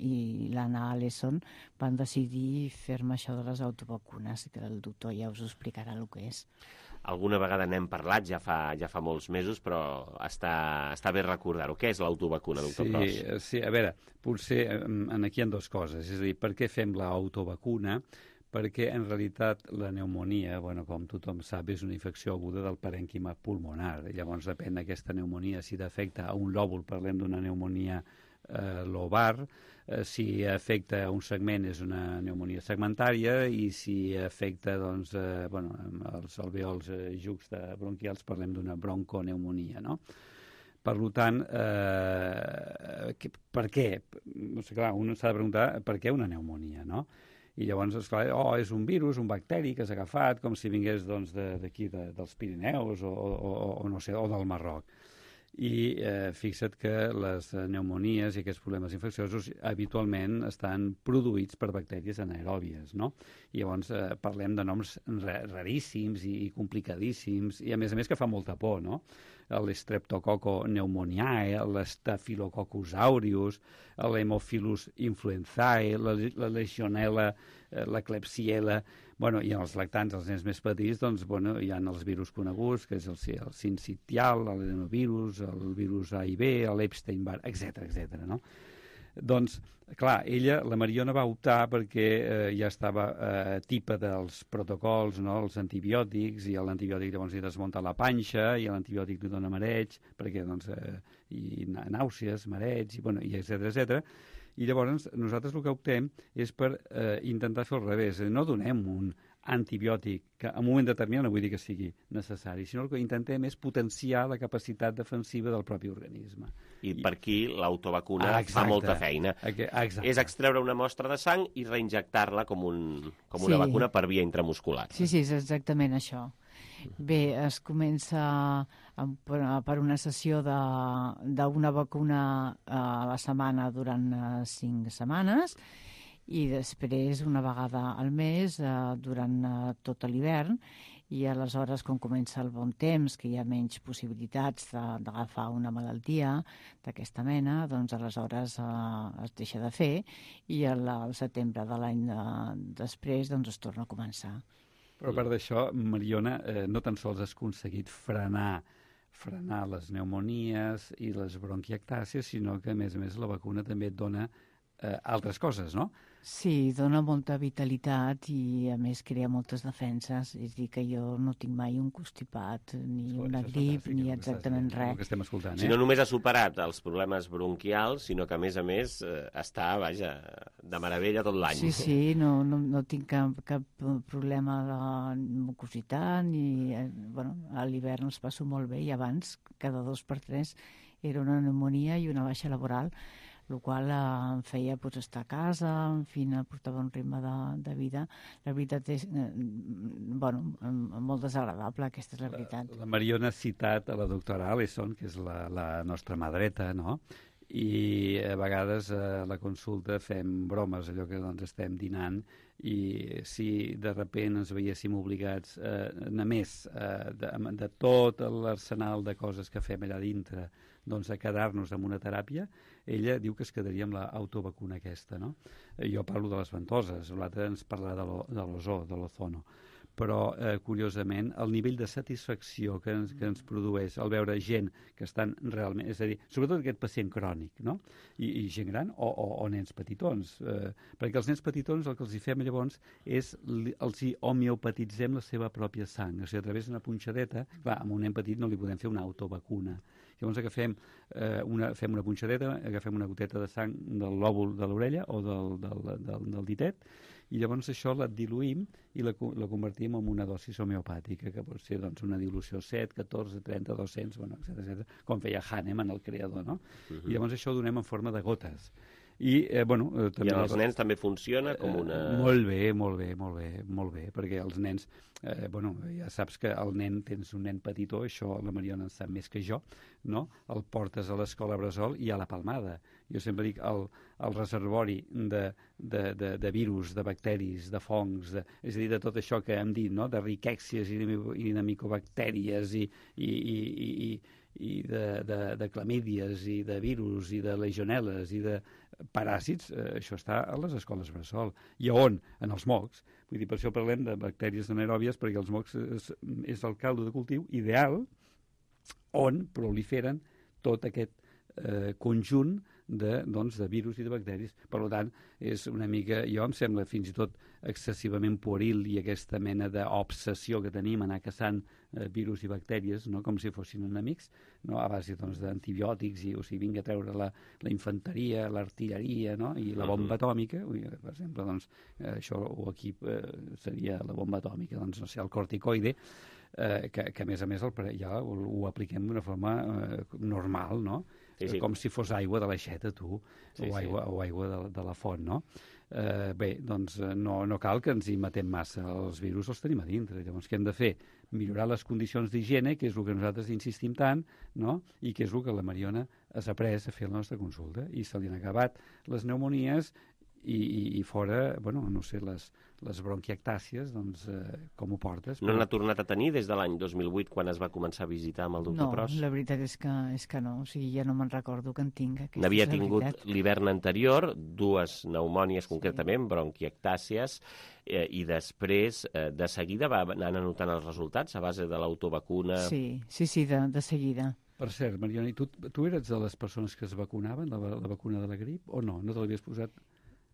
i l'Anna Alesson van decidir fer-me això de les autovacunes, que el doctor ja us explicarà el que és. Alguna vegada n'hem parlat, ja fa, ja fa molts mesos, però està, està bé recordar-ho. Què és l'autovacuna, doctor sí, Pros? Sí, a veure, potser aquí hi ha dues coses. És a dir, per què fem l'autovacuna? Perquè en realitat la pneumonia, bueno, com tothom sap, és una infecció aguda del parènquima pulmonar. Llavors depèn d'aquesta pneumonia, si afecta a un lòbul, parlem d'una pneumonia eh, lobar, eh, si afecta a un segment és una pneumonia segmentària, i si afecta doncs, eh, bueno, els alveols eh, juxtabronquials parlem d'una bronconeumonia, no? Per tant, eh, que, per què? O sigui, clar, un s'ha de preguntar per què una pneumonia, no? I llavors, esclar, oh, és un virus, un bacteri que s'ha agafat, com si vingués doncs, d'aquí, de, dels Pirineus o, o, o, no sé, o del Marroc. I eh, fixa't que les pneumonies i aquests problemes infecciosos habitualment estan produïts per bactèries anaeròbies, no? I llavors eh, parlem de noms raríssims i, i complicadíssims, i a més a més que fa molta por, no? L'Streptococcus pneumoniae, l'Staphylococcus aureus, l'Haemophilus influenzae, la, la Legionella, la Klebsiella, bueno, i els lactants, els nens més petits, doncs, bueno, hi ha els virus coneguts, que és el, el sincitial, l'adenovirus, el virus A i B, l'Epstein-Barr, etcètera, etcètera, no? Doncs, clar, ella, la Mariona, va optar perquè eh, ja estava eh, tipa dels protocols, no?, els antibiòtics, i l'antibiòtic llavors li desmunta la panxa, i l'antibiòtic li dona mareig, perquè, doncs, eh, i nàusees, mareig, i, bueno, i etcètera, etcètera. I llavors nosaltres el que optem és per eh, intentar fer al revés. No donem un antibiòtic que en un moment determinat no vull dir que sigui necessari, sinó el que intentem és potenciar la capacitat defensiva del propi organisme. I per aquí l'autovacuna ah, fa molta feina. Exacte. És extreure una mostra de sang i reinjectar-la com, un, com una sí. vacuna per via intramuscular. Sí, sí, és exactament això. Bé, es comença per una sessió d'una vacuna a la setmana durant cinc setmanes, i després una vegada al mes eh, durant eh, tot l'hivern, i aleshores quan comença el bon temps, que hi ha menys possibilitats d'agafar una malaltia d'aquesta mena, doncs aleshores eh, es deixa de fer, i al, al setembre de l'any de, després doncs es torna a començar. Però a part d'això, Mariona, eh, no tan sols has aconseguit frenar frenar les pneumonies i les bronquiectàcies, sinó que a més a més la vacuna també et dona eh, altres coses, no? Sí, dona molta vitalitat i, a més, crea moltes defenses. És a dir, que jo no tinc mai un constipat, ni oh, una grip, ni exactament res. Que estem escoltant, eh? Si no només ha superat els problemes bronquials, sinó que, a més a més, eh, està, vaja, de meravella tot l'any. Sí, sí, no, no, no tinc cap, cap problema de mucositat, ni... Eh, bueno, a l'hivern els passo molt bé, i abans, cada dos per tres, era una pneumonia i una baixa laboral, el qual eh, em feia pues, estar a casa, en fi, portava un ritme de, de vida. La veritat és, eh, bueno, molt desagradable, aquesta és la veritat. La, la Mariona ha citat a la doctora Alesson, que és la, la nostra mà dreta, no?, i a vegades a la consulta fem bromes, allò que doncs, estem dinant, i si de repent ens veiéssim obligats a eh, anar més eh, de, de tot l'arsenal de coses que fem allà dintre, doncs a quedar-nos amb una teràpia, ella diu que es quedaria amb l'autovacuna aquesta, no? Jo parlo de les ventoses, l'altre ens parlarà de l'ozó, de l'ozono. però, eh, curiosament, el nivell de satisfacció que ens, que ens produeix al veure gent que estan realment... És a dir, sobretot aquest pacient crònic, no? I, i gent gran o, o, o nens petitons. Eh, perquè els nens petitons el que els hi fem llavors és els hi homeopatitzem la seva pròpia sang. O sigui, a través d'una punxadeta, clar, amb un nen petit no li podem fer una autovacuna. Llavors agafem eh, una, fem una punxadeta, agafem una goteta de sang del lòbul de l'orella o del, del, del, del ditet, i llavors això la diluïm i la, la convertim en una dosi homeopàtica, que pot ser doncs, una dilució set, catorze, trenta, dos-cents, bueno, etcètera, etcètera, com feia Hahnemann, el creador, no? Uh-huh. I llavors això ho donem en forma de gotes. I, eh, bueno, eh, també I als nens també funciona com una... Eh, molt bé, molt bé, molt bé, molt bé, perquè els nens, eh, bueno, ja saps que el nen, tens un nen petitó, això la Mariona en sap més que jo, no? El portes a l'escola bressol i a la palmada. Jo sempre dic, el, el reservori de, de, de, de virus, de bacteris, de fongs, de, és a dir, de tot això que hem dit, no? De riquèxies i de, i de micobactèries i, i, i, i, i de, de, de clamídies i de virus i de legionel·les i de paràsits, eh, això està a les escoles bressol. I on? En els mocs. Vull dir, per això parlem de bactèries anaeròbies, perquè els mocs és, és el caldo de cultiu ideal on proliferen tot aquest eh, conjunt de, doncs, de virus i de bacteris. Per tant, és una mica, jo em sembla fins i tot excessivament pueril i aquesta mena d'obsessió que tenim anar caçant eh, virus i bactèries, no? Com si fossin enemics, no? A base doncs, d'antibiòtics, i, o sigui, vinga a treure la, la infanteria, l'artilleria, no? I la bomba atòmica, per exemple, doncs, eh, això o aquí eh, seria la bomba atòmica, doncs, no sé, el corticoide, eh, que, que a més a més el, ja ho, ho apliquem d'una forma eh, normal, no? Sí, sí. Com si fos aigua de l'aixeta, tu, sí, o aigua, sí. o aigua de, de la font, no? Eh, bé, doncs no, no cal que ens hi matem massa, els virus els tenim a dintre. Llavors, què hem de fer? Millorar les condicions d'higiene, que és el que nosaltres insistim tant, no? I que és el que la Mariona has après a fer la nostra consulta, i se li han acabat les pneumonies i, i, i fora, bueno, no sé, les, les bronquiectàcies, doncs, eh, com ho portes? No n'ha tornat a tenir des de l'any dos mil vuit, quan es va començar a visitar amb el doctor no, Pros? No, la veritat és que, és que no, o sigui, ja no me'n recordo que en tinc. N'havia tingut l'hivern anterior, dues pneumònies concretament, sí. Bronquiectàcies, eh, i després, eh, de seguida, va anar anotant els resultats a base de l'autovacuna? Sí, sí, sí, de, de seguida. Per cert, Mariona, i tu, tu eres de les persones que es vacunaven, la, la vacuna de la grip, o no? No te l'havies posat?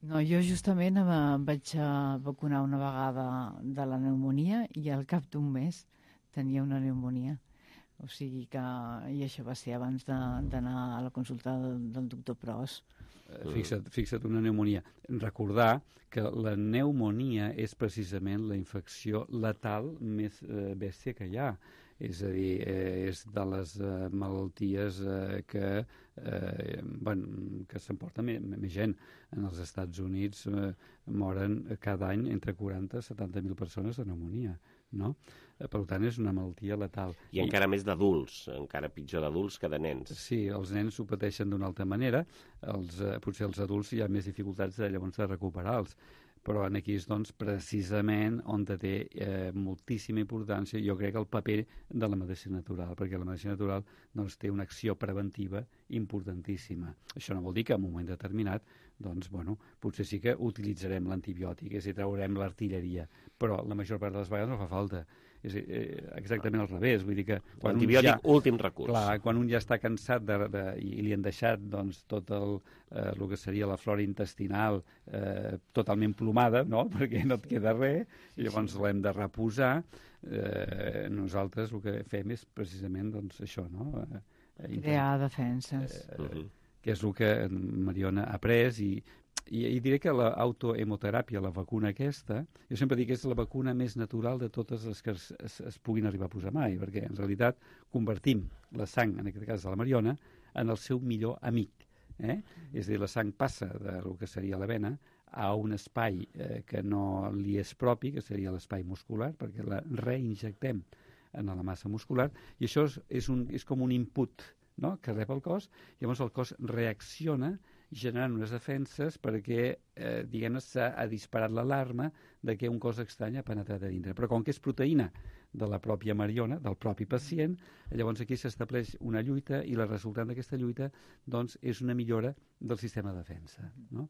No, jo justament em vaig vacunar una vegada de la pneumonia i al cap d'un mes tenia una pneumonia. O sigui que... I això va ser abans d'anar a la consulta del, del doctor Pros. Fixa't, fixa't una pneumonia. Recordar que la pneumonia és precisament la infecció letal més eh, bèstia que hi ha. És a dir, eh, és de les eh, malalties eh, que, eh, bueno, que s'emporta més, més gent. En els Estats Units eh, moren cada any entre quaranta i setanta mil persones de pneumonia, no? Eh, per tant, és una malaltia letal. I, I encara més d'adults, encara pitjor d'adults que de nens. Sí, els nens ho pateixen d'una altra manera, els, eh, potser els adults hi ha més dificultats de, llavors de recuperar-los. Però aquí és, doncs, precisament on té eh, moltíssima importància, jo crec, el paper de la medicina natural, perquè la medicina natural doncs, té una acció preventiva importantíssima. Això no vol dir que en un moment determinat, doncs, bueno, potser sí que utilitzarem l'antibiòtic, és a dir, traurem l'artilleria, però la major part de les vegades no fa falta. És eh, exactament al revés, vull dir que... L'antibiòtic, ja, últim recurs. Clar, quan un ja està cansat de, de, i li han deixat doncs, tot el, eh, el que seria la flora intestinal eh, totalment plomada, no?, perquè no et queda res, i llavors l'hem de reposar, eh, nosaltres el que fem és precisament doncs, això, no? Eh, Crear defenses. Eh, eh, que és el que Mariona ha après, i I, i diré que l'autohemoteràpia, la vacuna aquesta, jo sempre dic que és la vacuna més natural de totes les que es, es, es puguin arribar a posar mai, perquè en realitat convertim la sang, en aquest cas de la Mariona, en el seu millor amic. Eh? És a dir, la sang passa del que seria la vena a un espai eh, que no li és propi, que seria l'espai muscular, perquè la reinjectem en la massa muscular, i això és, és, un, és com un input, no?, que rep el cos, i llavors el cos reacciona generant unes defenses perquè, eh, diguem-ne, s'ha disparat l'alarma de que un cos estrany ha penetrat a dintre. Però com que és proteïna de la pròpia Mariona, del propi pacient, llavors aquí s'estableix una lluita i la resultant d'aquesta lluita doncs, és una millora del sistema de defensa, no?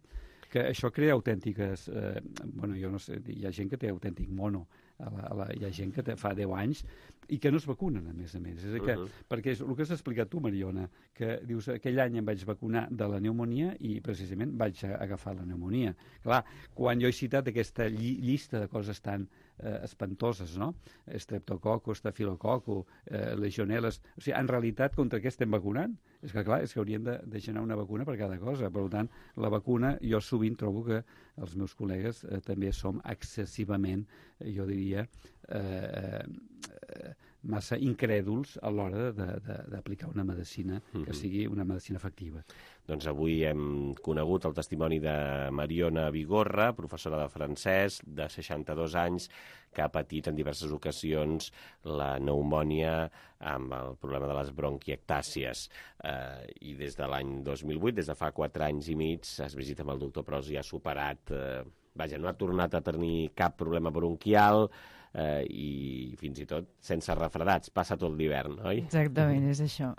Que això crea autèntiques... Eh, bueno, jo no sé, hi ha gent que té autèntic mono A la, a la, hi ha gent que te, fa deu anys i que no es vacunen, a més a més. És que, uh -huh. Perquè és el que has explicat tu, Mariona, que dius, aquell any em vaig vacunar de la pneumonia i precisament vaig agafar la pneumonia. Clar, quan jo he citat aquesta lli llista de coses tan eh, espantoses, no? Streptococo, estafilococo, eh, legionel·les... O sigui, en realitat, contra què estem vacunant? És que, clar, és que haurien de, de generar una vacuna per cada cosa. Per tant, la vacuna, jo sovint trobo que els meus col·legues eh, també som excessivament, eh, jo diria, eh, eh, massa incrèduls a l'hora d'aplicar una medicina que sigui una medicina efectiva. Doncs avui hem conegut el testimoni de Mariona Vigorra, professora de francès, de seixanta-dos anys, que ha patit en diverses ocasions la pneumònia amb el problema de les bronquiectàcies. Eh, I des de l'any dos mil vuit, des de fa quatre anys i mig, es visita amb el doctor Pros i ha superat... Eh, vaja, no ha tornat a tenir cap problema bronquial, eh, i fins i tot sense refredats. Passa tot l'hivern, oi? Exactament, és això.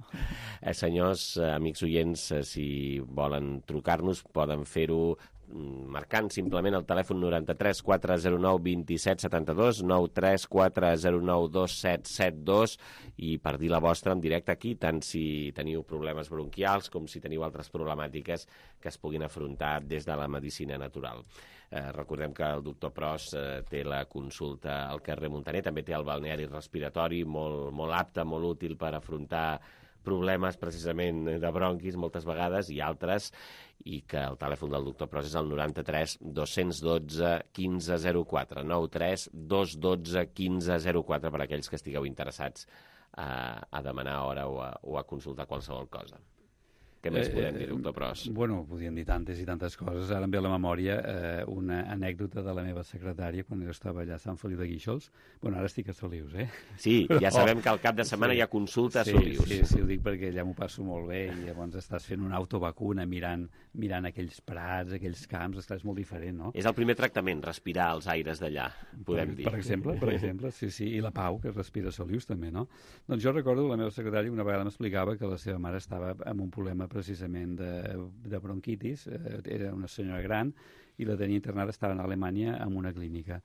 Eh, senyors, eh, amics oients, eh, si volen trucar-nos, poden fer-ho marcant simplement el telèfon noranta-tres quatre zero nou vint-i-set setanta-dos, nou tres quatre zero nou dos set set dos, i per dir la vostra en directe aquí, tant si teniu problemes bronquials com si teniu altres problemàtiques que es puguin afrontar des de la medicina natural. Eh, recordem que el doctor Pros eh, té la consulta al carrer Montaner, també té el balneari respiratori molt, molt apte, molt útil per afrontar problemes precisament de bronquis moltes vegades i altres, i que el telèfon del doctor Pros és el noranta-tres dos dotze quinze zero quatre, nou tres dos dotze quinze zero quatre per a aquells que estigueu interessats a, a demanar hora o a, o a consultar qualsevol cosa. Què més podem dir, doctor Pros? Bueno, podríem dir tantes i tantes coses. Ara em ve a la memòria eh, una anècdota de la meva secretària quan jo estava allà a Sant Feliu de Guíxols. Bueno, ara estic a Solius, eh? Sí, ja sabem que al cap de setmana sí. hi ha consulta a sí, Solius. Sí, sí, ho dic perquè allà m'ho passo molt bé i llavors estàs fent una autovacuna mirant, mirant aquells prats, aquells camps, esclar, és molt diferent, no? És el primer tractament, respirar els aires d'allà, podem per, dir. Per exemple, per exemple, sí, sí, i la Pau, que respira a Solius també, no? Doncs jo recordo la meva secretària una vegada m'explicava que la seva mare estava amb un problema precisament de de bronquitis, eh, era una senyora gran i la tenia internada, estava a Alemanya en una clínica.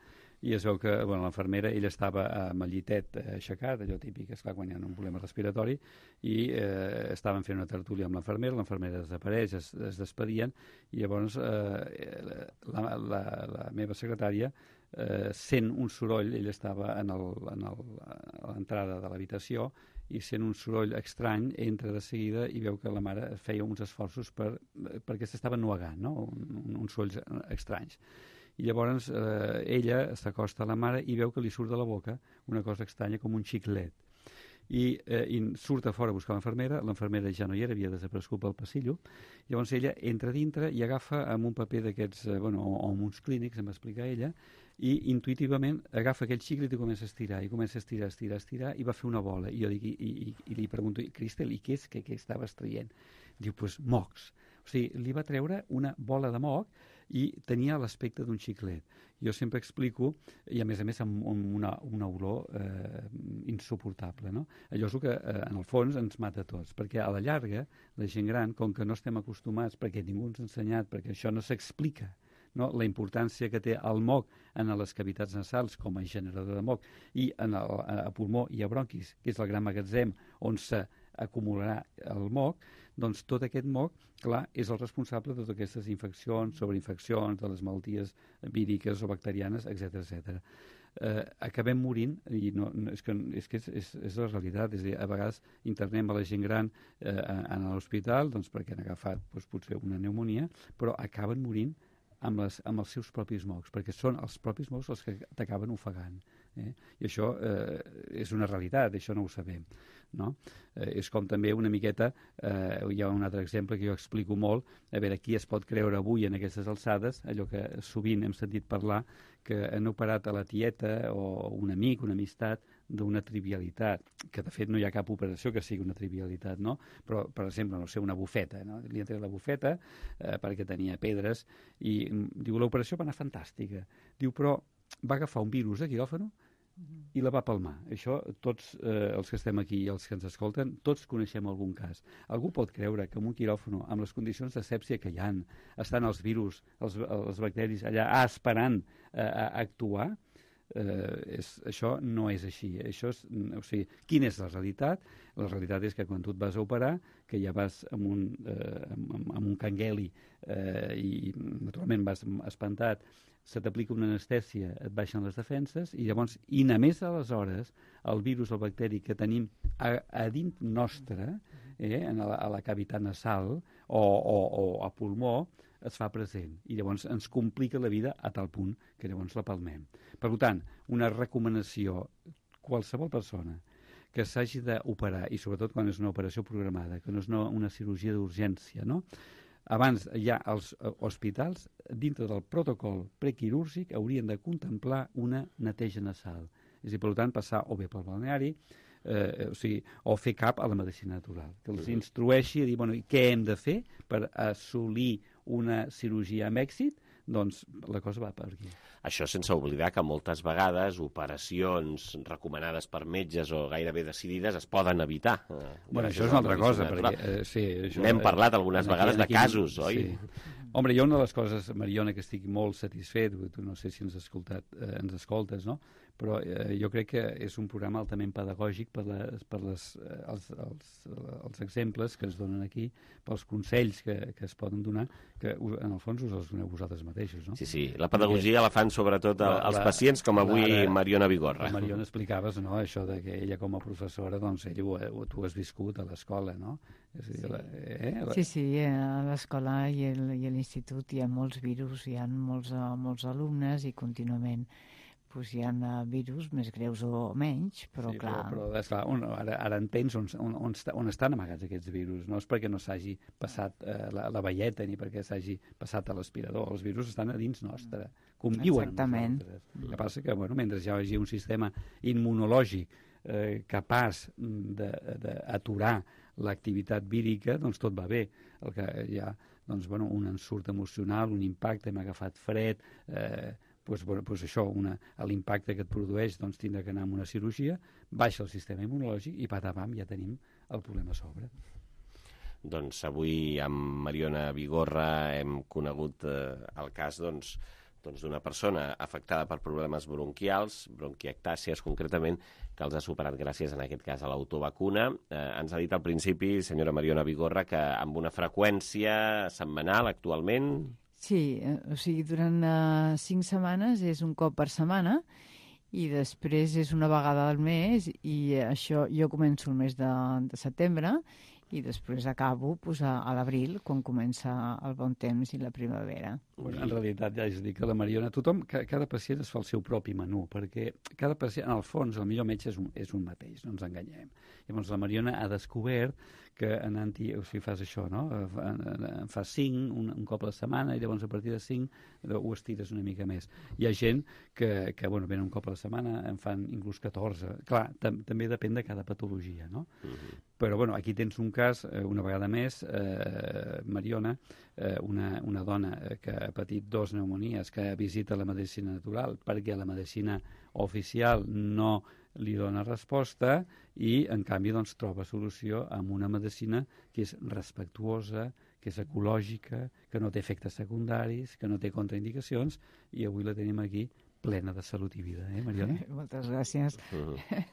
I es veu que bueno, l'infermera, ella estava amb el llitet aixecat, allò típic, esclar, quan hi ha un problema respiratori, i eh, estaven fent una tertúlia amb l'infermera, l'infermera desapareix, es, es despedien, i llavors eh, la, la, la meva secretària eh, sent un soroll, ella estava en el, en el, a l'entrada de l'habitació, i sent un soroll estrany, entra de seguida i veu que la mare feia uns esforços per, perquè s'estava nuegant, no? Un, un, uns sorolls estranys. I llavors eh, ella s'acosta a la mare i veu que li surt de la boca una cosa estranya com un xiclet. I, eh, i surt a fora a buscar l'infermera, l'infermera ja no hi era, havia desaparegut pel passillo, llavors ella entra dintre i agafa amb un paper d'aquests, eh, bueno, o, o amb uns clínics, em va explicar ella, i intuïtivament agafa aquell xiclet i comença a estirar, i comença a estirar, estirar, estirar, i va fer una bola. I jo dic, i, i, i li pregunto, Cristel, i què és que, que estaves traient? Diu, doncs pues, mocs. O sigui, li va treure una bola de moc i tenia l'aspecte d'un xiclet. Jo sempre explico, i a més a més amb una, una olor eh, insuportable, no? Allò és el que, eh, en el fons, ens mata a tots, perquè a la llarga, la gent gran, com que no estem acostumats, perquè ningú ens ha ensenyat, perquè això no s'explica, no? La importància que té el moc en les cavitats nasals com a generador de moc i en el, a pulmó i a bronquis, que és el gran magatzem on s'acumularà el moc, doncs tot aquest moc, clar, és el responsable de totes aquestes infeccions, sobreinfeccions, de les malalties víriques o bacterianes, etcètera, etcètera. Eh, acabem morint, i no, no, és que, és, que és, és, és la realitat, és a dir, a vegades internem a la gent gran eh, en l'hospital doncs, perquè han agafat doncs, potser una pneumonia, però acaben morint amb, les, amb els seus propis mocs, perquè són els propis mocs els que t'acaben ofegant. Eh? I això eh, és una realitat, això no ho sabem. No? Eh, és com també una miqueta, eh, hi ha un altre exemple que jo explico molt, a veure, qui es pot creure avui en aquestes alçades, allò que sovint hem sentit parlar, que han operat a la tieta o un amic, una amistat, d'una trivialitat, que de fet no hi ha cap operació que sigui una trivialitat, no? Però, per exemple, no sé, una bufeta, no? Li han tret la bufeta eh, perquè tenia pedres i diu, l'operació va anar fantàstica. Diu, però va agafar un virus de quiròfano i la va palmar. Això, tots eh, els que estem aquí i els que ens escolten, tots coneixem algun cas. Algú pot creure que en un quiròfano, amb les condicions d'asèpsia que hi ha, estan els virus, els, els bacteris allà ah, esperant eh, a actuar? Eh, és, això no és així. Això és, o sigui, quina és la realitat? La realitat és que quan tu et vas a operar, que ja vas amb un, eh, amb, amb un cangueli eh, i naturalment vas espantat, se t'aplica una anestèsia, et baixen les defenses i llavors, i només aleshores, el virus, el bacteri que tenim a, a dins nostre, eh, a, la, a la cavitat nasal o, o, o a pulmó, es fa present i llavors ens complica la vida a tal punt que llavors la palmem. Per tant, una recomanació, qualsevol persona que s'hagi d'operar, i sobretot quan és una operació programada, que no és una, una cirurgia d'urgència, no? Abans ja els hospitals, dintre del protocol prequirúrgic, haurien de contemplar una neteja nasal. És a dir, per tant, passar o bé pel balneari, eh, o sigui, o fer cap a la medicina natural, que els instrueixi a dir, bueno, què hem de fer per assolir una cirurgia amb èxit, doncs la cosa va per aquí. Això sense oblidar que moltes vegades operacions recomanades per metges o gairebé decidides es poden evitar. Eh, bueno, això és una altra cosa. Perquè, eh, sí, això, N'hem parlat algunes aquí, vegades aquí, de casos, sí. Oi? Hombre, jo una de les coses, Mariona, que estic molt satisfet, tu no sé si ens, escoltat, eh, ens escoltes, no? Però eh, jo crec que és un programa altament pedagògic per, les, per les, eh, els, els, els exemples que es donen aquí, pels consells que, que es poden donar, que en el fons us els doneu vosaltres mateixos, no? Sí, sí, la pedagogia la fan sobretot la, els la, pacients, com avui la, la, Mariona Vigorra. La Mariona explicaves, no?, això de que ella com a professora, doncs ella ho, ho, tu has viscut a l'escola, no? És a dir, sí. La, eh, la... sí, sí, a l'escola i a l'institut hi ha molts virus, hi ha molts, molts alumnes i contínuament pues hi ha virus més greus o menys, però sí, clar... Però, però esclar, on, ara, ara entens on, on, on, on estan amagats aquests virus. No és perquè no s'hagi passat eh, la, la velleta ni perquè s'hagi passat a l'aspirador. Els virus estan a dins nostre, conviuen Exactament. amb nosaltres. El que passa que, bueno, mentre hi hagi un sistema immunològic eh, capaç d'aturar l'activitat vírica, doncs tot va bé. El que hi ha, doncs, bueno, un ensurt emocional, un impacte, hem agafat fred... Eh, Pues, bueno, pues això, l'impacte que et produeix, doncs tindrà que anar amb una cirurgia, baixa el sistema immunològic i patapam, ja tenim el problema a sobre. Doncs avui amb Mariona Vigorra hem conegut eh, el cas doncs, doncs d'una persona afectada per problemes bronquials, bronquiectàcies concretament, que els ha superat gràcies en aquest cas a l'autovacuna. Eh, ens ha dit al principi, senyora Mariona Vigorra, que amb una freqüència setmanal actualment... Sí, o sigui, durant uh, cinc setmanes és un cop per setmana i després és una vegada al mes i això jo començo el mes de, de setembre i després acabo pues, a, a l'abril, quan comença el bon temps i la primavera. Bueno, en realitat, ja és a dir que la Mariona, tothom, cada pacient es fa el seu propi menú, perquè cada pacient, en el fons, el millor metge és un, és un mateix, no ens enganyem. Llavors la Mariona ha descobert que anant-hi, o sigui, fas això, no? En fas cinc, un, un cop a la setmana, i llavors a partir de cinc ho estires una mica més. Hi ha gent que, que bueno, venen un cop a la setmana, en fan inclús catorze. Clar, tam també depèn de cada patologia, no? Uh-huh. Però, bueno, aquí tens un cas, una vegada més, eh, Mariona, eh, una, una dona que ha patit dos pneumonies, que visita la medicina natural perquè la medicina oficial no li dona resposta i, en canvi, doncs, troba solució amb una medicina que és respectuosa, que és ecològica, que no té efectes secundaris, que no té contraindicacions, i avui la tenim aquí plena de salut i vida, eh, Mariona? Moltes gràcies. Uh -huh.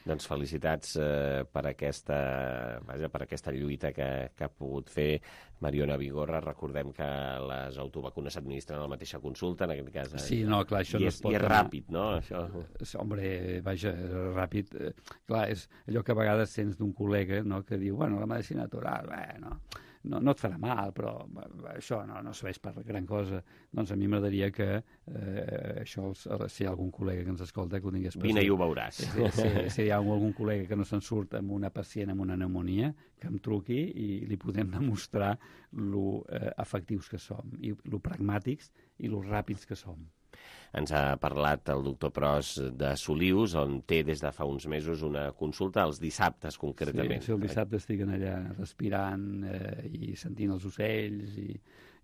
Doncs felicitats eh, per, aquesta, vaja, per aquesta lluita que, que ha pogut fer Mariona Vigorra. Recordem que les autovacunes s'administren a la mateixa consulta, en aquest cas. Sí, no, clar, això I no és, es pot i és anar... ràpid, no? Això... Hombre, vaja, ràpid. Eh, clar, és allò que a vegades sents d'un col·lega, no?, que diu, bueno, la medicina natural, bueno... No, no et farà mal, però això no, no serveix per gran cosa. Doncs a mi m'agradaria que eh, això, els, si hi ha algun col·lega que ens escolta, que ho tingués present. Vine i ho veuràs. Si, si, si hi ha algun col·lega que no se'n surt amb una pacient amb una pneumonia, que em truqui i li podem demostrar lo eh, efectius que som, i lo pragmàtics i lo ràpids que som. Ens ha parlat el doctor Pros de Solius, on té des de fa uns mesos una consulta els dissabtes, concretament. Sí, sí, el dissabte estiguen allà respirant eh, i sentint els ocells i,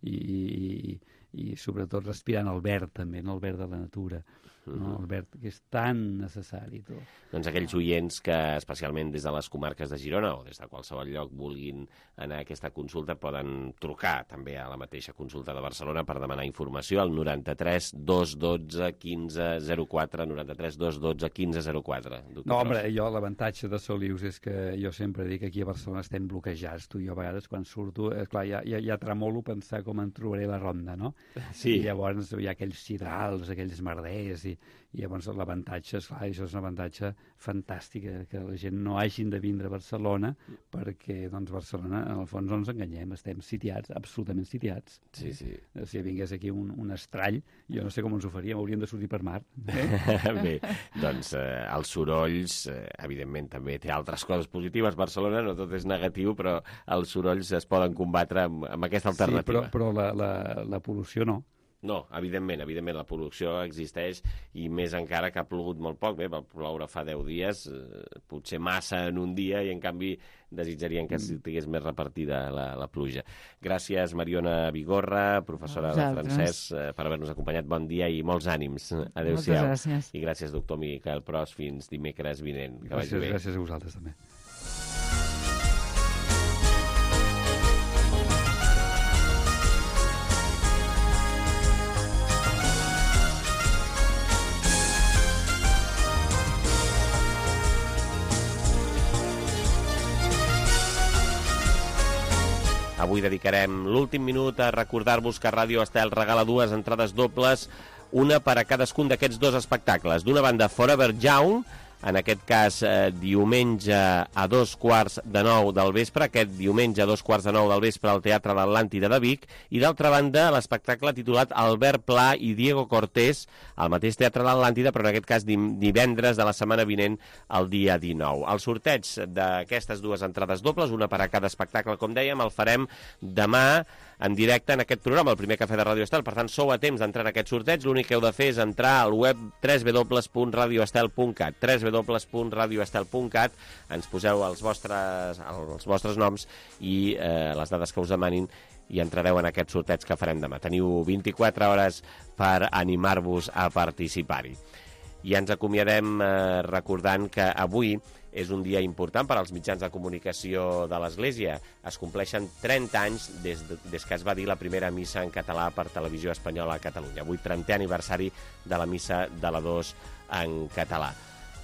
i, i, i sobretot respirant el verd també, no? El verd de la natura, no? El verd que és tan necessari. Tot. Doncs aquells oients que, especialment des de les comarques de Girona o des de qualsevol lloc, vulguin anar a aquesta consulta, poden trucar també a la mateixa consulta de Barcelona per demanar informació al noranta-tres dos dotze quinze zero quatre, noranta-tres dos dotze quinze zero quatre. No, home, jo l'avantatge de Solius és que jo sempre dic que aquí a Barcelona estem bloquejats. Tu i jo a vegades quan surto, eh, clar, ja, ja, ja tremolo pensar com em trobaré la ronda, no? Sí. I llavors hi ha aquells cirals, aquells merders, i, i llavors l'avantatge, esclar, això és un avantatge fantàstic, que la gent no hagin de vindre a Barcelona, perquè, doncs, Barcelona, en el fons, no ens enganyem, estem sitiats, absolutament sitiats. Sí, sí. Si vingués aquí un, un estrall, jo no sé com ens ho faríem, hauríem de sortir per mar. Eh? Bé, doncs eh, els sorolls, eh, evidentment, també té altres coses positives. Barcelona no tot és negatiu, però els sorolls es poden combatre amb, amb aquesta alternativa. Sí, però, però la, la, la pol·lució no. No, evidentment, evidentment, la producció existeix i més encara que ha plogut molt poc. Bé, va ploure fa deu dies, eh, potser massa en un dia, i en canvi desitjarien que estigués més repartida la, la pluja. Gràcies, Mariona Vigorra, professora de francès, eh, per haver-nos acompanyat. Bon dia i molts ànims. Adéu-siau. Moltes gràcies. I gràcies, doctor Miquel Pros. Fins dimecres vinent. Que gràcies, vagi bé. Gràcies a vosaltres, també. Avui dedicarem l'últim minut a recordar-vos que Ràdio Estel regala dues entrades dobles, una per a cadascun d'aquests dos espectacles. D'una banda, Forever Young, en aquest cas eh, diumenge a dos quarts de nou del vespre, aquest diumenge a dos quarts de nou del vespre al Teatre l'Atlàntida de Vic, i d'altra banda l'espectacle titulat Albert Pla i Diego Cortés, al mateix Teatre l'Atlàntida, però en aquest cas divendres de la setmana vinent, el dia dinou. El sorteig d'aquestes dues entrades dobles, una per a cada espectacle, com dèiem, el farem demà en directe en aquest programa, el primer cafè de Ràdio Estel. Per tant, sou a temps d'entrar en aquest sorteig. L'únic que heu de fer és entrar al web w w w punt radio estel punt cat, w w w punt radio estel punt cat, ens poseu els vostres, els vostres noms i eh, les dades que us demanin i entrareu en aquest sorteig que farem demà. Teniu vint-i-quatre hores per animar-vos a participar-hi. I ens acomiadem eh, recordant que avui és un dia important per als mitjans de comunicació de l'Església. Es compleixen trenta anys des, de, des que es va dir la primera missa en català per Televisió Espanyola a Catalunya. Avui, trentè aniversari de la missa de la dos en català.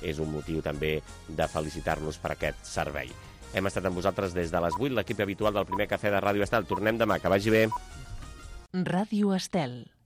És un motiu també de felicitar-los per aquest servei. Hem estat amb vosaltres des de les vuit, l'equip habitual del primer cafè de Ràdio Estel. Tornem demà, que vagi bé. Ràdio Estel.